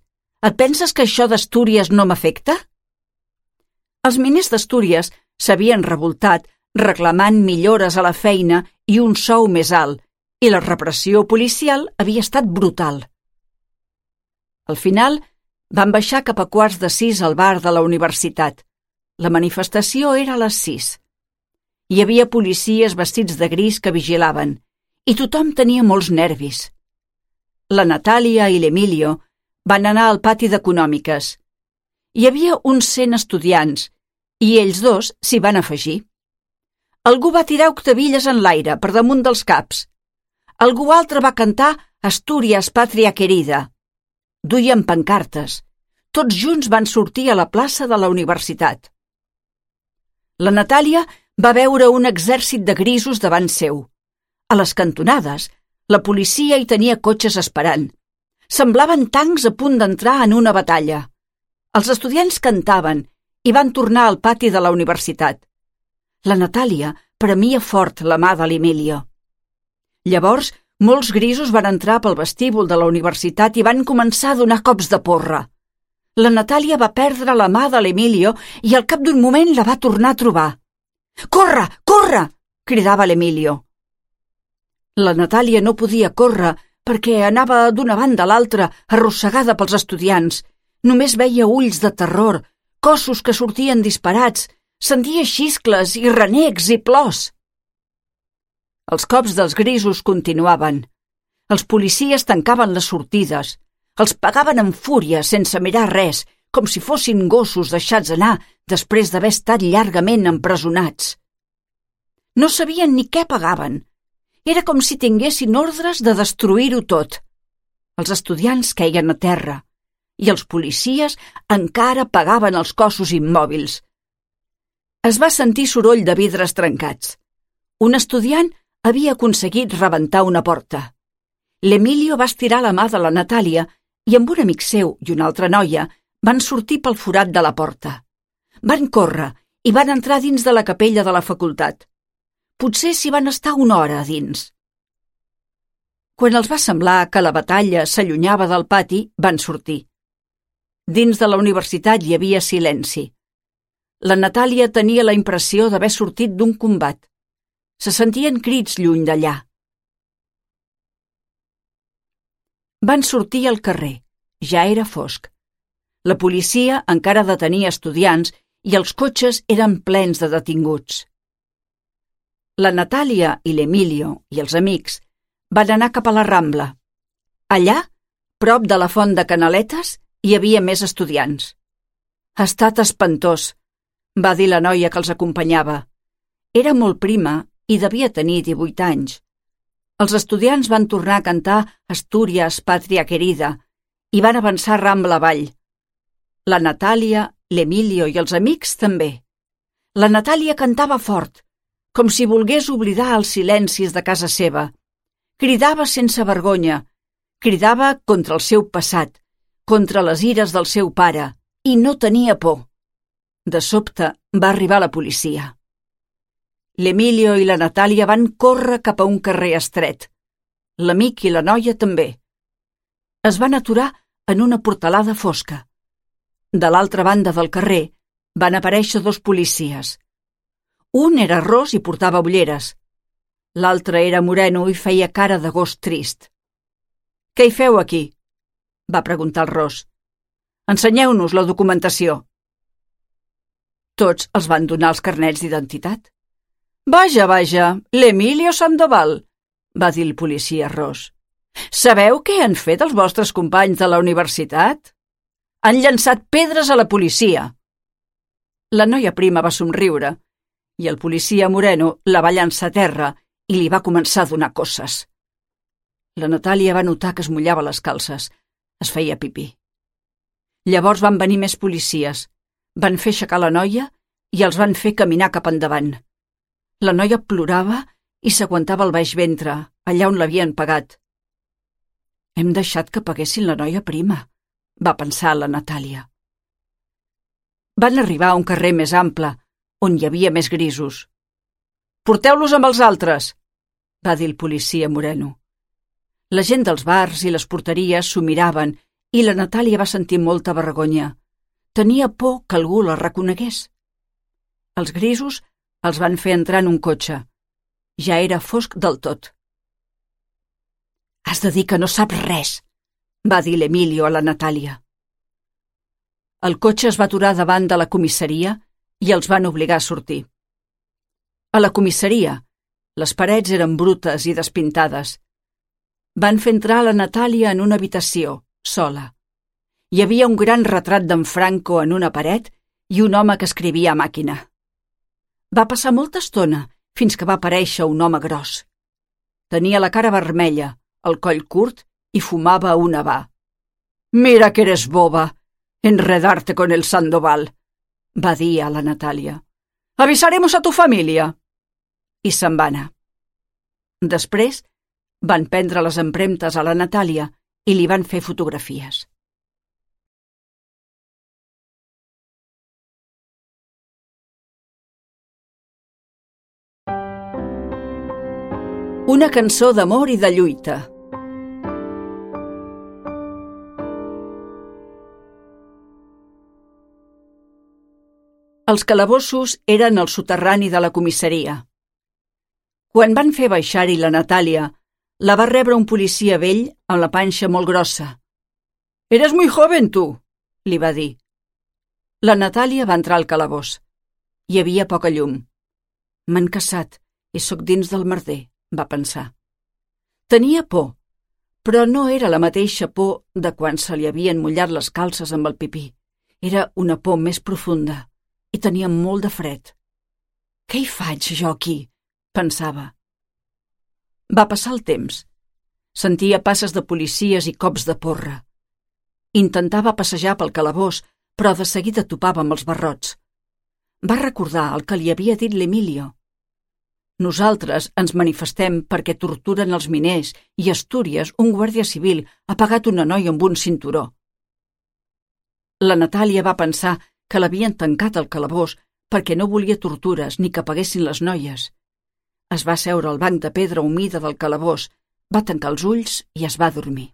et penses que això d'Astúries no m'afecta?» Els miners d'Astúries s'havien revoltat reclamant millores a la feina i un sou més alt, i la repressió policial havia estat brutal. Al final, van baixar cap a quarts de sis al bar de la universitat. La manifestació era a les sis. Hi havia policies vestits de gris que vigilaven, i tothom tenia molts nervis. La Natàlia i l'Emilio van anar al pati d'Econòmiques. Hi havia uns cent estudiants, i ells dos s'hi van afegir. Algú va tirar octavilles en l'aire per damunt dels caps. Algú altre va cantar Astúries, pàtria querida. Duien pancartes. Tots junts van sortir a la plaça de la universitat. La Natàlia va veure un exèrcit de grisos davant seu. A les cantonades, la policia hi tenia cotxes esperant. Semblaven tancs a punt d'entrar en una batalla. Els estudiants cantaven i van tornar al pati de la universitat. La Natàlia premia fort la mà de l'Emilio. Llavors, molts grisos van entrar pel vestíbul de la universitat i van començar a donar cops de porra. La Natàlia va perdre la mà de l'Emilio i al cap d'un moment la va tornar a trobar. «Corre, corre!» cridava l'Emilio. La Natàlia no podia córrer perquè anava d'una banda a l'altra arrossegada pels estudiants. Només veia ulls de terror, cossos que sortien disparats, sentia xiscles i renecs i plors. Els cops dels grisos continuaven. Els policies tancaven les sortides. Els pegaven amb fúria sense mirar res, com si fossin gossos deixats anar després d'haver estat llargament empresonats. No sabien ni què pagaven. Era com si tinguessin ordres de destruir-ho tot. Els estudiants queien a terra i els policies encara pagaven els cossos immòbils. Es va sentir soroll de vidres trencats. Un estudiant havia aconseguit rebentar una porta. L'Emilio va estirar la mà de la Natàlia i amb un amic seu i una altra noia van sortir pel forat de la porta. Van córrer i van entrar dins de la capella de la facultat. Potser s'hi van estar una hora a dins. Quan els va semblar que la batalla s'allunyava del pati, van sortir. Dins de la universitat hi havia silenci. La Natàlia tenia la impressió d'haver sortit d'un combat. Se sentien crits lluny d'allà. Van sortir al carrer. Ja era fosc. La policia encara detenia estudiants i els cotxes eren plens de detinguts. La Natàlia i l'Emilio i els amics van anar cap a la Rambla. Allà, prop de la font de Canaletes, hi havia més estudiants. «Ha estat espantós», va dir la noia que els acompanyava. Era molt prima i devia tenir divuit anys. Els estudiants van tornar a cantar Astúries, pàtria querida i van avançar Rambla avall. La Natàlia, l'Emilio i els amics també. La Natàlia cantava fort, com si volgués oblidar els silencis de casa seva. Cridava sense vergonya, cridava contra el seu passat, contra les ires del seu pare, i no tenia por. De sobte va arribar la policia. L'Emilio i la Natàlia van córrer cap a un carrer estret. L'amic i la noia també. Es van aturar en una portalada fosca. De l'altra banda del carrer van aparèixer dos policies. Un era ros i portava ulleres. L'altre era moreno i feia cara de gos trist. «Què hi feu aquí?», va preguntar el ros. «Ensenyeu-nos la documentació». Tots els van donar els carnets d'identitat. «Vaja, vaja, l'Emilio Sandoval», va dir el policia ros. «Sabeu què han fet els vostres companys de la universitat? Han llançat pedres a la policia». La noia prima va somriure i el policia moreno la va llançar a terra i li va començar a donar cosses. La Natàlia va notar que es mullava les calces. Es feia pipí. Llavors van venir més policies. Van fer aixecar la noia i els van fer caminar cap endavant. La noia plorava i s'aguantava el baix ventre, allà on l'havien pagat. «Hem deixat que paguessin la noia prima», va pensar la Natàlia. Van arribar a un carrer més ample, on hi havia més grisos. «Porteu-los amb els altres», va dir el policia moreno. La gent dels bars i les porteries s'ho miraven i la Natàlia va sentir molta vergonya. Tenia por que algú la reconegués. Els grisos els van fer entrar en un cotxe. Ja era fosc del tot. «Has de dir que no saps res», va dir l'Emilio a la Natàlia. El cotxe es va aturar davant de la comissaria i els van obligar a sortir. A la comissaria, les parets eren brutes i despintades. Van fer entrar la Natàlia en una habitació, sola. Hi havia un gran retrat d'en Franco en una paret i un home que escrivia a màquina. Va passar molta estona fins que va aparèixer un home gros. Tenia la cara vermella, el coll curt i fumava un habà. «Mira que eres boba, enredarte con el Sandoval», va dir a la Natàlia. «Avisaremos a tu família». I se'n va anar. Després van prendre les empremtes a la Natàlia i li van fer fotografies. Una cançó d'amor i de lluita. Els calabossos eren al soterrani de la comissaria. Quan van fer baixar-hi la Natàlia, la va rebre un policia vell amb la panxa molt grossa. «Eres muy joven, tu», li va dir. La Natàlia va entrar al calabós. Hi havia poca llum. «M'han caçat i sóc dins del merder», va pensar. Tenia por, però no era la mateixa por de quan se li havien mullat les calces amb el pipí era una por més profunda i tenia molt de fred. «Què hi faig, jo, aquí?», pensava. Va passar el temps. Sentia passes de policies i cops de porra. Intentava passejar pel calabós, però de seguida topava amb els barrots. Va recordar el que li havia dit l'Emilio. «Nosaltres ens manifestem perquè torturen els miners i a Astúries un guàrdia civil ha pagat una noia amb un cinturó». La Natàlia va pensar que l'havien tancat al calabós perquè no volia tortures ni que paguessin les noies. Es va seure al banc de pedra humida del calabós, va tancar els ulls i es va dormir.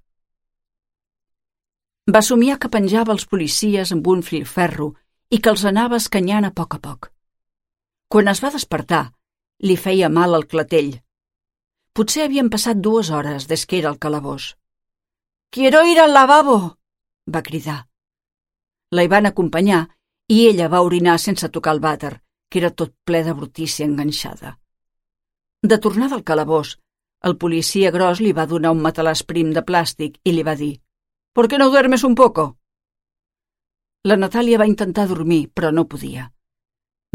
Va somiar que penjava els policies amb un filferro i que els anava escanyant a poc a poc. Quan es va despertar, li feia mal al clatell. Potser havien passat dues hores des que era al calabós. «Quiero ir al lavabo!», va cridar. La hi van acompanyar i ella va orinar sense tocar el vàter, que era tot ple de brutícia enganxada. De tornada al calabós, el policia gros li va donar un matalàs prim de plàstic i li va dir «¿Por qué no duermes un poco?». La Natàlia va intentar dormir, però no podia.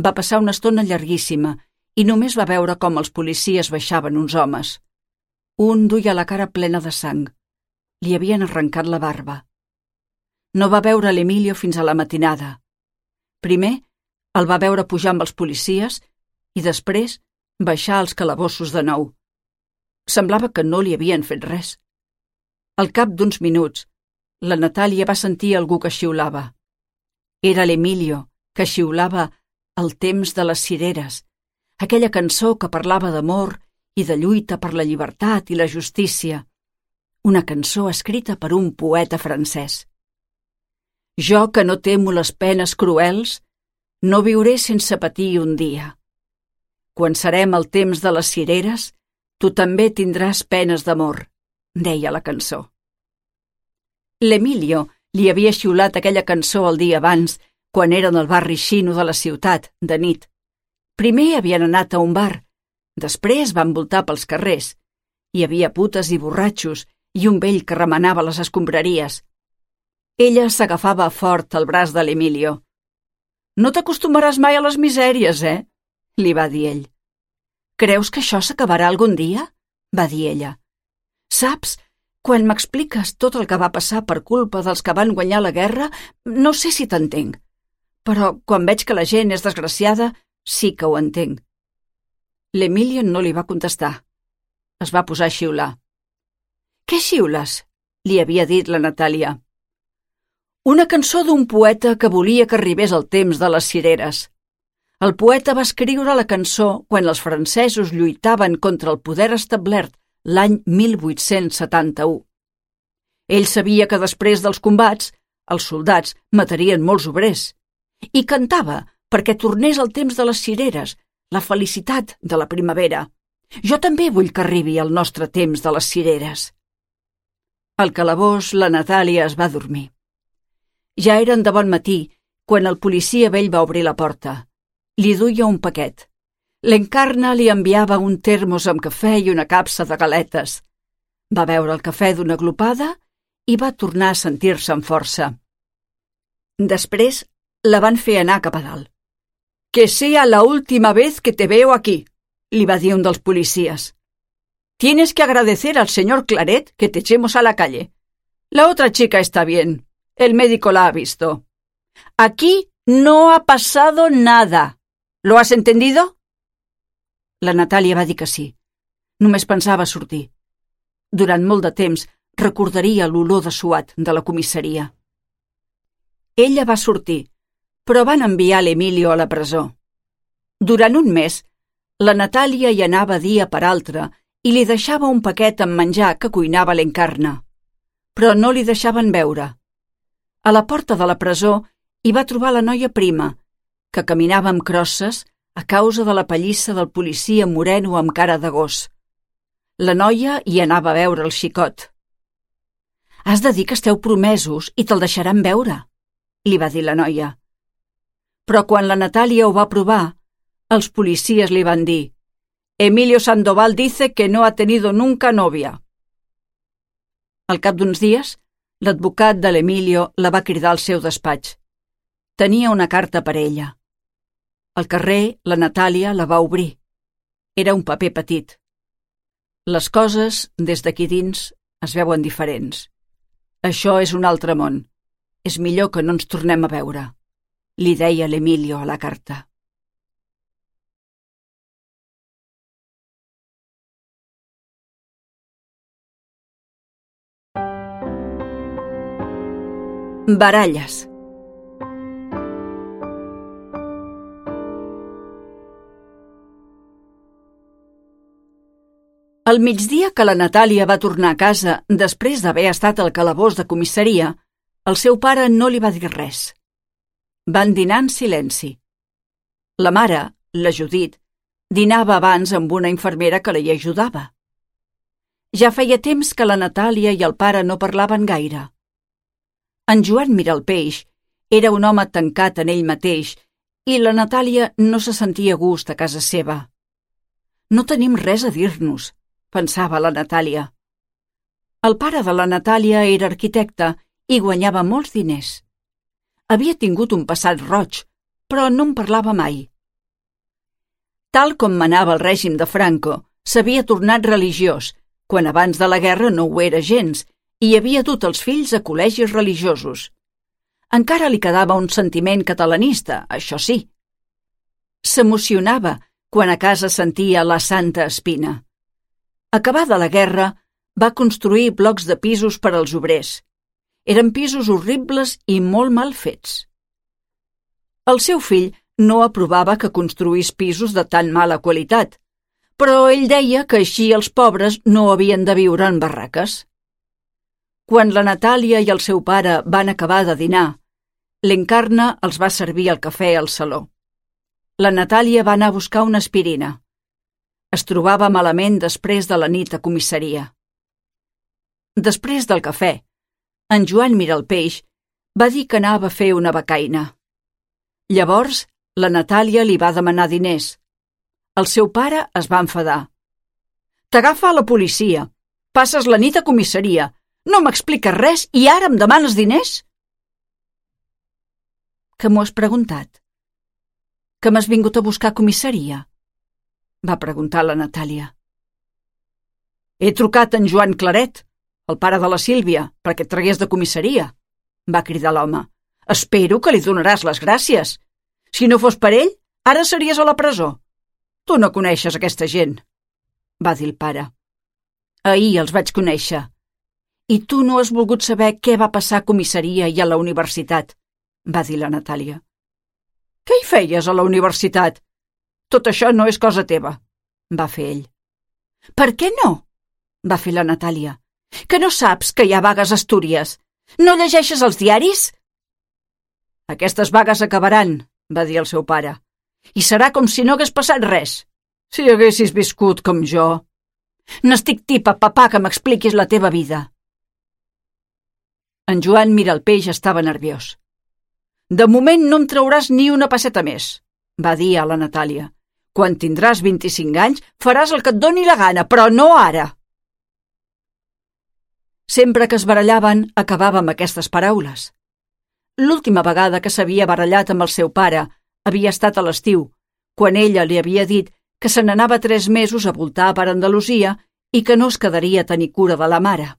Va passar una estona llarguíssima i només va veure com els policies baixaven uns homes. Un duia la cara plena de sang. Li havien arrencat la barba. No va veure l'Emilio fins a la matinada. Primer el va veure pujar amb els policies i després baixar als calabossos de nou. Semblava que no li havien fet res. Al cap d'uns minuts, la Natàlia va sentir algú que xiulava. Era l'Emilio, que xiulava El temps de les cireres, aquella cançó que parlava d'amor i de lluita per la llibertat i la justícia, una cançó escrita per un poeta francès. «Jo, que no temo les penes cruels, no viuré sense patir un dia. Quan serem al temps de les cireres, tu també tindràs penes d'amor», deia la cançó. L'Emilio li havia xiulat aquella cançó el dia abans, quan eren al barri xino de la ciutat, de nit. Primer havien anat a un bar, després van voltar pels carrers. Hi havia putes i borratxos i un vell que remenava les escombraries. Ella s'agafava fort al braç de l'Emilio. «No t'acostumaràs mai a les misèries, eh?», li va dir ell. «Creus que això s'acabarà algun dia?», va dir ella. «Saps, quan m'expliques tot el que va passar per culpa dels que van guanyar la guerra, no sé si t'entenc. Però quan veig que la gent és desgraciada, sí que ho entenc». L'Emilio no li va contestar. Es va posar a xiular. «Què xiules?», li havia dit la Natàlia. «Una cançó d'un poeta que volia que arribés el temps de les cireres. El poeta va escriure la cançó quan els francesos lluitaven contra el poder establert l'any mil vuit-cents setanta-u. Ell sabia que després dels combats els soldats matarien molts obrers i cantava perquè tornés el temps de les cireres, la felicitat de la primavera. Jo també vull que arribi el nostre temps de les cireres». Al calabós la Natàlia es va dormir. Ja eren de bon matí quan el policia vell va obrir la porta. Li duia un paquet. L'Encarna li enviava un termos amb cafè i una capsa de galetes. Va beure el cafè d'una glopada i va tornar a sentir-se amb força. Després la van fer anar cap a dalt. «Que sea la última vez que te veo aquí», li va dir un dels policies. «Tienes que agradecer al señor Claret que te echemos a la calle. La otra chica está bien. El médico la ha visto. Aquí no ha pasado nada. ¿Lo has entendido?». La Natàlia va dir que sí. Només pensava sortir. Durant molt de temps recordaria l'olor de suat de la comissaria. Ella va sortir, però van enviar l'Emilio a la presó. Durant un mes, la Natàlia hi anava dia per altre i li deixava un paquet amb menjar que cuinava l'Encarna, però no li deixaven veure. A la porta de la presó hi va trobar la noia prima, que caminava amb crosses a causa de la pallissa del policia moreno amb cara de gos. La noia hi anava a veure el xicot. «Has de dir que esteu promesos i te'l deixaran veure», li va dir la noia. Però quan la Natàlia ho va provar, els policies li van dir «Emilio Sandoval dice que no ha tenido nunca novia». Al cap d'uns dies, l'advocat de l'Emilio la va cridar al seu despatx. Tenia una carta per ella. Al carrer, la Natàlia la va obrir. Era un paper petit. Les coses, des d'aquí dins, es veuen diferents. Això és un altre món. És millor que no ens tornem a veure, li deia l'Emilio a la carta. Baralles. Al migdia que la Natàlia va tornar a casa després d'haver estat al calabós de comissaria, el seu pare no li va dir res. Van dinar en silenci. La mare, la Judit, dinava abans amb una infermera que la hi ajudava. Ja feia temps que la Natàlia i el pare no parlaven gaire. En Joan Miralpeix era un home tancat en ell mateix i la Natàlia no se sentia a gust a casa seva. No tenim res a dir-nos, pensava la Natàlia. El pare de la Natàlia era arquitecte i guanyava molts diners. Havia tingut un passat roig, però no en parlava mai. Tal com manava el règim de Franco, s'havia tornat religiós, quan abans de la guerra no ho era gens, i havia dut els fills a col·legis religiosos. Encara li quedava un sentiment catalanista, això sí. S'emocionava quan a casa sentia la Santa Espina. Acabada la guerra, va construir blocs de pisos per als obrers. Eren pisos horribles i molt mal fets. El seu fill no aprovava que construís pisos de tan mala qualitat, però ell deia que així els pobres no havien de viure en barraques. Quan la Natàlia i el seu pare van acabar de dinar, l'Encarna els va servir el cafè al saló. La Natàlia va anar a buscar una aspirina. Es trobava malament després de la nit a comissaria. Després del cafè, en Joan Miralpeix va dir que anava a fer una becaina. Llavors, la Natàlia li va demanar diners. El seu pare es va enfadar. «T'agafa a la policia. Passes la nit a comissaria. No m'expliques res i ara em demanes diners?» «Que m'ho has preguntat? Que m'has vingut a buscar a comissaria?» va preguntar la Natàlia. «He trucat en Joan Claret, el pare de la Sílvia, perquè et tragués de comissaria», va cridar l'home. «Espero que li donaràs les gràcies. Si no fos per ell, ara series a la presó. Tu no coneixes aquesta gent», va dir el pare. «Ahir els vaig conèixer. I tu no has volgut saber què va passar a comissaria i a la universitat», va dir la Natàlia. «Què hi feies a la universitat? Tot això no és cosa teva», va fer ell. «Per què no?», va fer la Natàlia. «Que no saps que hi ha vagues a Astúries? No llegeixes els diaris?» «Aquestes vagues acabaran», va dir el seu pare. «I serà com si no hagués passat res. Si haguessis viscut com jo». «N'estic tipa, papà, que m'expliquis la teva vida». En Joan Miralpeix estava nerviós. «De moment no em trauràs ni una pesseta més», va dir a la Natàlia. «Quan tindràs vint-i-cinc anys faràs el que et doni la gana, però no ara». Sempre que es barallaven, acabava amb aquestes paraules. L'última vegada que s'havia barallat amb el seu pare havia estat a l'estiu, quan ella li havia dit que se n'anava tres mesos a voltar per Andalusia i que no es quedaria a tenir cura de la mare.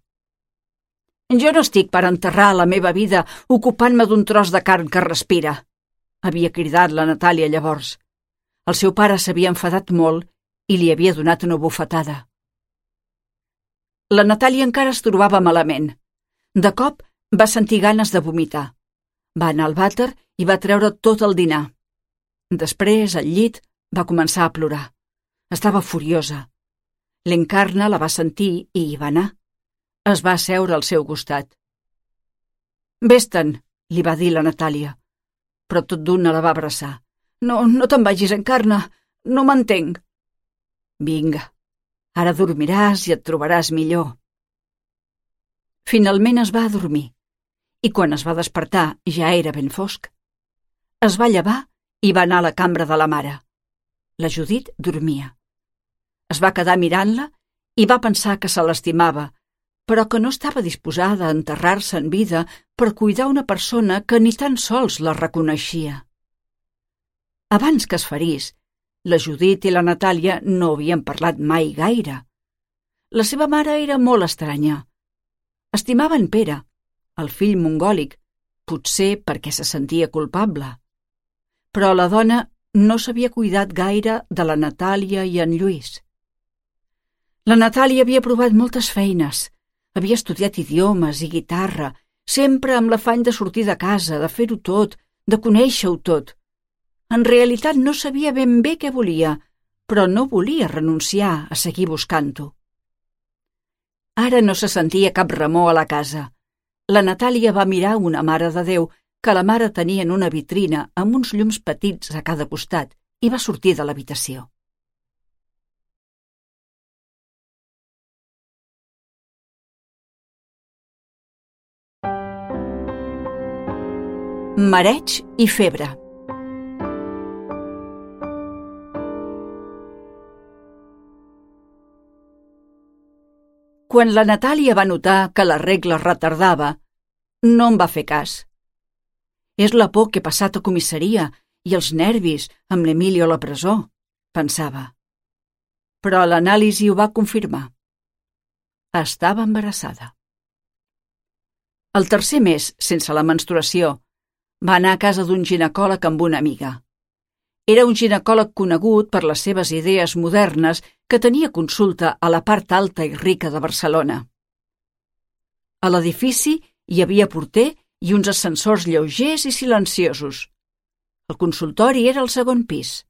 «Jo no estic per enterrar la meva vida ocupant-me d'un tros de carn que respira», havia cridat la Natàlia llavors. El seu pare s'havia enfadat molt i li havia donat una bufetada. La Natàlia encara es trobava malament. De cop va sentir ganes de vomitar. Va anar al vàter i va treure tot el dinar. Després, al llit, va començar a plorar. Estava furiosa. L'Encarna la va sentir i hi va anar. Es va asseure al seu costat. «Vés-te'n», li va dir la Natàlia, però tot d'una la va abraçar. «No, no te'n vagis, Encarna, no m'entenc». «Vinga, ara dormiràs i et trobaràs millor». Finalment es va adormir, i quan es va despertar ja era ben fosc. Es va llevar i va anar a la cambra de la mare. La Judit dormia. Es va quedar mirant-la i va pensar que se l'estimava, però que no estava disposada a enterrar-se en vida per cuidar una persona que ni tan sols la reconeixia. Abans que es ferís, la Judit i la Natàlia no havien parlat mai gaire. La seva mare era molt estranya. Estimava en Pere, el fill mongòlic, potser perquè se sentia culpable. Però la dona no s'havia cuidat gaire de la Natàlia i en Lluís. La Natàlia havia provat moltes feines. Havia estudiat idiomes i guitarra, sempre amb l'afany de sortir de casa, de fer-ho tot, de conèixer-ho tot. En realitat no sabia ben bé què volia, però no volia renunciar a seguir buscant-ho. Ara no se sentia cap remor a la casa. La Natàlia va mirar una Mare de Déu que la mare tenia en una vitrina amb uns llums petits a cada costat i va sortir de l'habitació. Mareig i febre. Quan la Natàlia va notar que la regla es retardava, no en va fer cas. És la por que he passat a comissaria i els nervis amb l'Emilio a la presó, pensava. Però l'anàlisi ho va confirmar. Estava embarassada. El tercer mes, sense la menstruació, va anar a casa d'un ginecòleg amb una amiga. Era un ginecòleg conegut per les seves idees modernes que tenia consulta a la part alta i rica de Barcelona. A l'edifici hi havia porter i uns ascensors lleugers i silenciosos. El consultori era al segon pis.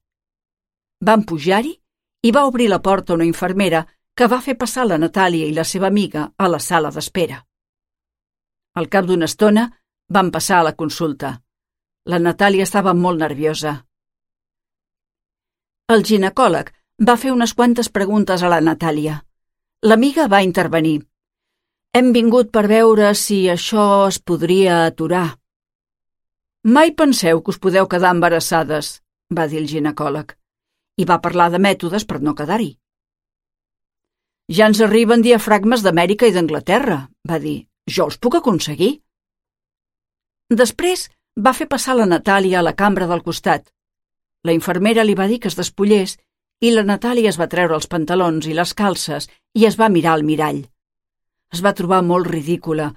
Van pujar-hi i va obrir la porta una infermera que va fer passar la Natàlia i la seva amiga a la sala d'espera. Al cap d'una estona van passar a la consulta. La Natàlia estava molt nerviosa. El ginecòleg va fer unes quantes preguntes a la Natàlia. L'amiga va intervenir. Hem vingut per veure si això es podria aturar. Mai penseu que us podeu quedar embarassades, va dir el ginecòleg, i va parlar de mètodes per no quedar-hi. Ja ens arriben diafragmes d'Amèrica i d'Anglaterra, va dir. Jo els puc aconseguir. Després va fer passar la Natàlia a la cambra del costat. La infermera li va dir que es despullés i la Natàlia es va treure els pantalons i les calces i es va mirar al mirall. Es va trobar molt ridícula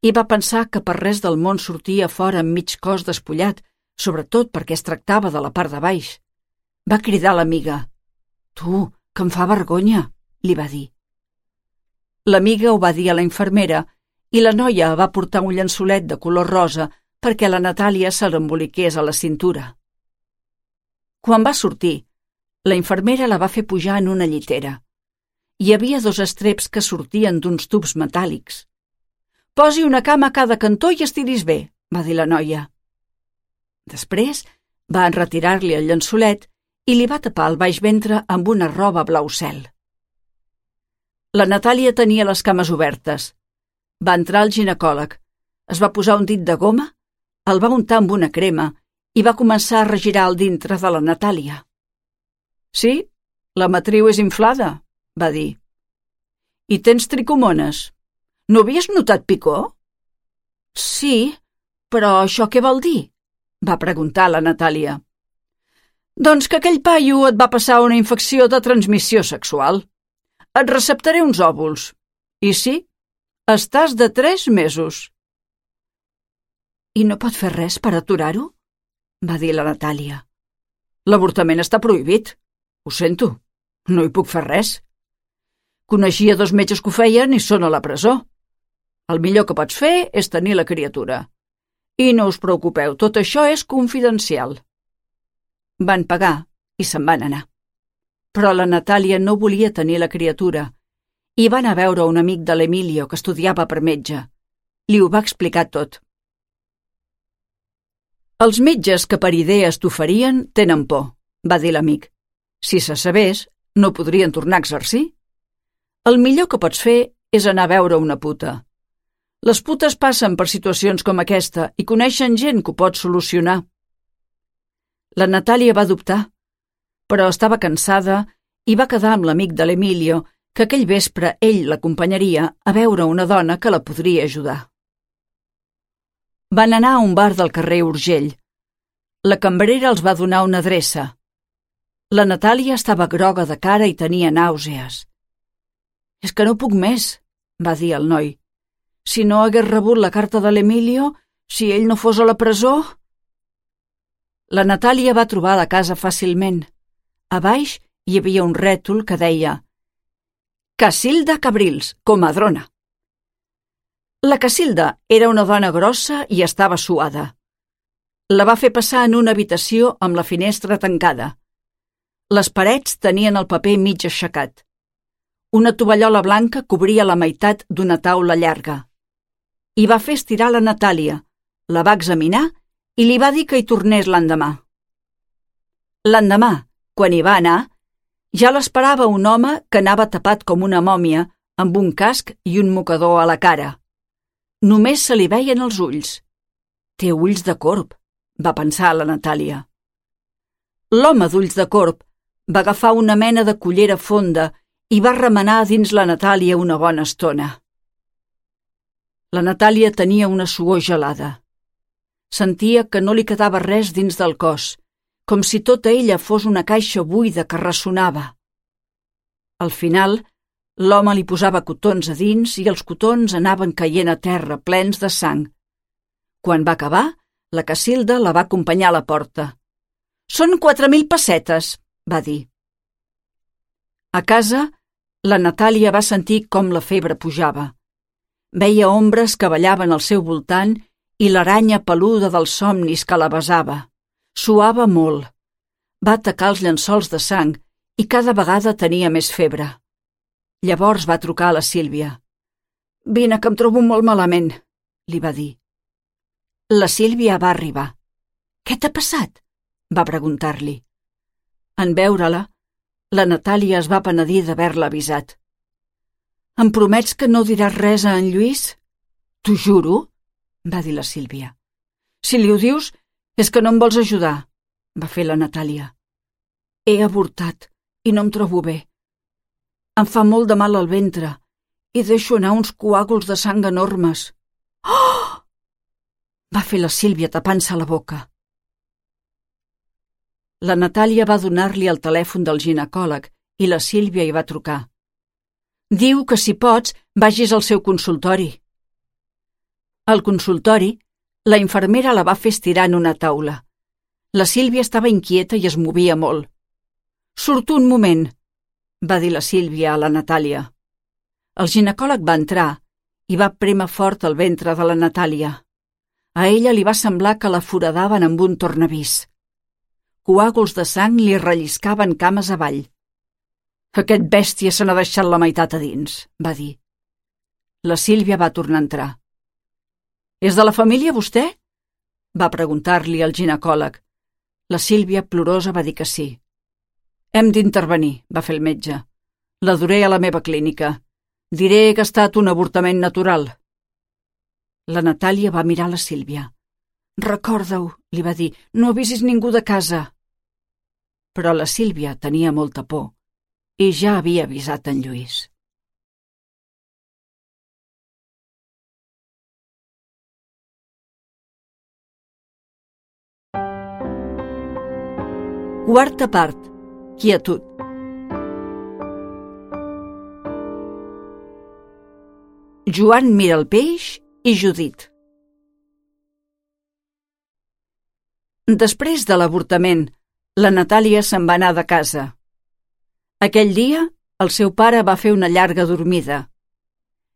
i va pensar que per res del món sortia fora amb mig cos despullat, sobretot perquè es tractava de la part de baix. Va cridar l'amiga. Tu, que em fa vergonya, li va dir. L'amiga ho va dir a la infermera i la noia va portar un llençolet de color rosa perquè la Natàlia se l'emboliqués a la cintura. Quan va sortir, la infermera la va fer pujar en una llitera. Hi havia dos estreps que sortien d'uns tubs metàl·lics. Posi una cama a cada cantó i estiris bé, va dir la noia. Després va enretirar-li el llençolet i li va tapar el baix ventre amb una roba blau cel. La Natàlia tenia les cames obertes. Va entrar al ginecòleg, es va posar un dit de goma, el va untar amb una crema i va començar a regirar el dintre de la Natàlia. Sí, la matriu és inflada, va dir. I tens tricomones. No havies notat picor? Sí, però això què vol dir? Va preguntar la Natàlia. Doncs que aquell paio et va passar una infecció de transmissió sexual. Et receptaré uns òvuls. I sí, estàs de tres mesos. I no pot fer res per aturar-ho? Va dir la Natàlia. L'avortament està prohibit. Ho sento, no hi puc fer res. Coneixia dos metges que ho feien i són a la presó. El millor que pots fer és tenir la criatura. I no us preocupeu, tot això és confidencial. Van pagar i se'n van anar. Però la Natàlia no volia tenir la criatura i va anar a veure un amic de l'Emilio que estudiava per metge. Li ho va explicar tot. Els metges que per idees t'oferien tenen por, va dir l'amic. Si se sabés, no podrien tornar a exercir. El millor que pots fer és anar a veure una puta. Les putes passen per situacions com aquesta i coneixen gent que ho pot solucionar. La Natàlia va dubtar, però estava cansada i va quedar amb l'amic de l'Emilio, que aquell vespre ell l'acompanyaria a veure una dona que la podria ajudar. Van anar a un bar del carrer Urgell. La cambrera els va donar una adreça. La Natàlia estava groga de cara i tenia nàusees. «És que no puc més», va dir el noi. «Si no hagués rebut la carta de l'Emilio, si ell no fos a la presó...» La Natàlia va trobar la casa fàcilment. A baix hi havia un rètol que deia «Casilda Cabrils, comadrona». La Casilda era una dona grossa i estava suada. La va fer passar en una habitació amb la finestra tancada. Les parets tenien el paper mig aixecat. Una tovallola blanca cobria la meitat d'una taula llarga. Hi va fer estirar la Natàlia, la va examinar i li va dir que hi tornés l'endemà. L'endemà, quan hi va anar, ja l'esperava un home que anava tapat com una mòmia, amb un casc i un mocador a la cara. Només se li veien els ulls. «Té ulls de corb», va pensar la Natàlia. L'home d'ulls de corb va agafar una mena de cullera fonda i va remenar dins la Natàlia una bona estona. La Natàlia tenia una suor gelada. Sentia que no li quedava res dins del cos, com si tota ella fos una caixa buida que ressonava. Al final, l'home li posava cotons a dins i els cotons anaven caient a terra plens de sang. Quan va acabar, la Casilda la va acompanyar a la porta. «Són quatre mil pessetes», va dir. A casa, la Natàlia va sentir com la febre pujava. Veia ombres que ballaven al seu voltant i l'aranya peluda dels somnis que la besava. Suava molt. Va atacar els llençols de sang i cada vegada tenia més febre. Llavors va trucar a la Sílvia. «Vine, que em trobo molt malament», li va dir. La Sílvia va arribar. «Què t'ha passat?», va preguntar-li. En veure-la, la Natàlia es va penedir d'haver-la avisat. «Em promets que no diràs res a en Lluís?» «T'ho juro», va dir la Sílvia. «Si li ho dius, és que no em vols ajudar», va fer la Natàlia. «He avortat i no em trobo bé. Em fa molt de mal al ventre i deixo anar uns coàguls de sang enormes». «Oh!», va fer la Sílvia tapant-se la boca. La Natàlia va donar-li el telèfon del ginecòleg i la Sílvia hi va trucar. «Diu que si pots vagis al seu consultori». Al consultori, la infermera la va fer estirar en una taula. La Sílvia estava inquieta i es movia molt. «Surto un moment», va dir la Sílvia a la Natàlia. El ginecòleg va entrar i va prémer fort el ventre de la Natàlia. A ella li va semblar que la foradaven amb un tornavís. Coàguls de sang li relliscaven cames avall. «Aquest bèstia se n'ha deixat la meitat a dins», va dir. La Sílvia va tornar a entrar. «És de la família, vostè?», va preguntar-li el ginecòleg. La Sílvia, plorosa, va dir que sí. «Hem d'intervenir», va fer el metge. «La duré a la meva clínica. Diré que ha estat un avortament natural». La Natàlia va mirar la Sílvia. «Recorda-ho», li va dir, «no avisis ningú de casa». Però la Sílvia tenia molta por i ja havia avisat en Lluís. Quarta part. Quietud. Joan mira el peix i Judit. Després de l'avortament, la Natàlia se'n va anar de casa. Aquell dia, el seu pare va fer una llarga dormida.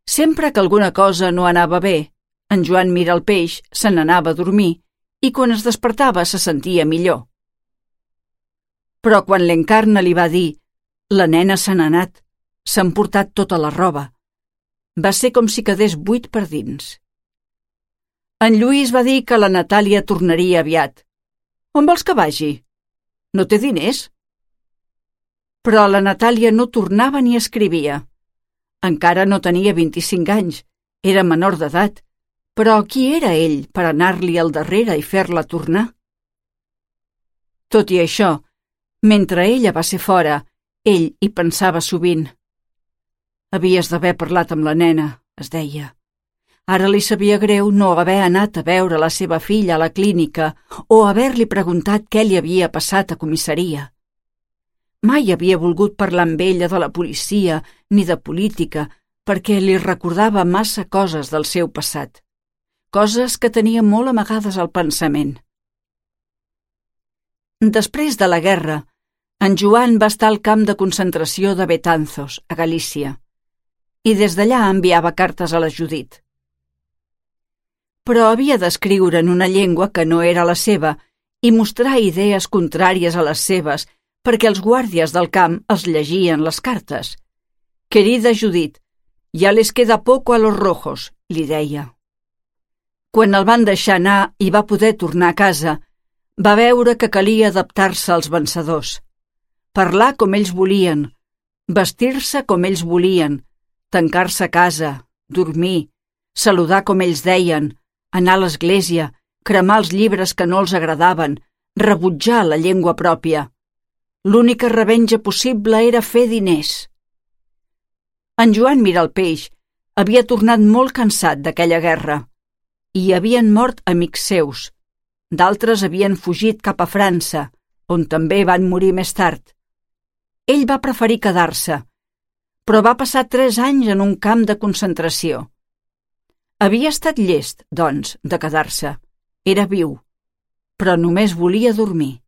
Sempre que alguna cosa no anava bé, en Joan mira el peix se n'anava a dormir i quan es despertava se sentia millor. Però quan l'Encarna li va dir «La nena se n'ha anat, s'han portat tota la roba», va ser com si quedés buit per dins. En Lluís va dir que la Natàlia tornaria aviat. «On vols que vagi? No té diners?» Però la Natàlia no tornava ni escrivia. Encara no tenia vint-i-cinc anys, era menor d'edat, però qui era ell per anar-li al darrere i fer-la tornar? Tot i això, mentre ella va ser fora, ell hi pensava sovint. Havies d'haver parlat amb la nena, es deia. Ara li sabia greu no haver anat a veure la seva filla a la clínica o haver-li preguntat què li havia passat a comissaria. Mai havia volgut parlar amb ella de la policia ni de política perquè li recordava massa coses del seu passat, coses que tenia molt amagades al pensament. Després de la guerra, en Joan va estar al camp de concentració de Betanzos, a Galícia, i des d'allà enviava cartes a la Judit. Però havia d'escriure en una llengua que no era la seva i mostrar idees contràries a les seves perquè els guàrdies del camp els llegien les cartes. «Querida Judit, ya les queda poco a los rojos», li deia. Quan el van deixar anar i va poder tornar a casa, va veure que calia adaptar-se als vencedors, parlar com ells volien, vestir-se com ells volien, tancar-se a casa, dormir, saludar com ells deien, anar a l'església, cremar els llibres que no els agradaven, rebutjar la llengua pròpia. L'única revenja possible era fer diners. En Joan Miralpeix havia tornat molt cansat d'aquella guerra. Hi havien mort amics seus. D'altres havien fugit cap a França, on també van morir més tard. Ell va preferir quedar-se, però va passar tres anys en un camp de concentració. Havia estat llest, doncs, de quedar-se. Era viu, però només volia dormir.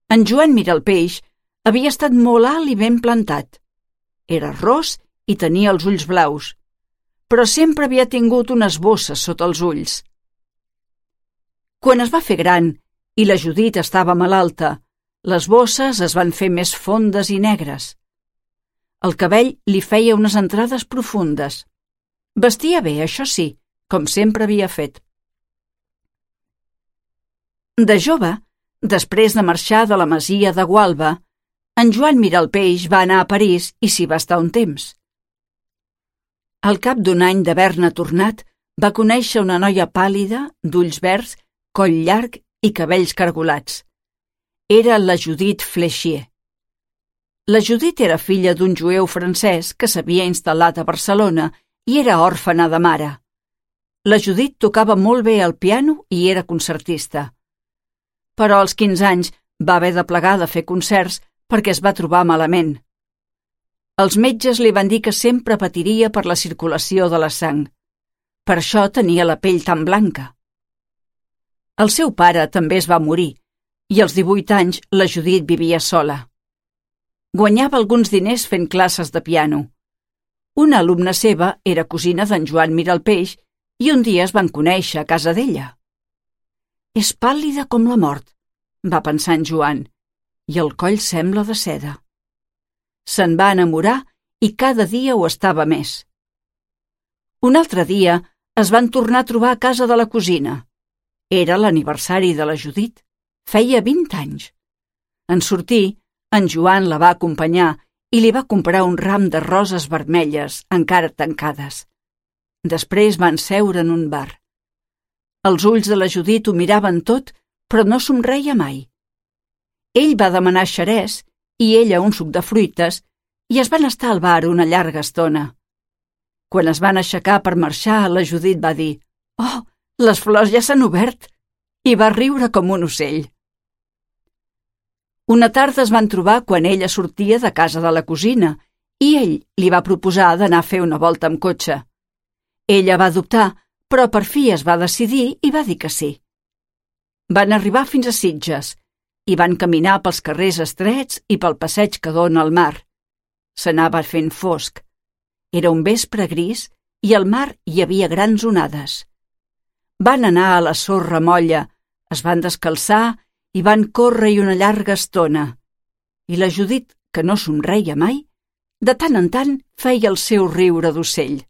En Joan Miralpeix havia estat molt alt i ben plantat. Era ros i tenia els ulls blaus, però sempre havia tingut unes bosses sota els ulls. Quan es va fer gran i la Judit estava malalta, les bosses es van fer més fondes i negres. El cabell li feia unes entrades profundes. Vestia bé, això sí, com sempre havia fet. De jove, després de marxar de la masia de Gualba, en Joan Miralpeix va anar a París i s'hi va estar un temps. Al cap d'un any d'haver-ne tornat, va conèixer una noia pàl·lida, d'ulls verds, coll llarg i cabells cargolats. Era la Judit Flechier. La Judit era filla d'un jueu francès que s'havia instal·lat a Barcelona i era òrfena de mare. La Judit tocava molt bé el piano i era concertista. Però als quinze anys va haver de plegar de fer concerts perquè es va trobar malament. Els metges li van dir que sempre patiria per la circulació de la sang. Per això tenia la pell tan blanca. El seu pare també es va morir i als divuit anys la Judit vivia sola. Guanyava alguns diners fent classes de piano. Una alumna seva era cosina d'en Joan Miralpeix i un dia es van conèixer a casa d'ella. «És pàl·lida com la mort», va pensar en Joan, «i el coll sembla de seda». Se'n va enamorar i cada dia ho estava més. Un altre dia es van tornar a trobar a casa de la cosina. Era l'aniversari de la Judit. Feia vint anys. En sortir, en Joan la va acompanyar i li va comprar un ram de roses vermelles encara tancades. Després van seure en un bar. Els ulls de la Judit ho miraven tot, però no somreia mai. Ell va demanar xerès i ella un suc de fruites i es van estar al bar una llarga estona. Quan es van aixecar per marxar, la Judit va dir «Oh, les flors ja s'han obert!» i va riure com un ocell. Una tarda es van trobar quan ella sortia de casa de la cosina i ell li va proposar d'anar a fer una volta amb cotxe. Ella va dubtar, però per fi es va decidir i va dir que sí. Van arribar fins a Sitges i van caminar pels carrers estrets i pel passeig que dona al mar. S'anava fent fosc. Era un vespre gris i al mar hi havia grans onades. Van anar a la sorra molla, es van descalçar i van córrer una llarga estona. I la Judit, que no somreia mai, de tant en tant feia el seu riure d'ocell.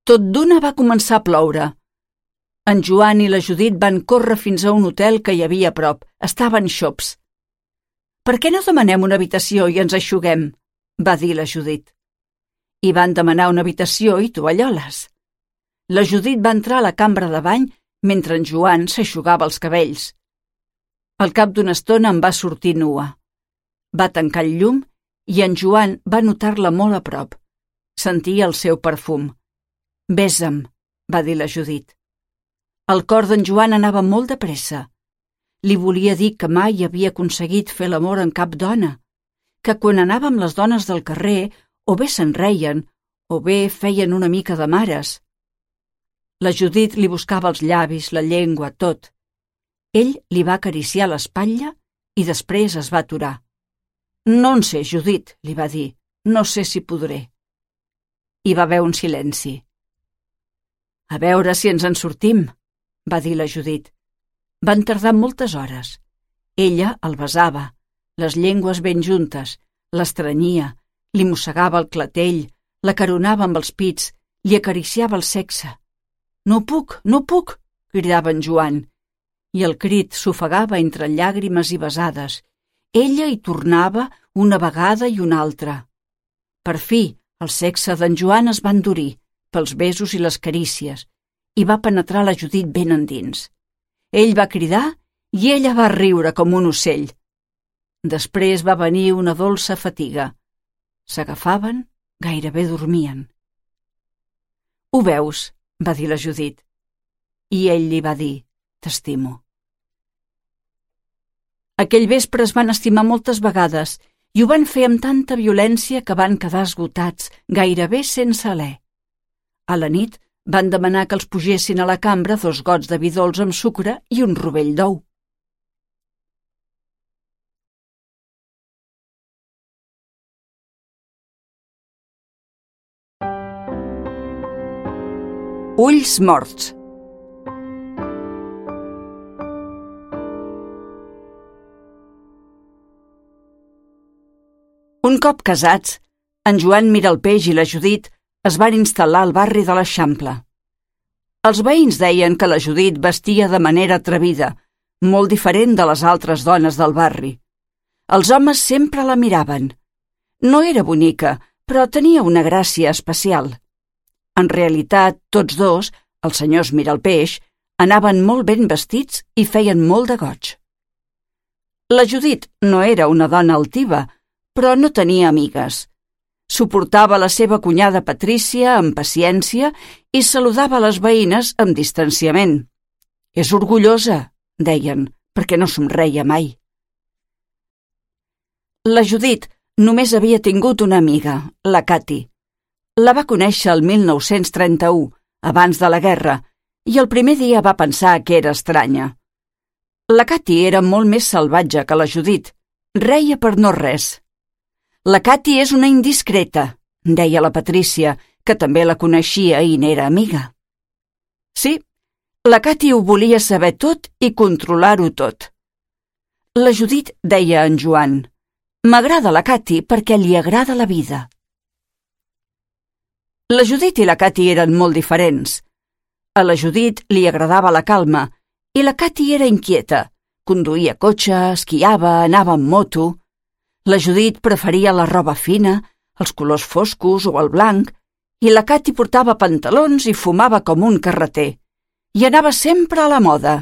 Tot d'una va començar a ploure. En Joan i la Judit van córrer fins a un hotel que hi havia a prop. Estaven xops. «Per què no demanem una habitació i ens eixuguem?», va dir la Judit. I van demanar una habitació i tovalloles. La Judit va entrar a la cambra de bany mentre en Joan s'eixugava els cabells. Al cap d'una estona em va sortir nua. Va tancar el llum i en Joan va notar-la molt a prop. Sentia el seu perfum. «Besa'm», va dir la Judit. El cor d'en Joan anava molt de pressa. Li volia dir que mai havia aconseguit fer l'amor amb cap dona, que quan anava amb les dones del carrer o bé se'n reien o bé feien una mica de mares. La Judit li buscava els llavis, la llengua, tot. Ell li va acariciar l'espatlla i després es va aturar. «No en sé, Judit», li va dir, «no sé si podré». Hi va haver un silenci. «A veure si ens en sortim», va dir la Judit. Van tardar moltes hores. Ella el besava, les llengües ben juntes, l'estrenyia, li mossegava el clatell, l'acaronava amb els pits, li acariciava el sexe. «No puc, no puc!» cridava en Joan, i el crit s'ofegava entre llàgrimes i besades. Ella hi tornava una vegada i una altra. Per fi, el sexe d'en Joan es va endurir pels besos i les carícies i va penetrar la Judit ben endins. Ell va cridar i ella va riure com un ocell. Després va venir una dolça fatiga. S'agafaven, gairebé dormien. «Ho veus?», va dir la Judit. I ell li va dir: «T'estimo». Aquell vespre es van estimar moltes vegades i ho van fer amb tanta violència que van quedar esgotats, gairebé sense alè. A la nit van demanar que els pugessin a la cambra dos gots de vi dolç amb sucre i un rovell d'ou. Ulls morts. Un cop casats, en Joan Miralpeix i la Judit es van instal·lar al barri de l'Eixample. Els veïns deien que la Judit vestia de manera atrevida, molt diferent de les altres dones del barri. Els homes sempre la miraven. No era bonica, però tenia una gràcia especial. En realitat, tots dos, els senyors Miralpeix, anaven molt ben vestits i feien molt de goig. La Judit no era una dona altiva, però no tenia amigues. Suportava la seva cunyada Patrícia amb paciència i saludava les veïnes amb distanciament. «És orgullosa», deien, perquè no somreia mai. La Judit només havia tingut una amiga, la Cati. La va conèixer el mil nou-cents trenta-u, abans de la guerra, i el primer dia va pensar que era estranya. La Cati era molt més salvatge que la Judit. Reia per no res. «La Cati és una indiscreta», deia la Patrícia, que també la coneixia i n'era amiga. Sí, la Cati ho volia saber tot i controlar-ho tot. La Judit deia a en Joan: «M'agrada la Cati perquè li agrada la vida». La Judit i la Cati eren molt diferents. A la Judit li agradava la calma i la Cati era inquieta. Conduïa cotxe, esquiava, anava amb moto. La Judit preferia la roba fina, els colors foscos o el blanc, i la Cati portava pantalons i fumava com un carreter, i anava sempre a la moda.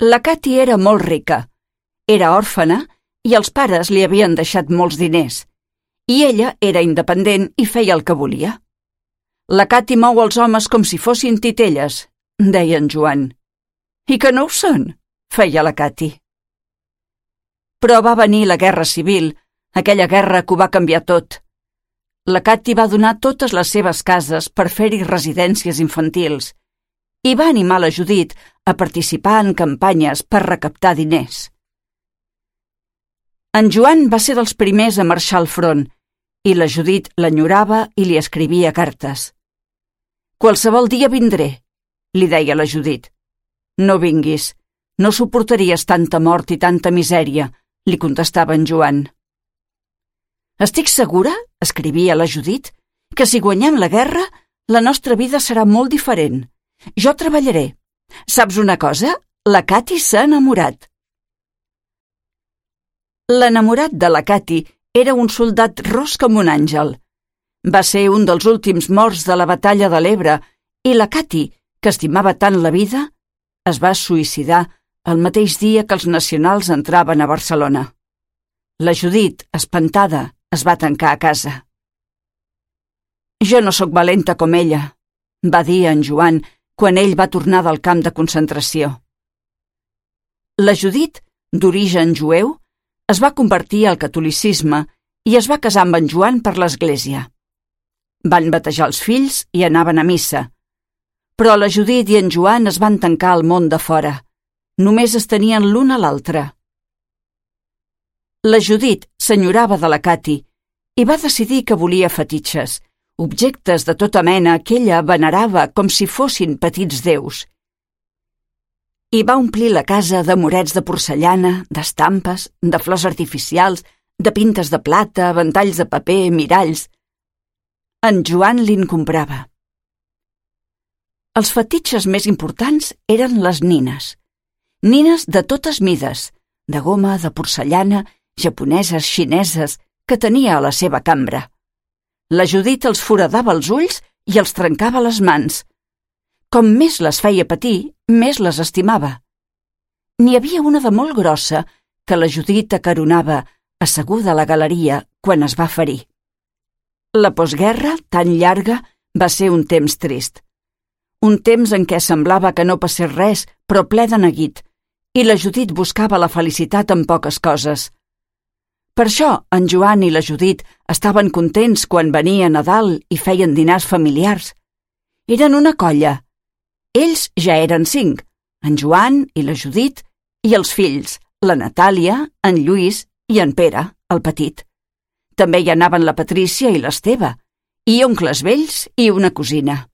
La Cati era molt rica. Era òrfena i els pares li havien deixat molts diners, i ella era independent i feia el que volia. «La Cati mou els homes com si fossin titelles», deia en Joan. «I que no ho són», feia la Cati. Però va venir la Guerra Civil, aquella guerra que ho va canviar tot. La Cati va donar totes les seves cases per fer-hi residències infantils i va animar la Judit a participar en campanyes per recaptar diners. En Joan va ser dels primers a marxar al front i la Judit l'enyorava i li escrivia cartes. «Qualsevol dia vindré», li deia la Judit. «No vinguis, no suportaries tanta mort i tanta misèria», li contestava en Joan. «Estic segura», escrivia la Judit, «que si guanyem la guerra, la nostra vida serà molt diferent. Jo treballaré. Saps una cosa? La Cati s'ha enamorat». L'enamorat de la Cati era un soldat ros com un àngel. Va ser un dels últims morts de la batalla de l'Ebre i la Cati, que estimava tant la vida, es va suïcidar el mateix dia que els nacionals entraven a Barcelona. La Judit, espantada, es va tancar a casa. «Jo no sóc valenta com ella», va dir en Joan quan ell va tornar del camp de concentració. La Judit, d'origen jueu, es va convertir al catolicisme i es va casar amb en Joan per l'església. Van batejar els fills i anaven a missa. Però la Judit i en Joan es van tancar al món de fora. Només es tenien l'un a l'altre. La Judit s'enyorava de la Cati i va decidir que volia fetitxes, objectes de tota mena que ella venerava com si fossin petits déus. I va omplir la casa de morets de porcellana, d'estampes, de flors artificials, de pintes de plata, ventalls de paper, miralls. En Joan li'n comprava. Els fetitxes més importants eren les nines. Nines de totes mides, de goma, de porcellana, japoneses, xineses, que tenia a la seva cambra. La Judit els foradava els ulls i els trencava les mans. Com més les feia patir, més les estimava. N'hi havia una de molt grossa que la Judit acaronava, asseguda a la galeria, quan es va ferir. La postguerra, tan llarga, va ser un temps trist. Un temps en què semblava que no passés res, però ple de neguit, i la Judit buscava la felicitat en poques coses. Per això, en Joan i la Judit estaven contents quan venia Nadal i feien dinars familiars. Eren una colla. Ells ja eren cinc, en Joan i la Judit i els fills, la Natàlia, en Lluís i en Pere, el petit. També hi anaven la Patrícia i l'Esteve, i oncles vells i una cosina.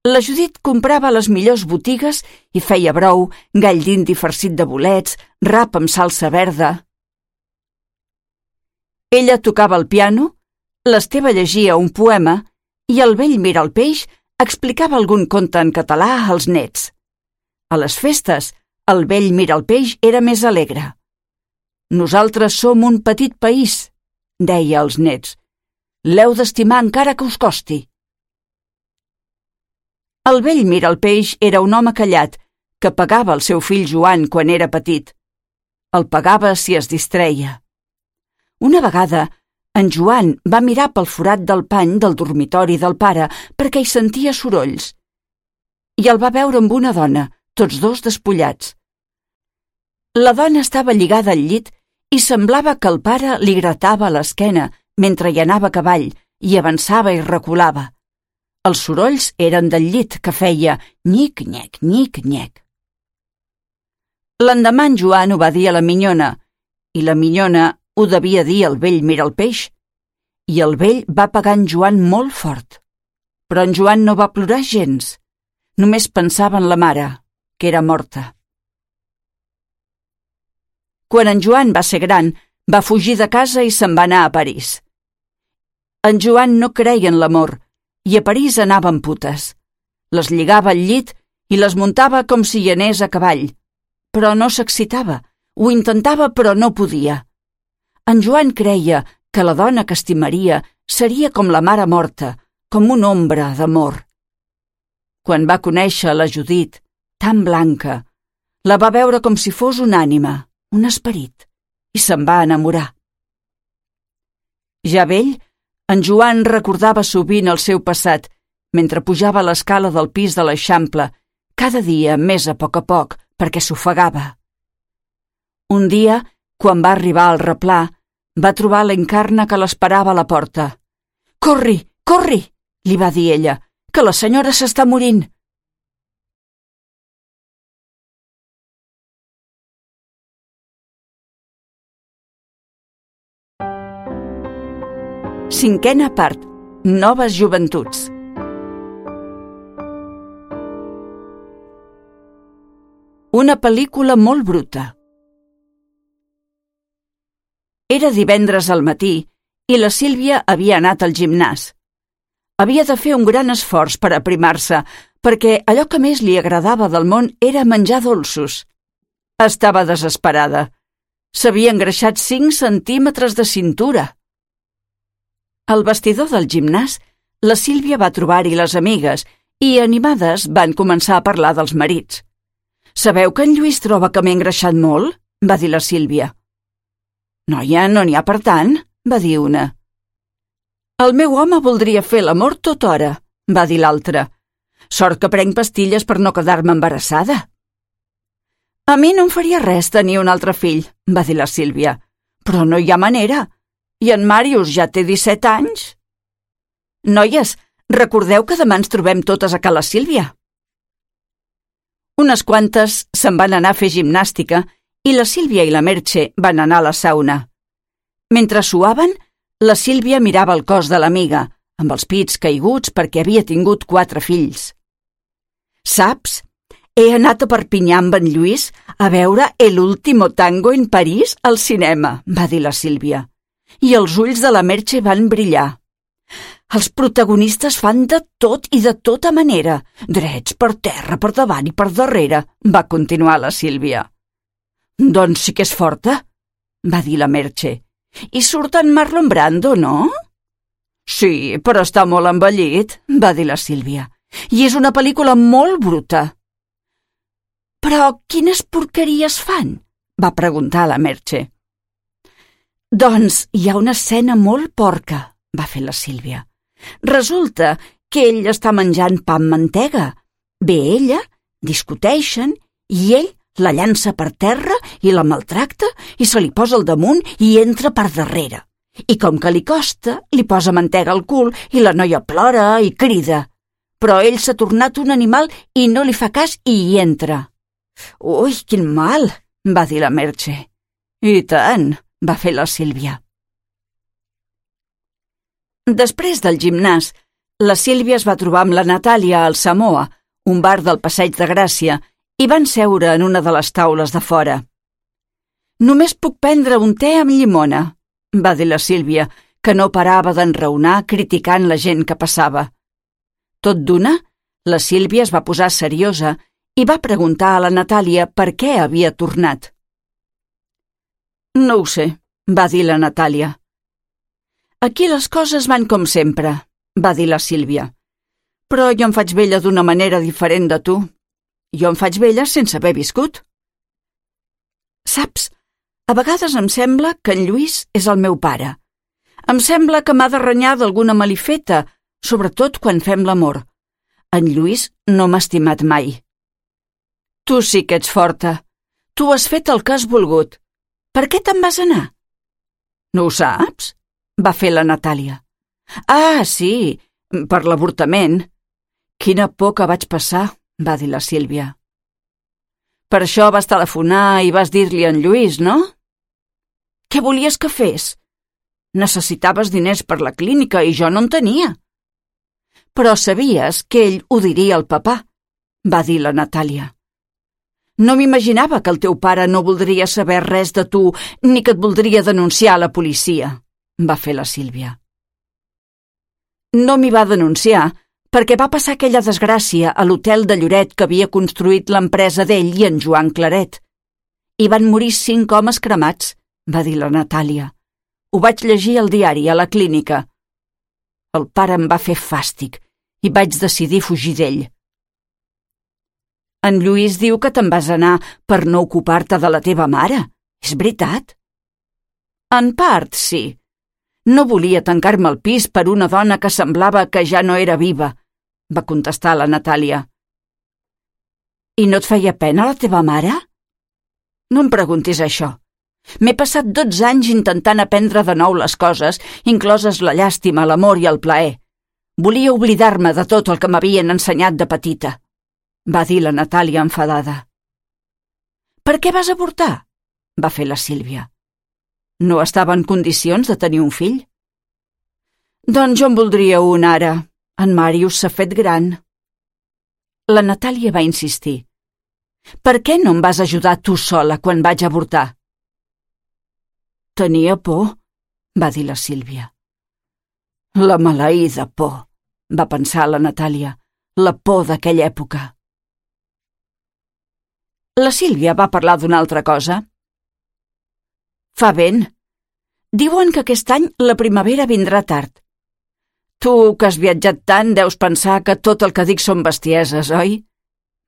La Judit comprava a les millors botigues i feia brou, gall d'indi farcit de bolets, rap amb salsa verda. Ella tocava el piano, l'Esteve llegia un poema i el vell Miralpeix explicava algun conte en català als nets. A les festes, el vell Miralpeix era més alegre. «Nosaltres som un petit país», deia als nets. «L'heu d'estimar encara que us costi». El vell Miralpeix era un home callat que pagava el seu fill Joan quan era petit. El pagava si es distreia. Una vegada, en Joan va mirar pel forat del pany del dormitori del pare perquè hi sentia sorolls. I el va veure amb una dona, tots dos despullats. La dona estava lligada al llit i semblava que el pare li gratava l'esquena mentre hi anava a cavall i avançava i reculava. Els sorolls eren del llit que feia nyic-nyec, nyic-nyec. L'endemà en Joan ho va dir a la minyona i la minyona ho devia dir al vell Miralpeix, i el vell va pagar en Joan molt fort. Però en Joan no va plorar gens, només pensava en la mare, que era morta. Quan en Joan va ser gran, va fugir de casa i se'n va anar a París. En Joan no creia en l'amor, i a París anava amb putes. Les lligava al llit i les muntava com si hi anés a cavall, però no s'excitava, ho intentava però no podia. En Joan creia que la dona que estimaria seria com la mare morta, com una ombra d'amor. Quan va conèixer la Judit, tan blanca, la va veure com si fos una ànima, un esperit, i se'n va enamorar. Ja vell, en Joan recordava sovint el seu passat mentre pujava l'escala del pis de l'Eixample, cada dia més a poc a poc, perquè s'ofegava. Un dia, quan va arribar al replà, va trobar l'Encarna que l'esperava a la porta. «Corri, corri!», li va dir ella, «que la senyora s'està morint». Cinquena part. Noves joventuts. Una pel·lícula molt bruta. Era divendres al matí i la Sílvia havia anat al gimnàs. Havia de fer un gran esforç per aprimar-se, perquè allò que més li agradava del món era menjar dolços. Estava desesperada. S'havia engreixat cinc centímetres de cintura. Al vestidor del gimnàs, la Sílvia va trobar-hi les amigues i, animades, van començar a parlar dels marits. «Sabeu que en Lluís troba que m'he engreixat molt?», va dir la Sílvia. «Noia, no n'hi ha per tant», va dir una. «El meu home voldria fer l'amor tota hora», va dir l'altra. «Sort que prenc pastilles per no quedar-me embarassada». «A mi no em faria res tenir un altre fill», va dir la Sílvia. «Però no hi ha manera. I en Màrius ja té disset anys». «Noies, recordeu que demà ens trobem totes a Ca la Sílvia». Unes quantes se'n van anar a fer gimnàstica i la Sílvia i la Merche van anar a la sauna. Mentre suaven, la Sílvia mirava el cos de l'amiga, amb els pits caiguts perquè havia tingut quatre fills. «Saps? He anat a Perpinyà amb en Lluís a veure El último tango en París al cinema», va dir la Sílvia. I els ulls de la Merche van brillar. «Els protagonistes fan de tot i de tota manera, drets per terra, per davant i per darrere», va continuar la Sílvia. «Doncs sí que és forta», va dir la Merche. «I surt en Marlon Brando, no?» «Sí, però està molt envellit», va dir la Sílvia. «I és una pel·lícula molt bruta». «Però quines porqueries fan?», va preguntar la Merche. «Doncs hi ha una escena molt porca», va fer la Sílvia. «Resulta que ell està menjant pa amb mantega. Ve ella, discuteixen, i ell la llança per terra i la maltracta i se li posa al damunt i entra per darrere. I com que li costa, li posa mantega al cul i la noia plora i crida. Però ell s'ha tornat un animal i no li fa cas i hi entra». «Ui, quin mal», va dir la Merche. «I tant», va fer la Sílvia. Després del gimnàs, la Sílvia es va trobar amb la Natàlia al Samoa, un bar del Passeig de Gràcia, i van seure en una de les taules de fora. «Només puc prendre un te amb llimona», va dir la Sílvia, que no parava d'enraonar criticant la gent que passava. Tot d'una, la Sílvia es va posar seriosa i va preguntar a la Natàlia per què havia tornat. «No ho sé», va dir la Natàlia. «Aquí les coses van com sempre», va dir la Sílvia. «Però jo em faig vella d'una manera diferent de tu. Jo em faig vella sense haver viscut». «Saps, a vegades em sembla que en Lluís és el meu pare. Em sembla que m'ha de renyar d'alguna malifeta, sobretot quan fem l'amor. En Lluís no m'ha estimat mai». «Tu sí que ets forta. Tu has fet el que has volgut. Per què te'n vas anar?» «No ho saps?», va fer la Natàlia. «Ah, sí, per l'avortament. Quina por que vaig passar», va dir la Sílvia. «Per això vas telefonar i vas dir-li a en Lluís, no?» «Què volies que fes? Necessitaves diners per la clínica i jo no en tenia». «Però sabies que ell ho diria al papà», va dir la Natàlia. «No m'imaginava que el teu pare no voldria saber res de tu ni que et voldria denunciar a la policia», va fer la Sílvia. «No m'hi va denunciar perquè va passar aquella desgràcia a l'hotel de Lloret que havia construït l'empresa d'ell i en Joan Claret. Hi van morir cinc homes cremats», va dir la Natàlia. «Ho vaig llegir al diari a la clínica. El pare em va fer fàstic i vaig decidir fugir d'ell». «En Lluís diu que te'n vas anar per no ocupar-te de la teva mare. És veritat?» «En part, sí. No volia tancar-me al pis per una dona que semblava que ja no era viva», va contestar la Natàlia. «I no et feia pena la teva mare?» «No em preguntis això. M'he passat dotze anys intentant aprendre de nou les coses, incloses la llàstima, l'amor i el plaer. Volia oblidar-me de tot el que m'havien ensenyat de petita», va dir la Natàlia enfadada. «Per què vas avortar?», va fer la Sílvia. «No estava en condicions de tenir un fill». «Doncs jo en voldria un ara. En Màrius s'ha fet gran». La Natàlia va insistir. «Per què no em vas ajudar tu sola quan vaig avortar?» «Tenia por», va dir la Sílvia. «La maleïda por», va pensar la Natàlia, «la por d'aquella època». La Sílvia va parlar d'una altra cosa. «Fa vent. Diuen que aquest any la primavera vindrà tard. Tu, que has viatjat tant, deus pensar que tot el que dic són bestieses, oi?»,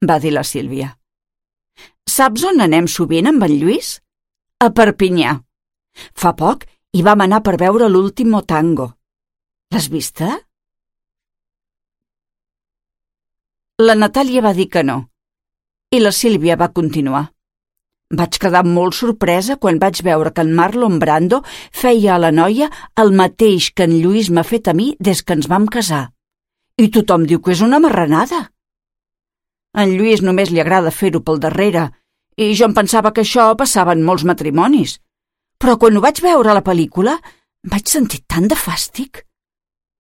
va dir la Sílvia. «Saps on anem sovint amb en Lluís? A Perpinyà. Fa poc hi vam anar per veure l'Último Tango. L'has vista? La Natàlia va dir que no, i la Sílvia va continuar. Vaig quedar molt sorpresa quan vaig veure que en Marlon Brando feia a la noia el mateix que en Lluís m'ha fet a mi des que ens vam casar. I tothom diu que és una marranada. A en Lluís només li agrada fer-ho pel darrere, i jo em pensava que això passava en molts matrimonis. Però quan ho vaig veure a la pel·lícula, vaig sentir tant de fàstic.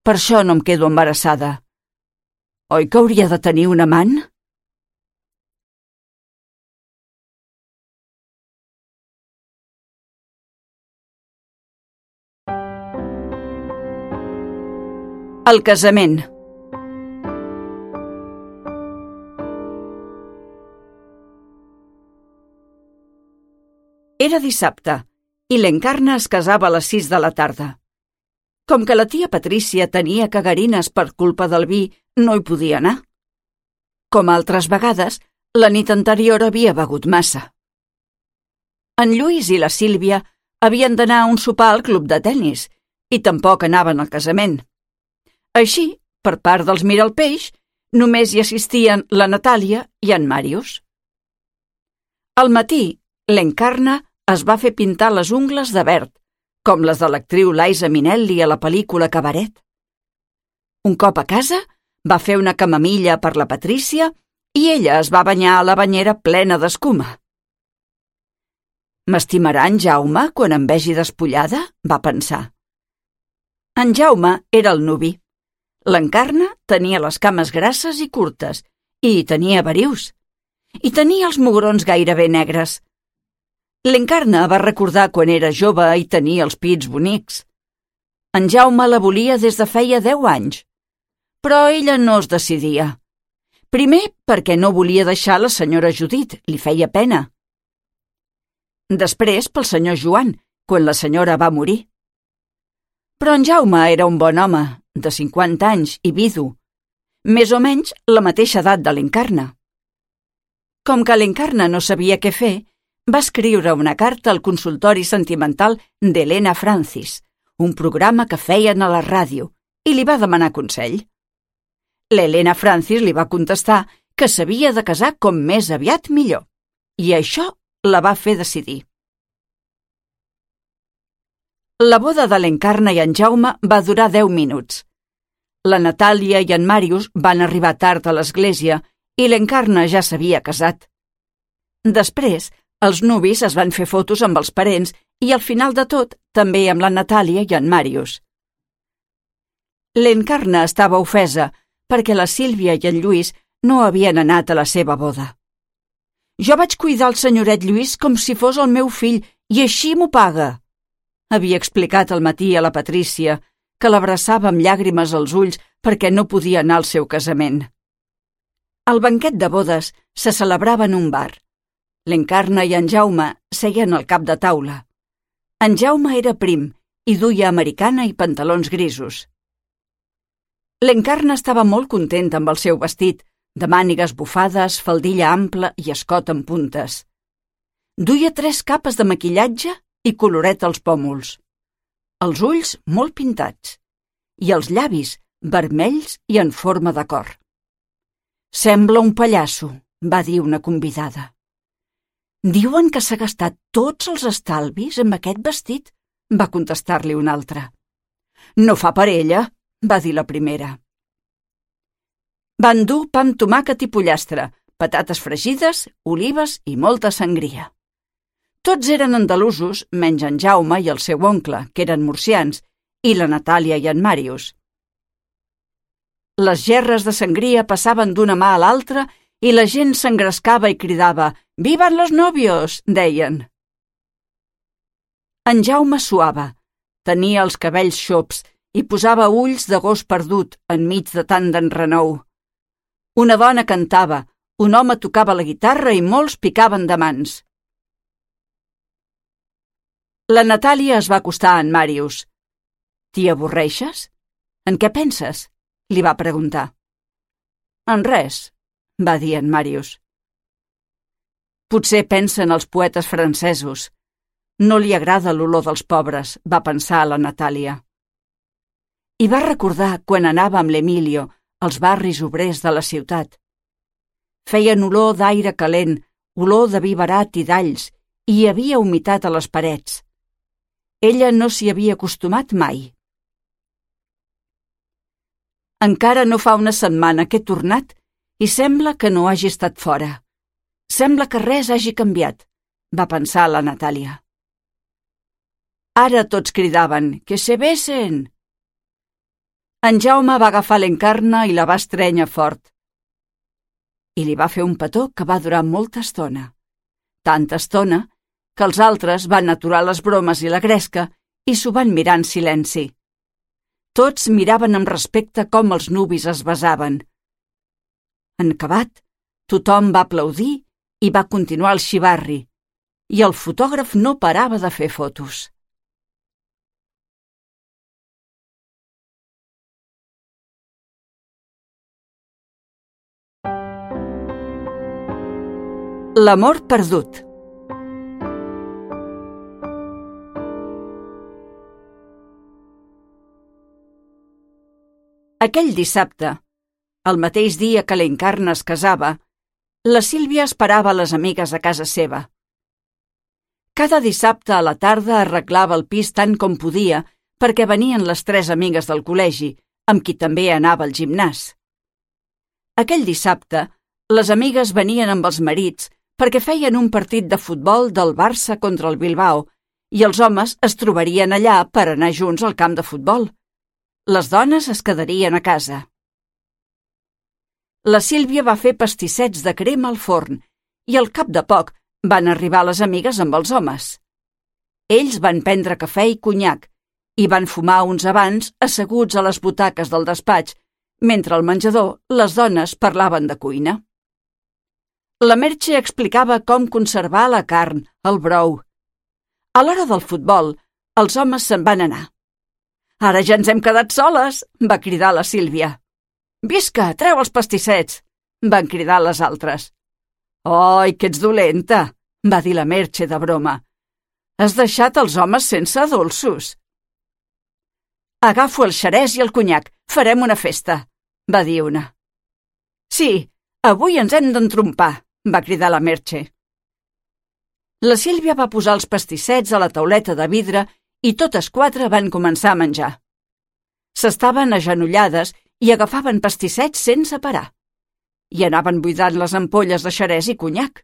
Per això no em quedo embarassada. Oi que hauria de tenir un amant? El casament. Era dissabte i l'Encarna es casava a les sis de la tarda. Com que la tia Patrícia tenia cagarines per culpa del vi, no hi podia anar. Com altres vegades, la nit anterior havia begut massa. En Lluís i la Sílvia havien d'anar a un sopar al club de tennis i tampoc anaven al casament. Així, per part dels Miralpeix, només hi assistien la Natàlia i en Màrius. Al matí, l'Encarna es va fer pintar les ungles de verd, com les de l'actriu Liza Minnelli a la pel·lícula Cabaret. Un cop a casa, va fer una camamilla per la Patrícia i ella es va banyar a la banyera plena d'escuma. «M'estimarà en Jaume quan em vegi despullada?», va pensar. En Jaume era el nuvi. L'Encarna tenia les cames grasses i curtes, i tenia verius. I tenia els mugrons gairebé negres. L'Encarna va recordar quan era jove i tenia els pits bonics. En Jaume la volia des de feia deu anys, però ella no es decidia. Primer, perquè no volia deixar la senyora Judit, li feia pena. Després, pel senyor Joan, quan la senyora va morir. Però en Jaume era un bon home, de cinquanta anys i vidu, més o menys la mateixa edat de l'Encarna. Com que l'Encarna no sabia què fer, va escriure una carta al consultori sentimental d'Helena Francis, un programa que feien a la ràdio, i li va demanar consell. L'Helena Francis li va contestar que s'havia de casar com més aviat millor, i això la va fer decidir. La boda de l'Encarna i en Jaume va durar deu minuts. La Natàlia i en Màrius van arribar tard a l'església i l'Encarna ja s'havia casat. Després, els nuvis es van fer fotos amb els parents i al final de tot també amb la Natàlia i en Màrius. L'Encarna estava ofesa perquè la Sílvia i en Lluís no havien anat a la seva boda. «Jo vaig cuidar el senyoret Lluís com si fos el meu fill i així m'ho paga», havia explicat al matí a la Patrícia, que l'abraçava amb llàgrimes als ulls perquè no podia anar al seu casament. El banquet de bodes se celebrava en un bar. L'Encarna i en Jaume seien al cap de taula. En Jaume era prim i duia americana i pantalons grisos. L'Encarna estava molt contenta amb el seu vestit, de mànigues bufades, faldilla ampla i escot amb puntes. Duia tres capes de maquillatge i coloret als pòmuls. Els ulls molt pintats i els llavis vermells i en forma de cor. «Sembla un pallasso», va dir una convidada. «Diuen que s'ha gastat tots els estalvis amb aquest vestit», va contestar-li una altra. «No fa per ella», va dir la primera. Van dur pa amb tomàquet i pollastre, patates fregides, olives i molta sangria. Tots eren andalusos, menys en Jaume i el seu oncle, que eren murcians, i la Natàlia i en Màrius. Les gerres de sangria passaven d'una mà a l'altra i la gent s'engrescava i cridava «Vivan los novios!», deien. En Jaume suava, tenia els cabells xops i posava ulls de gos perdut enmig de tant d'enrenou. Una dona cantava, un home tocava la guitarra i molts picaven de mans. La Natàlia es va acostar a en Màrius. «T'hi avorreixes? En què penses?», li va preguntar. «En res», va dir en Màrius. «Potser pensa en els poetes francesos. No li agrada l'olor dels pobres, va pensar la Natàlia. I va recordar quan anava amb l'Emilio als barris obrers de la ciutat. Feien olor d'aire calent, olor de vi barat i d'alls, i hi havia humitat a les parets. Ella no s'hi havia acostumat mai. Encara no fa una setmana que he tornat i sembla que no hagi estat fora. Sembla que res hagi canviat, va pensar la Natàlia. Ara tots cridaven, que se besen! En Jaume va agafar l'Encarna i la va estrènyer fort. I li va fer un petó que va durar molta estona. Tanta estona que els altres van aturar les bromes i la gresca i s'ho van mirar en silenci. Tots miraven amb respecte com els nuvis es besaven. En acabat, tothom va aplaudir i va continuar el xivarri, i el fotògraf no parava de fer fotos. L'amor perdut. Aquell dissabte, el mateix dia que l'Encarna es casava, la Sílvia esperava les amigues a casa seva. Cada dissabte a la tarda arreglava el pis tant com podia perquè venien les tres amigues del col·legi, amb qui també anava al gimnàs. Aquell dissabte, les amigues venien amb els marits perquè feien un partit de futbol del Barça contra el Bilbao i els homes es trobarien allà per anar junts al camp de futbol. Les dones es quedarien a casa. La Sílvia va fer pastissets de crema al forn i al cap de poc van arribar les amigues amb els homes. Ells van prendre cafè i conyac i van fumar uns abans asseguts a les butaques del despatx, mentre al menjador les dones parlaven de cuina. La Merche explicava com conservar la carn, el brou. A l'hora del futbol, els homes se'n van anar. «Ara ja ens hem quedat soles!» va cridar la Sílvia. «Visca, treu els pastissets!» van cridar les altres. «Oi, que ets dolenta!» va dir la Merche de broma. «Has deixat els homes sense dolços!» «Agafo el xerès i el conyac, farem una festa!» va dir una. «Sí, avui ens hem d'entrompar!» va cridar la Merche. La Sílvia va posar els pastissets a la tauleta de vidre i totes quatre van començar a menjar. S'estaven agenollades i agafaven pastissets sense parar. I anaven buidant les ampolles de xerès i conyac.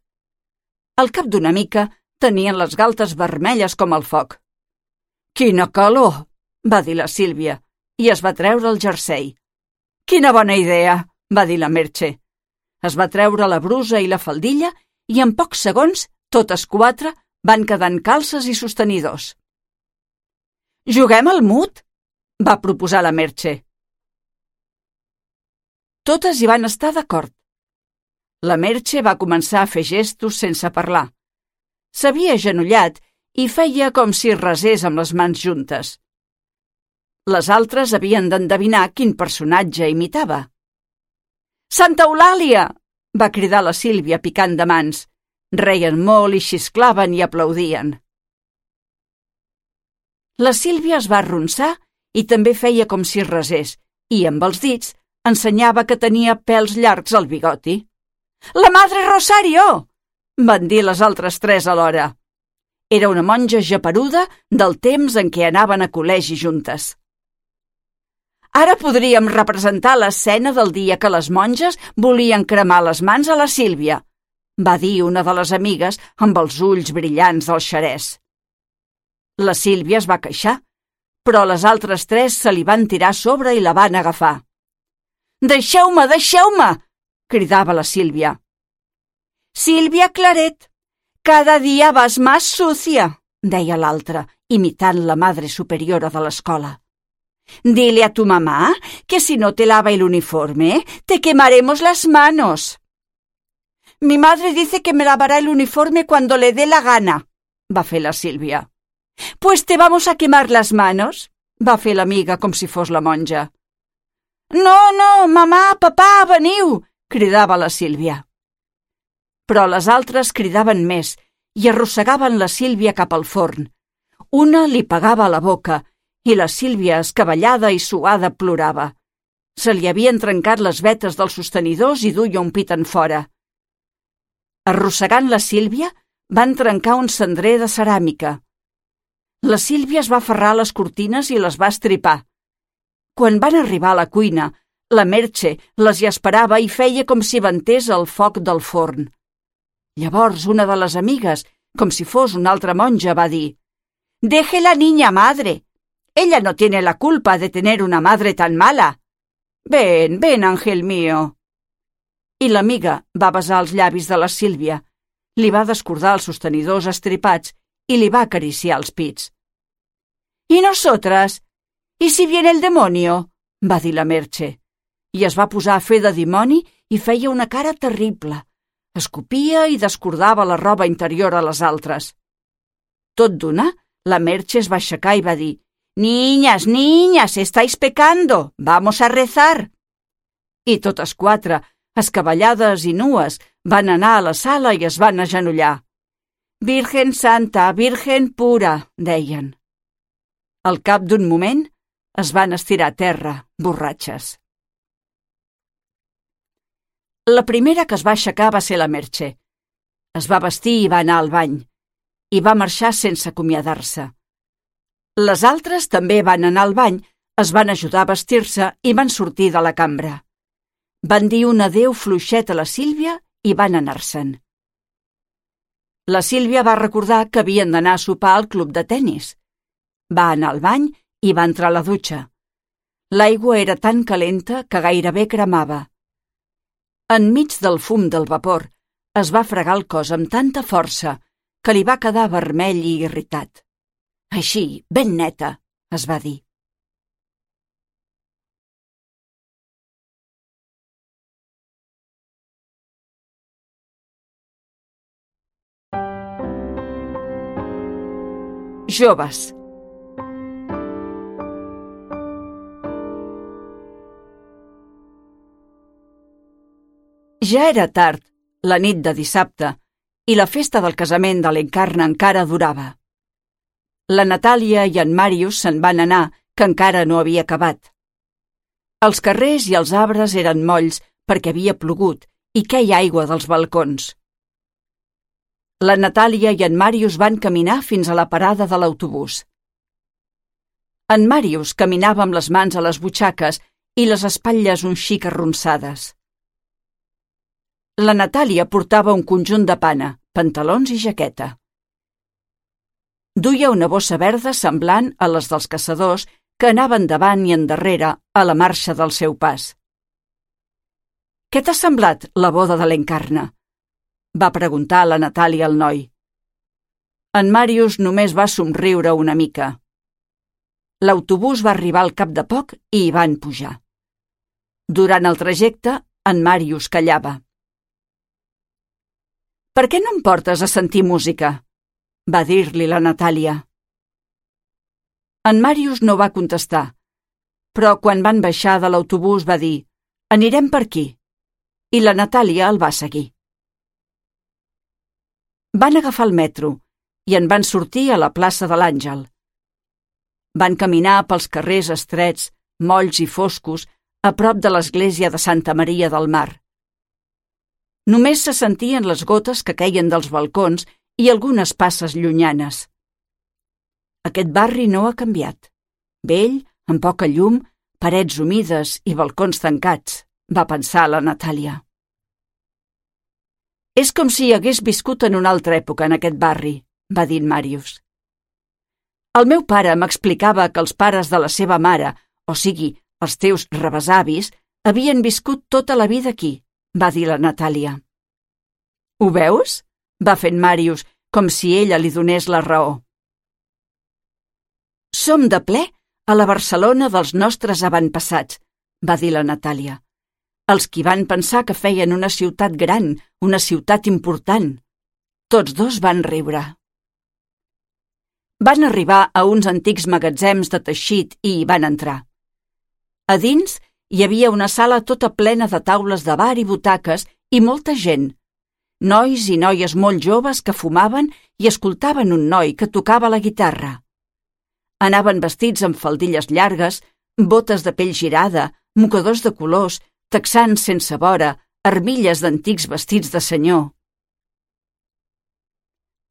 Al cap d'una mica tenien les galtes vermelles com el foc. «Quina calor!» va dir la Sílvia i es va treure el jersei. «Quina bona idea!» va dir la Merche. Es va treure la brusa i la faldilla i en pocs segons totes quatre van quedar en calces i sostenidors. «Juguem al mut?» va proposar la Merche. Totes hi van estar d'acord. La Merche va començar a fer gestos sense parlar. S'havia agenollat i feia com si resés amb les mans juntes. Les altres havien d'endevinar quin personatge imitava. «Santa Eulàlia!» va cridar la Sílvia picant de mans. Reien molt i xisclaven i aplaudien. La Sílvia es va arronsar i també feia com si resés i, amb els dits, ensenyava que tenia pèls llargs al bigoti. «La Madre Rosario!» van dir les altres tres alhora. Era una monja geperuda del temps en què anaven a col·legi juntes. «Ara podríem representar l'escena del dia que les monges volien cremar les mans a la Sílvia», va dir una de les amigues amb els ulls brillants del xerès. La Sílvia es va queixar, però les altres tres se li van tirar a sobre i la van agafar. «Deixeu-me, deixeu-me!» cridava la Sílvia. «Sílvia Claret, cada dia vas más sucia», deia l'altra, imitant la madre superiora de l'escola. «Dile a tu mamá que si no te lava el uniforme, te quemaremos las manos». «Mi madre dice que me lavará el uniforme cuando le dé la gana», va fer la Sílvia. «Pues te vamos a quemar las manos», va fer l'amiga com si fos la monja. «No, no, mamà, papà, veniu», cridava la Sílvia. Però les altres cridaven més i arrossegaven la Sílvia cap al forn. Una li pegava a la boca i la Sílvia, escabellada i suada, plorava. Se li havien trencat les vetes dels sostenidors i duia un pit enfora. Arrossegant la Sílvia, van trencar un cendrer de ceràmica. La Sílvia es va aferrar a les cortines i les va estripar. Quan van arribar a la cuina, la Merche les hi esperava i feia com si ventés el foc del forn. Llavors una de les amigues, com si fos una altra monja, va dir: «Deje la niña, madre. Ella no tiene la culpa de tener una madre tan mala. Ven, ven, ángel mío». I l'amiga va besar els llavis de la Sílvia, li va descordar els sostenidors estripats i li va acariciar els pits. «¿Y nosotras? ¿Y si viene el demonio?», va dir la Merche, i es va posar a fer de dimoni i feia una cara terrible. Escopia i descordava la roba interior a les altres. Tot d'una, la Merche es va aixecar i va dir: «Niñas, niñas, estáis pecando, vamos a rezar». I totes quatre, escabellades i nues, van anar a la sala i es van agenollar. «Virgen Santa, Virgen pura», deien. Al cap d'un moment, es van estirar a terra, borratxes. La primera que es va aixecar va ser la Merche. Es va vestir i va anar al bany, i va marxar sense acomiadar-se. Les altres també van anar al bany, es van ajudar a vestir-se i van sortir de la cambra. Van dir un adéu fluixet a la Sílvia i van anar-se'n. La Sílvia va recordar que havien d'anar a sopar al club de tennis. Va anar al bany i va entrar a la dutxa. L'aigua era tan calenta que gairebé cremava. Enmig del fum del vapor, es va fregar el cos amb tanta força que li va quedar vermell i irritat. «Així, ben neta», es va dir. Joves. Ja era tard, la nit de dissabte, i la festa del casament de l'Encarna encara durava. La Natàlia i en Màrius se'n van anar, que encara no havia acabat. Els carrers i els arbres eren molls perquè havia plogut i queia aigua dels balcons. La Natàlia i en Màrius van caminar fins a la parada de l'autobús. En Màrius caminava amb les mans a les butxaques i les espatlles un xic arronsades. La Natàlia portava un conjunt de pana, pantalons i jaqueta. Duia una bossa verda semblant a les dels caçadors que anaven davant i endarrere a la marxa del seu pas. «Què t'ha semblat la boda de l'Encarna?», va preguntar la Natàlia al noi. En Màrius només va somriure una mica. L'autobús va arribar al cap de poc i hi van pujar. Durant el trajecte, en Màrius callava. «Per què no em portes a sentir música?», va dir-li la Natàlia. En Màrius no va contestar, però quan van baixar de l'autobús va dir: «Anirem per aquí», i la Natàlia el va seguir. Van agafar el metro i en van sortir a la plaça de l'Àngel. Van caminar pels carrers estrets, molls i foscos, a prop de l'església de Santa Maria del Mar. Només se sentien les gotes que queien dels balcons i algunes passes llunyanes. Aquest barri no ha canviat. Vell, amb poca llum, parets humides i balcons tancats, va pensar la Natàlia. «És com si hagués viscut en una altra època en aquest barri», va dir en Màrius. «El meu pare m'explicava que els pares de la seva mare, o sigui, els teus rebesavis, havien viscut tota la vida aquí», va dir la Natàlia. «Ho veus?», va fer en Màrius, com si ella li donés la raó. «Som de ple a la Barcelona dels nostres avantpassats», va dir la Natàlia. «Els qui van pensar que feien una ciutat gran, una ciutat important». Tots dos van riure. Van arribar a uns antics magatzems de teixit i hi van entrar. A dins hi havia una sala tota plena de taules de bar i butaques i molta gent, nois i noies molt joves que fumaven i escoltaven un noi que tocava la guitarra. Anaven vestits amb faldilles llargues, botes de pell girada, mocadors de colors, texans sense vora, armilles d'antics vestits de senyor.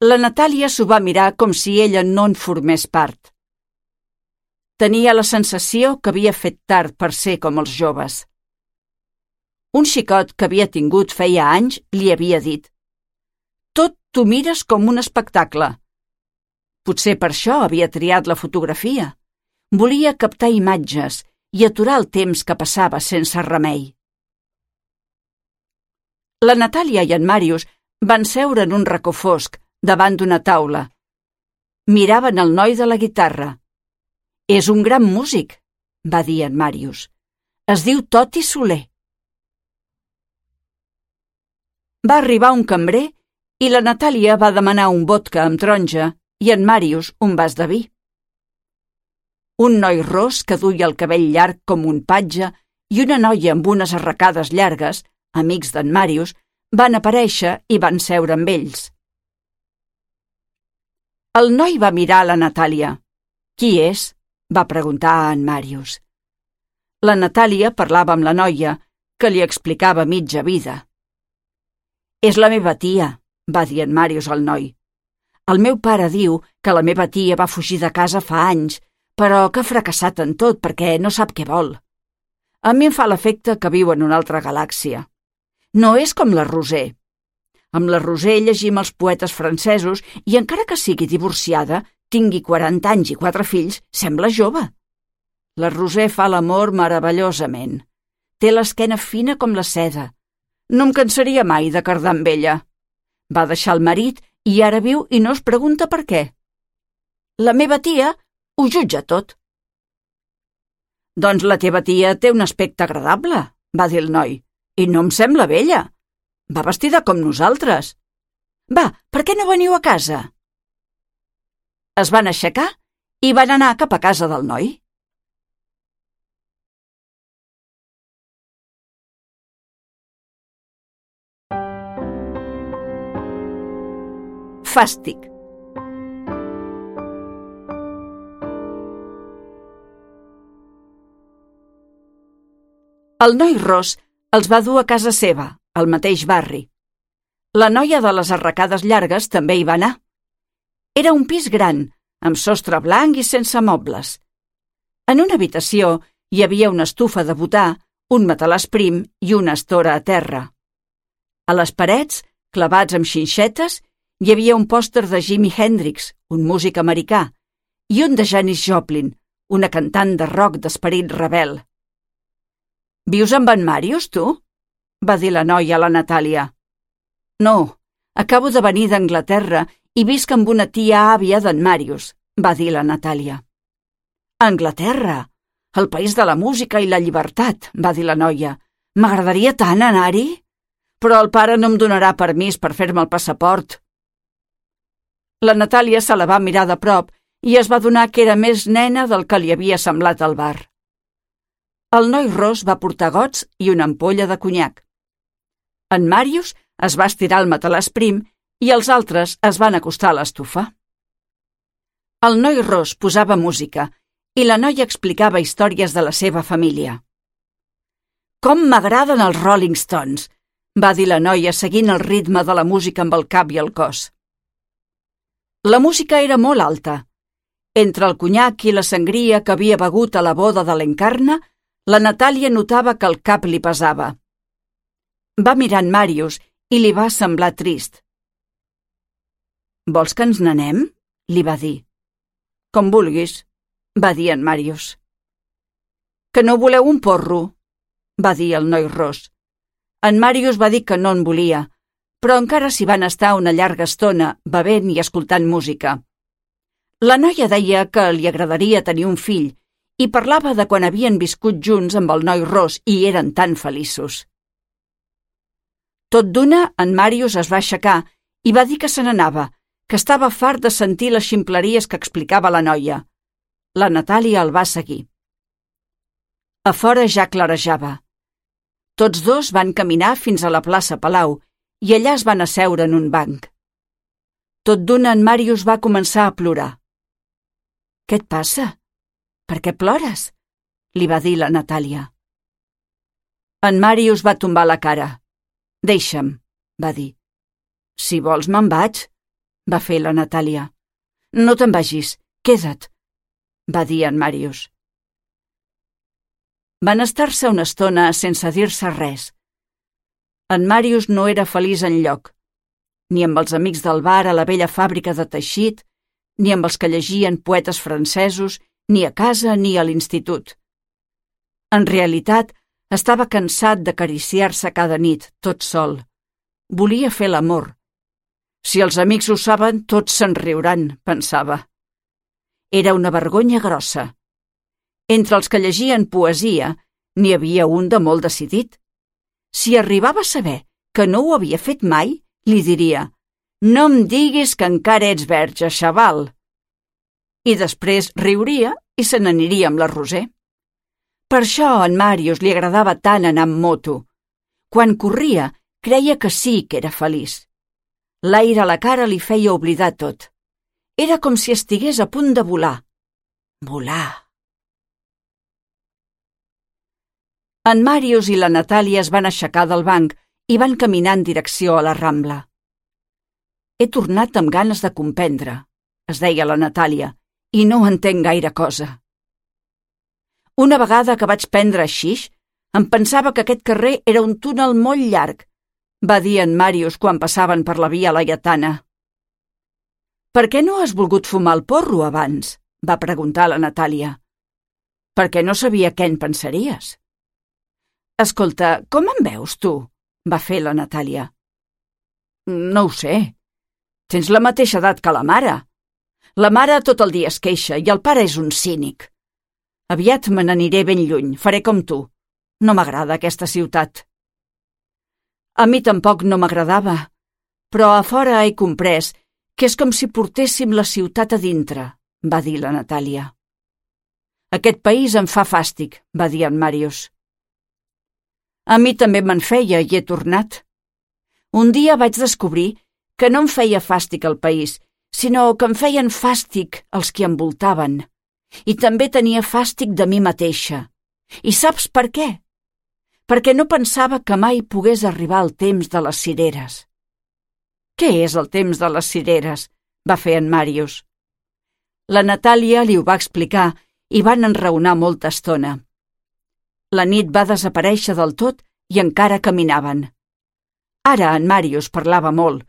La Natàlia s'ho va mirar com si ella no en formés part. Tenia la sensació que havia fet tard per ser com els joves. Un xicot que havia tingut feia anys li havia dit: «Tot t'ho mires com un espectacle». Potser per això havia triat la fotografia. Volia captar imatges i aturar el temps que passava sense remei. La Natàlia i en Màrius van seure en un racó fosc, davant d'una taula. Miraven el noi de la guitarra. «És un gran músic», va dir en Màrius. «Es diu Toti Soler». Va arribar un cambrer i la Natàlia va demanar un vodka amb taronja i en Màrius un vas de vi. Un noi ros que duia el cabell llarg com un patge i una noia amb unes arracades llargues, amics d'en Màrius, van aparèixer i van seure amb ells. El noi va mirar a la Natàlia. «Qui és?», va preguntar a en Màrius. La Natàlia parlava amb la noia, que li explicava mitja vida. «És la meva tia», va dir en Màrius al noi. «El meu pare diu que la meva tia va fugir de casa fa anys, però que ha fracassat en tot perquè no sap què vol. A mi em fa l'efecte que viu en una altra galàxia. No és com la Roser. Amb la Roser llegim els poetes francesos i encara que sigui divorciada, tingui quaranta anys i quatre fills, sembla jove. La Roser fa l'amor meravellosament. Té l'esquena fina com la seda. No em cansaria mai de cardar amb ella. Va deixar el marit i ara viu i no es pregunta per què. La meva tia ho jutja tot». «Doncs la teva tia té un aspecte agradable», va dir el noi, «i no em sembla vella. Va vestida com nosaltres. Va, per què no veniu a casa?» Es van aixecar i van anar cap a casa del noi. Fàstic. El noi ros els va dur a casa seva, al mateix barri. La noia de les arracades llargues també hi va anar. Era un pis gran, amb sostre blanc i sense mobles. En una habitació hi havia una estufa de butà, un matalàs prim i una estora a terra. A les parets, clavats amb xinxetes, hi havia un pòster de Jimi Hendrix, un músic americà, i un de Janis Joplin, una cantant de rock d'esperit rebel. «Vius amb en Màrius, tu?», va dir la noia a la Natàlia. «No, acabo de venir d'Anglaterra i visc amb una tia àvia d'en Màrius», va dir la Natàlia. «Anglaterra, el país de la música i la llibertat», va dir la noia. «M'agradaria tant anar-hi, però el pare no em donarà permís per fer-me el passaport». La Natàlia se la va mirar de prop i es va adonar que era més nena del que li havia semblat al bar. El noi ros va portar gots i una ampolla de conyac. En Màrius es va estirar al matalàs prim i els altres es van acostar a l'estufa. El noi ros posava música i la noia explicava històries de la seva família. «Com m'agraden els Rolling Stones», va dir la noia seguint el ritme de la música amb el cap i el cos. La música era molt alta. Entre el conyac i la sangria que havia begut a la boda de l'Encarna, la Natàlia notava que el cap li pesava. Va mirar en Màrius i li va semblar trist. «Vols que ens n'anem?», li va dir. «Com vulguis», va dir en Màrius. «Que no voleu un porro?», va dir el noi ros. En Màrius va dir que no en volia, però encara s'hi van estar una llarga estona bevent i escoltant música. La noia deia que li agradaria tenir un fill i parlava de quan havien viscut junts amb el noi ros i eren tan feliços. Tot d'una, en Màrius es va aixecar i va dir que se n'anava, que estava fart de sentir les ximpleries que explicava la noia. La Natàlia el va seguir. A fora ja clarejava. Tots dos van caminar fins a la plaça Palau i allà es van asseure en un banc. Tot d'una en Màrius va començar a plorar. «Què et passa? Per què plores?» li va dir la Natàlia. En Màrius va tombar la cara. «Deixa'm», va dir. «Si vols me'n vaig», va fer la Natàlia. «No te'n vagis, queda't», va dir en Màrius. Van estar-se una estona sense dir-se res. En Màrius no era feliç enlloc, ni amb els amics del bar a la vella fàbrica de teixit, ni amb els que llegien poetes francesos, ni a casa ni a l'institut. En realitat, estava cansat d'acariciar-se cada nit, tot sol. Volia fer l'amor. Si els amics ho saben, tots se'n riuran, pensava. Era una vergonya grossa. Entre els que llegien poesia, n'hi havia un de molt decidit. Si arribava a saber que no ho havia fet mai, li diria: «No em diguis que encara ets verge, xaval!» I després riuria i se n'aniria amb la Roser. Per això a en Màrius li agradava tant anar amb moto. Quan corria, creia que sí que era feliç. L'aire a la cara li feia oblidar tot. Era com si estigués a punt de volar. Volar. En Màrius i la Natàlia es van aixecar del banc i van caminar en direcció a la Rambla. «He tornat amb ganes de comprendre», es deia la Natàlia, «i no entenc gaire cosa». Una vegada que vaig prendre xix, em pensava que aquest carrer era un túnel molt llarg, va dir en Màrius quan passaven per la via Laietana. «Per què no has volgut fumar el porro abans?», va preguntar la Natàlia. «Perquè no sabia què en pensaries». «Escolta, com em veus, tu?», va fer la Natàlia. «No ho sé. Tens la mateixa edat que la mare. La mare tot el dia es queixa i el pare és un cínic. Aviat me n'aniré ben lluny, faré com tu. No m'agrada aquesta ciutat». A mi tampoc no m'agradava, però a fora he comprès que és com si portéssim la ciutat a dintre, va dir la Natàlia. «Aquest país em fa fàstic», va dir en Màrius. «A mi també me'n feia i he tornat. Un dia vaig descobrir que no em feia fàstic el país, sinó que em feien fàstic els que envoltaven. I també tenia fàstic de mi mateixa. I saps per què? Perquè no pensava que mai pogués arribar el temps de les cireres». «Què és el temps de les cireres?», va fer en Màrius. La Natàlia li ho va explicar i van enraonar molta estona. La nit va desaparèixer del tot i encara caminaven. Ara en Màrius parlava molt,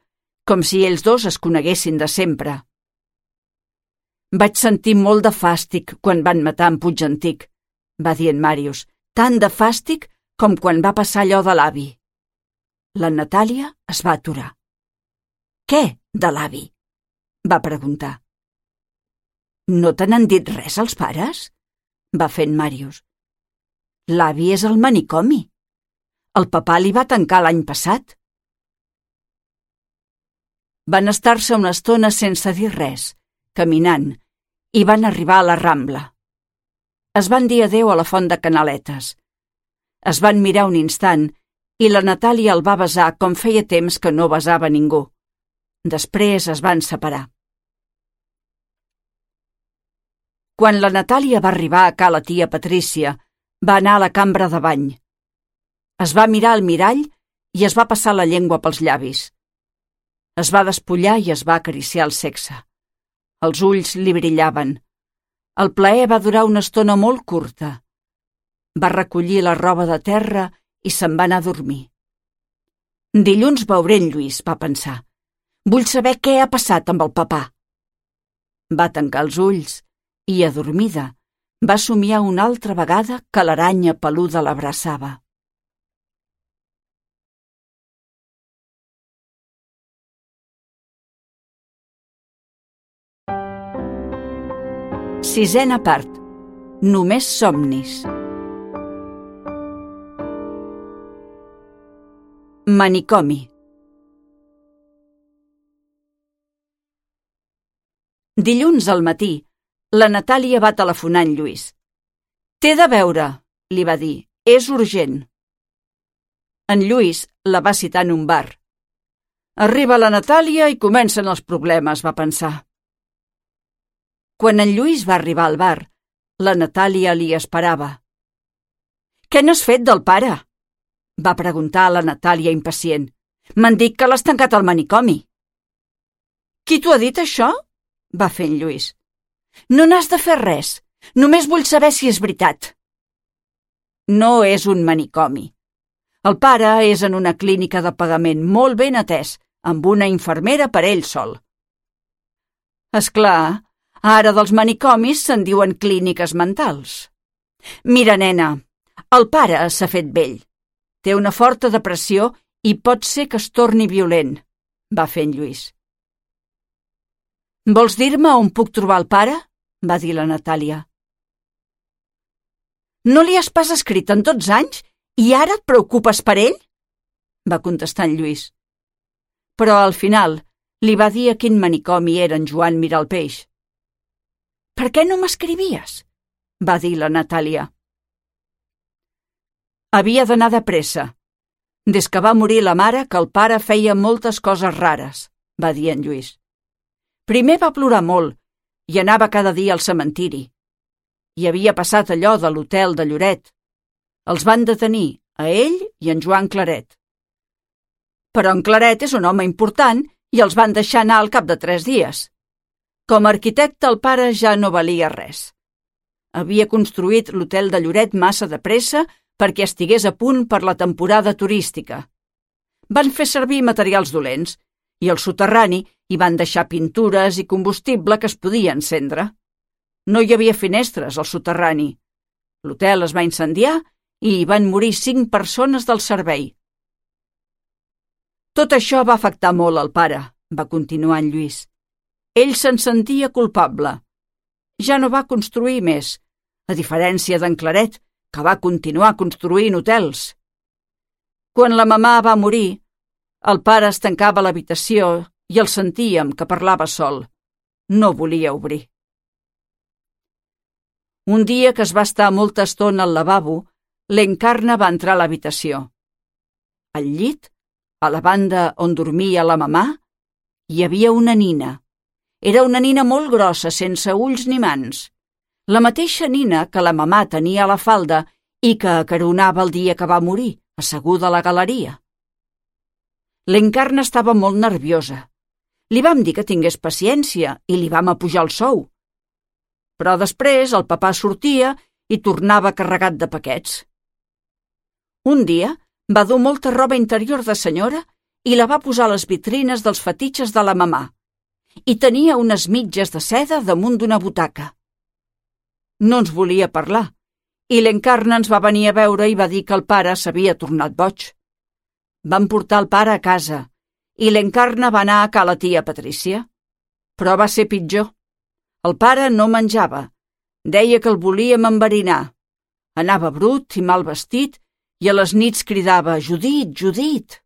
com si ells dos es coneguessin de sempre. «Vaig sentir molt de fàstic quan van matar en Puigantic», va dir en Màrius, «tant de fàstic com quan va passar allò de l'avi». La Natàlia es va aturar. «Què de l'avi?», va preguntar. «No te n'han dit res els pares?», va fer en Màrius. «L'avi és al manicomi. El papà li va tancar l'any passat». Van estar-se una estona sense dir res, caminant, i van arribar a la Rambla. Es van dir adéu a la font de Canaletes. Es van mirar un instant i la Natàlia el va besar com feia temps que no besava ningú. Després es van separar. Quan la Natàlia va arribar a ca la tia Patrícia, va anar a la cambra de bany. Es va mirar al mirall i es va passar la llengua pels llavis. Es va despullar i es va acariciar el sexe. Els ulls li brillaven. El plaer va durar una estona molt curta. Va recollir la roba de terra i se'n va anar a dormir. «Dilluns veuré en Lluís», va pensar. «Vull saber què ha passat amb el papà». Va tancar els ulls i, adormida, va somiar una altra vegada que l'aranya peluda l'abraçava. Sisena part. Només somnis. Manicomi. Dilluns al matí, la Natàlia va telefonar en Lluís. «T'he de veure», li va dir, «és urgent». En Lluís la va citar en un bar. Arriba la Natàlia i comencen els problemes, va pensar. Quan en Lluís va arribar al bar, la Natàlia li esperava. «Què n'has fet del pare?», va preguntar la Natàlia impacient. «M'han dit que l'has tancat al manicomi». «Qui t'ho ha dit, això?», va fer en Lluís. «No n'has de fer res. Només vull saber si és veritat». «No és un manicomi. El pare és en una clínica de pagament molt ben atès, amb una infermera per ell sol». «És clar, ara dels manicomis se'n diuen clíniques mentals». «Mira, nena, el pare s'ha fet vell. Té una forta depressió i pot ser que es torni violent», va fer en Lluís. «Vols dir-me on puc trobar el pare?», va dir la Natàlia. «No li has pas escrit en tots anys i ara et preocupes per ell?», va contestar en Lluís. Però al final li va dir a quin manicomi era en Joan Miralpeix. «Per què no m'escrivies?», va dir la Natàlia. «Havia d'anar de pressa. Des que va morir la mare que el pare feia moltes coses rares», va dir en Lluís. «Primer va plorar molt i anava cada dia al cementiri. I havia passat allò de l'hotel de Lloret. Els van detenir, a ell i en Joan Claret. Però en Claret és un home important i els van deixar anar al cap de tres dies. Com a arquitecte el pare ja no valia res. Havia construït l'hotel de Lloret massa de pressa perquè estigués a punt per la temporada turística. Van fer servir materials dolents i al soterrani hi van deixar pintures i combustible que es podia encendre. No hi havia finestres al soterrani. L'hotel es va incendiar i hi van morir cinc persones del servei. Tot això va afectar molt al pare, va continuar en Lluís. Ell se'n sentia culpable. Ja no va construir més, a diferència d'en Claret, que va continuar construint hotels. Quan la mamà va morir, el pare es tancava a l'habitació i el sentíem que parlava sol. No volia obrir. Un dia que es va estar molta estona al lavabo, l'Encarna va entrar a l'habitació. Al llit, a la banda on dormia la mamà, hi havia una nina. Era una nina molt grossa, sense ulls ni mans. La mateixa nina que la mamà tenia a la falda i que acaronava el dia que va morir, asseguda a la galeria. L'Encarna estava molt nerviosa. Li vam dir que tingués paciència i li vam apujar el sou. Però després el papà sortia i tornava carregat de paquets. Un dia va dur molta roba interior de senyora i la va posar a les vitrines dels fetitxes de la mamà. I tenia unes mitges de seda damunt d'una butaca. No ens volia parlar, i l'Encarna ens va venir a veure i va dir que el pare s'havia tornat boig. Van portar el pare a casa, i l'Encarna va anar a ca la tia Patrícia. Però va ser pitjor. El pare no menjava. Deia que el volíem enverinar. Anava brut i mal vestit i a les nits cridava «Judit, Judit!».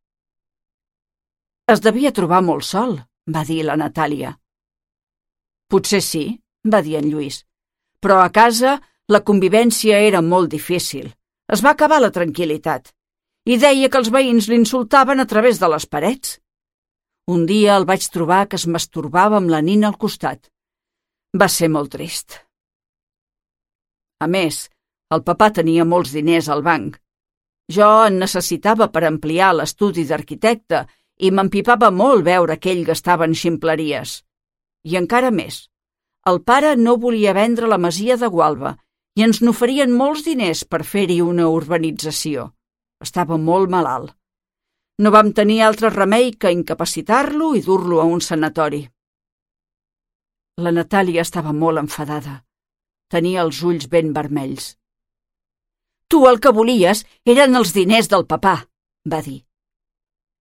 Es devia trobar molt sol, va dir la Natàlia. Potser sí, va dir en Lluís, però a casa la convivència era molt difícil. Es va acabar la tranquil·litat i deia que els veïns l'insultaven a través de les parets. Un dia el vaig trobar que es masturbava amb la nina al costat. Va ser molt trist. A més, el papà tenia molts diners al banc. Jo en necessitava per ampliar l'estudi d'arquitecte i m'empipava molt veure que ell gastava en ximpleries. I encara més, el pare no volia vendre la masia de Gualba i ens n'oferien molts diners per fer-hi una urbanització. Estava molt malalt. No vam tenir altre remei que incapacitar-lo i dur-lo a un sanatori. La Natàlia estava molt enfadada. Tenia els ulls ben vermells. «Tu el que volies eren els diners del papà», va dir.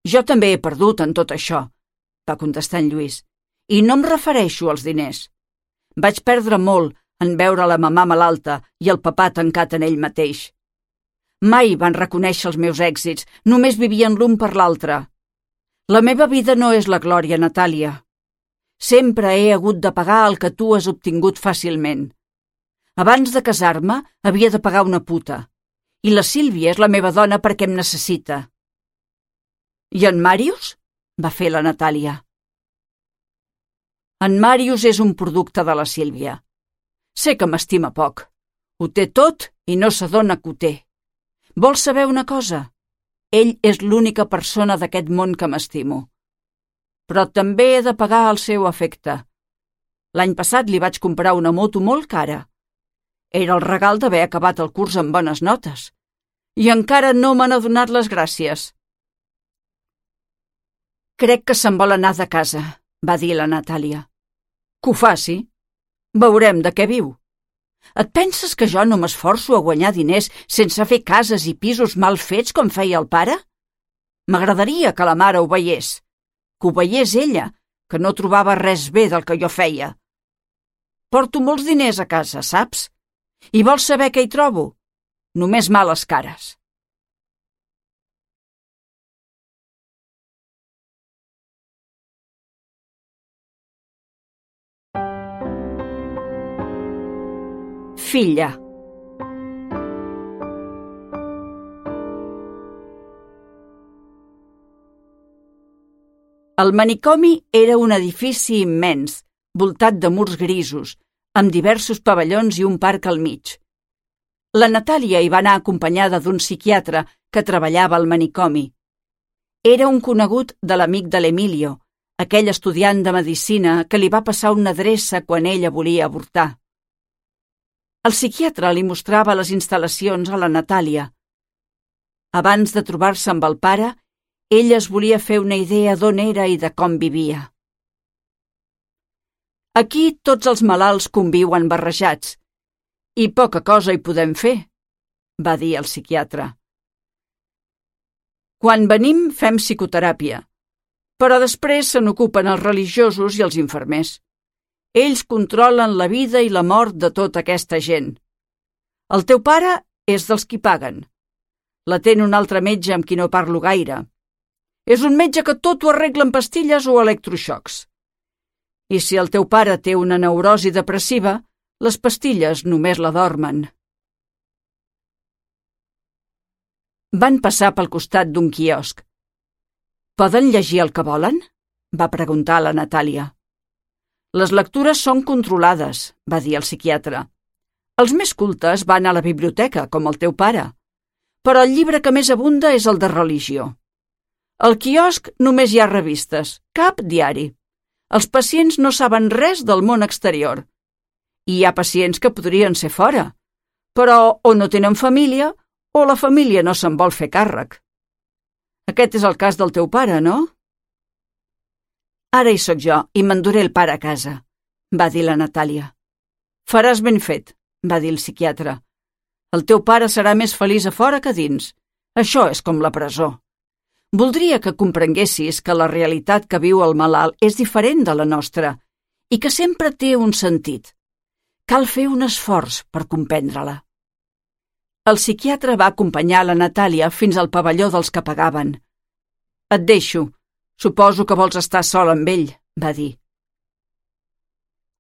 «Jo també he perdut en tot això», va contestar en Lluís, «i no em refereixo als diners. Vaig perdre molt en veure la mamà malalta i el papà tancat en ell mateix. Mai van reconèixer els meus èxits, només vivien l'un per l'altre. La meva vida no és la glòria, Natàlia. Sempre he hagut de pagar el que tu has obtingut fàcilment. Abans de casar-me havia de pagar una puta, i la Sílvia és la meva dona perquè em necessita». «I en Màrius?», va fer la Natàlia. En Màrius és un producte de la Sílvia. Sé que m'estima poc. Ho té tot i no s'adona que ho té. Vols saber una cosa? Ell és l'única persona d'aquest món que m'estimo. Però també he de pagar el seu afecte. L'any passat li vaig comprar una moto molt cara. Era el regal d'haver acabat el curs amb bones notes. I encara no m'han adonat les gràcies. Crec que se'n vol anar de casa, va dir la Natàlia. Que ho faci. Veurem de què viu. Et penses que jo no m'esforço a guanyar diners sense fer cases i pisos mal fets com feia el pare? M'agradaria que la mare ho veiés. Que ho veiés ella, que no trobava res bé del que jo feia. Porto molts diners a casa, saps? I vols saber què hi trobo? Només males cares. Filla. El manicomi era un edifici immens, voltat de murs grisos, amb diversos pavellons i un parc al mig. La Natàlia hi va anar acompanyada d'un psiquiatre que treballava al manicomi. Era un conegut de l'amic de l'Emilio, aquell estudiant de medicina que li va passar una adreça quan ella volia avortar. El psiquiatre li mostrava les instal·lacions a la Natàlia. Abans de trobar-se amb el pare, ella es volia fer una idea d'on era i de com vivia. Aquí tots els malalts conviuen barrejats, i poca cosa hi podem fer, va dir el psiquiatre. Quan venim fem psicoteràpia, però després se n'ocupen els religiosos i els infermers. Ells controlen la vida i la mort de tota aquesta gent. El teu pare és dels qui paguen. L'atén un altre metge amb qui no parlo gaire. És un metge que tot ho arregla amb pastilles o electroxocs. I si el teu pare té una neurosi depressiva, les pastilles només la dormen. Van passar pel costat d'un quiosc. «Poden llegir el que volen?», va preguntar la Natàlia. «Les lectures són controlades», va dir el psiquiatre. «Els més cultes van a la biblioteca, com el teu pare. Però el llibre que més abunda és el de religió. Al quiosc només hi ha revistes, cap diari. Els pacients no saben res del món exterior. I hi ha pacients que podrien ser fora, però o no tenen família o la família no se'n vol fer càrrec. Aquest és el cas del teu pare, no?» «Ara hi sóc jo i m'enduré el pare a casa», va dir la Natàlia. «Faràs ben fet», va dir el psiquiatre. «El teu pare serà més feliç a fora que a dins. Això és com la presó. Voldria que comprenguessis que la realitat que viu el malalt és diferent de la nostra i que sempre té un sentit. Cal fer un esforç per comprendre-la». El psiquiatre va acompanyar la Natàlia fins al pavelló dels que pagaven. «Et deixo. Suposo que vols estar sol amb ell», va dir.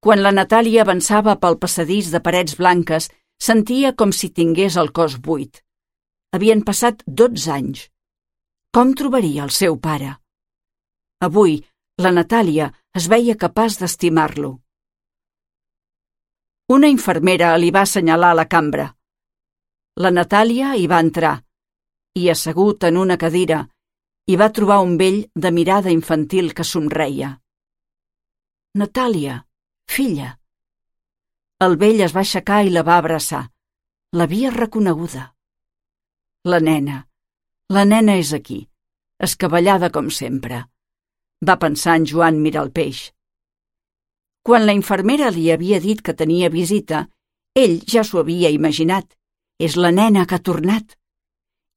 Quan la Natàlia avançava pel passadís de parets blanques, sentia com si tingués el cos buit. Havien passat dotze anys. Com trobaria el seu pare? Avui, la Natàlia es veia capaç d'estimar-lo. Una infermera li va assenyalar la cambra. La Natàlia hi va entrar i, assegut en una cadira, hi va trobar un vell de mirada infantil que somreia. «Natàlia, filla». El vell es va aixecar i la va abraçar. L'havia reconeguda. «La nena, la nena és aquí, escabellada com sempre», va pensar en Joan Miralpeix. Quan la infermera li havia dit que tenia visita, ell ja s'ho havia imaginat. És la nena que ha tornat.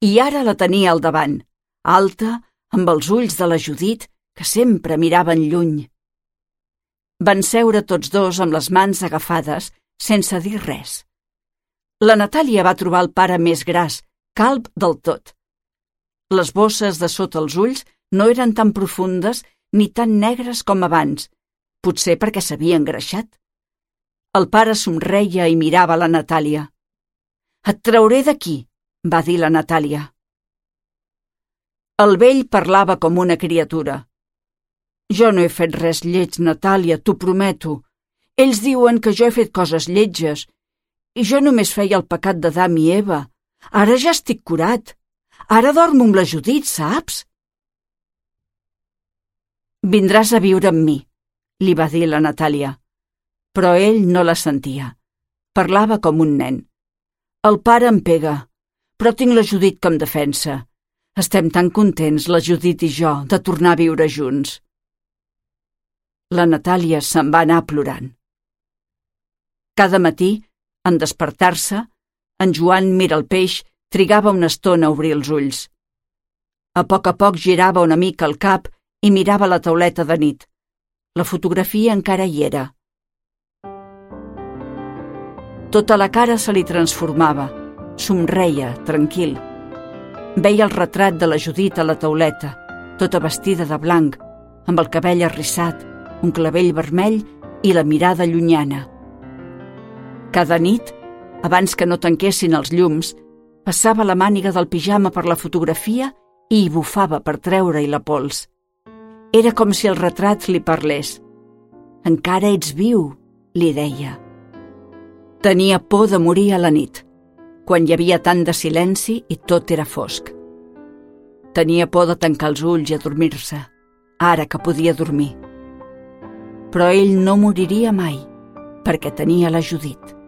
I ara la tenia al davant, alta, amb els ulls de la Judit, que sempre miraven lluny. Van seure tots dos amb les mans agafades, sense dir res. La Natàlia va trobar el pare més gras, calb del tot. Les bosses de sota els ulls no eren tan profundes ni tan negres com abans, potser perquè s'havia engreixat. El pare somreia i mirava la Natàlia. «Et trauré d'aquí», va dir la Natàlia. El vell parlava com una criatura. Jo no he fet res lleig, Natàlia, t'ho prometo. Ells diuen que jo he fet coses lletges i jo només feia el pecat d'Adam i Eva. Ara ja estic curat. Ara dormo amb la Judit, saps? Vindràs a viure amb mi, li va dir la Natàlia. Però ell no la sentia. Parlava com un nen. El pare em pega, però tinc la Judit que em defensa. Estem tan contents, la Judit i jo, de tornar a viure junts. La Natàlia se'n va anar plorant. Cada matí, en despertar-se, en Joan Miralpeix trigava una estona a obrir els ulls. A poc a poc girava una mica el cap i mirava la tauleta de nit. La fotografia encara hi era. Tota la cara se li transformava. Somreia, tranquil. Veia el retrat de la Judit a la tauleta, tota vestida de blanc, amb el cabell arrissat, un clavell vermell i la mirada llunyana. Cada nit, abans que no tanquessin els llums, passava la màniga del pijama per la fotografia i hi bufava per treure-hi la pols. Era com si el retrat li parlés. «Encara ets viu», li deia. Tenia por de morir a la nit, quan hi havia tant de silenci i tot era fosc. Tenia por de tancar els ulls i adormir-se, ara que podia dormir. Però ell no moriria mai, perquè tenia la Judit.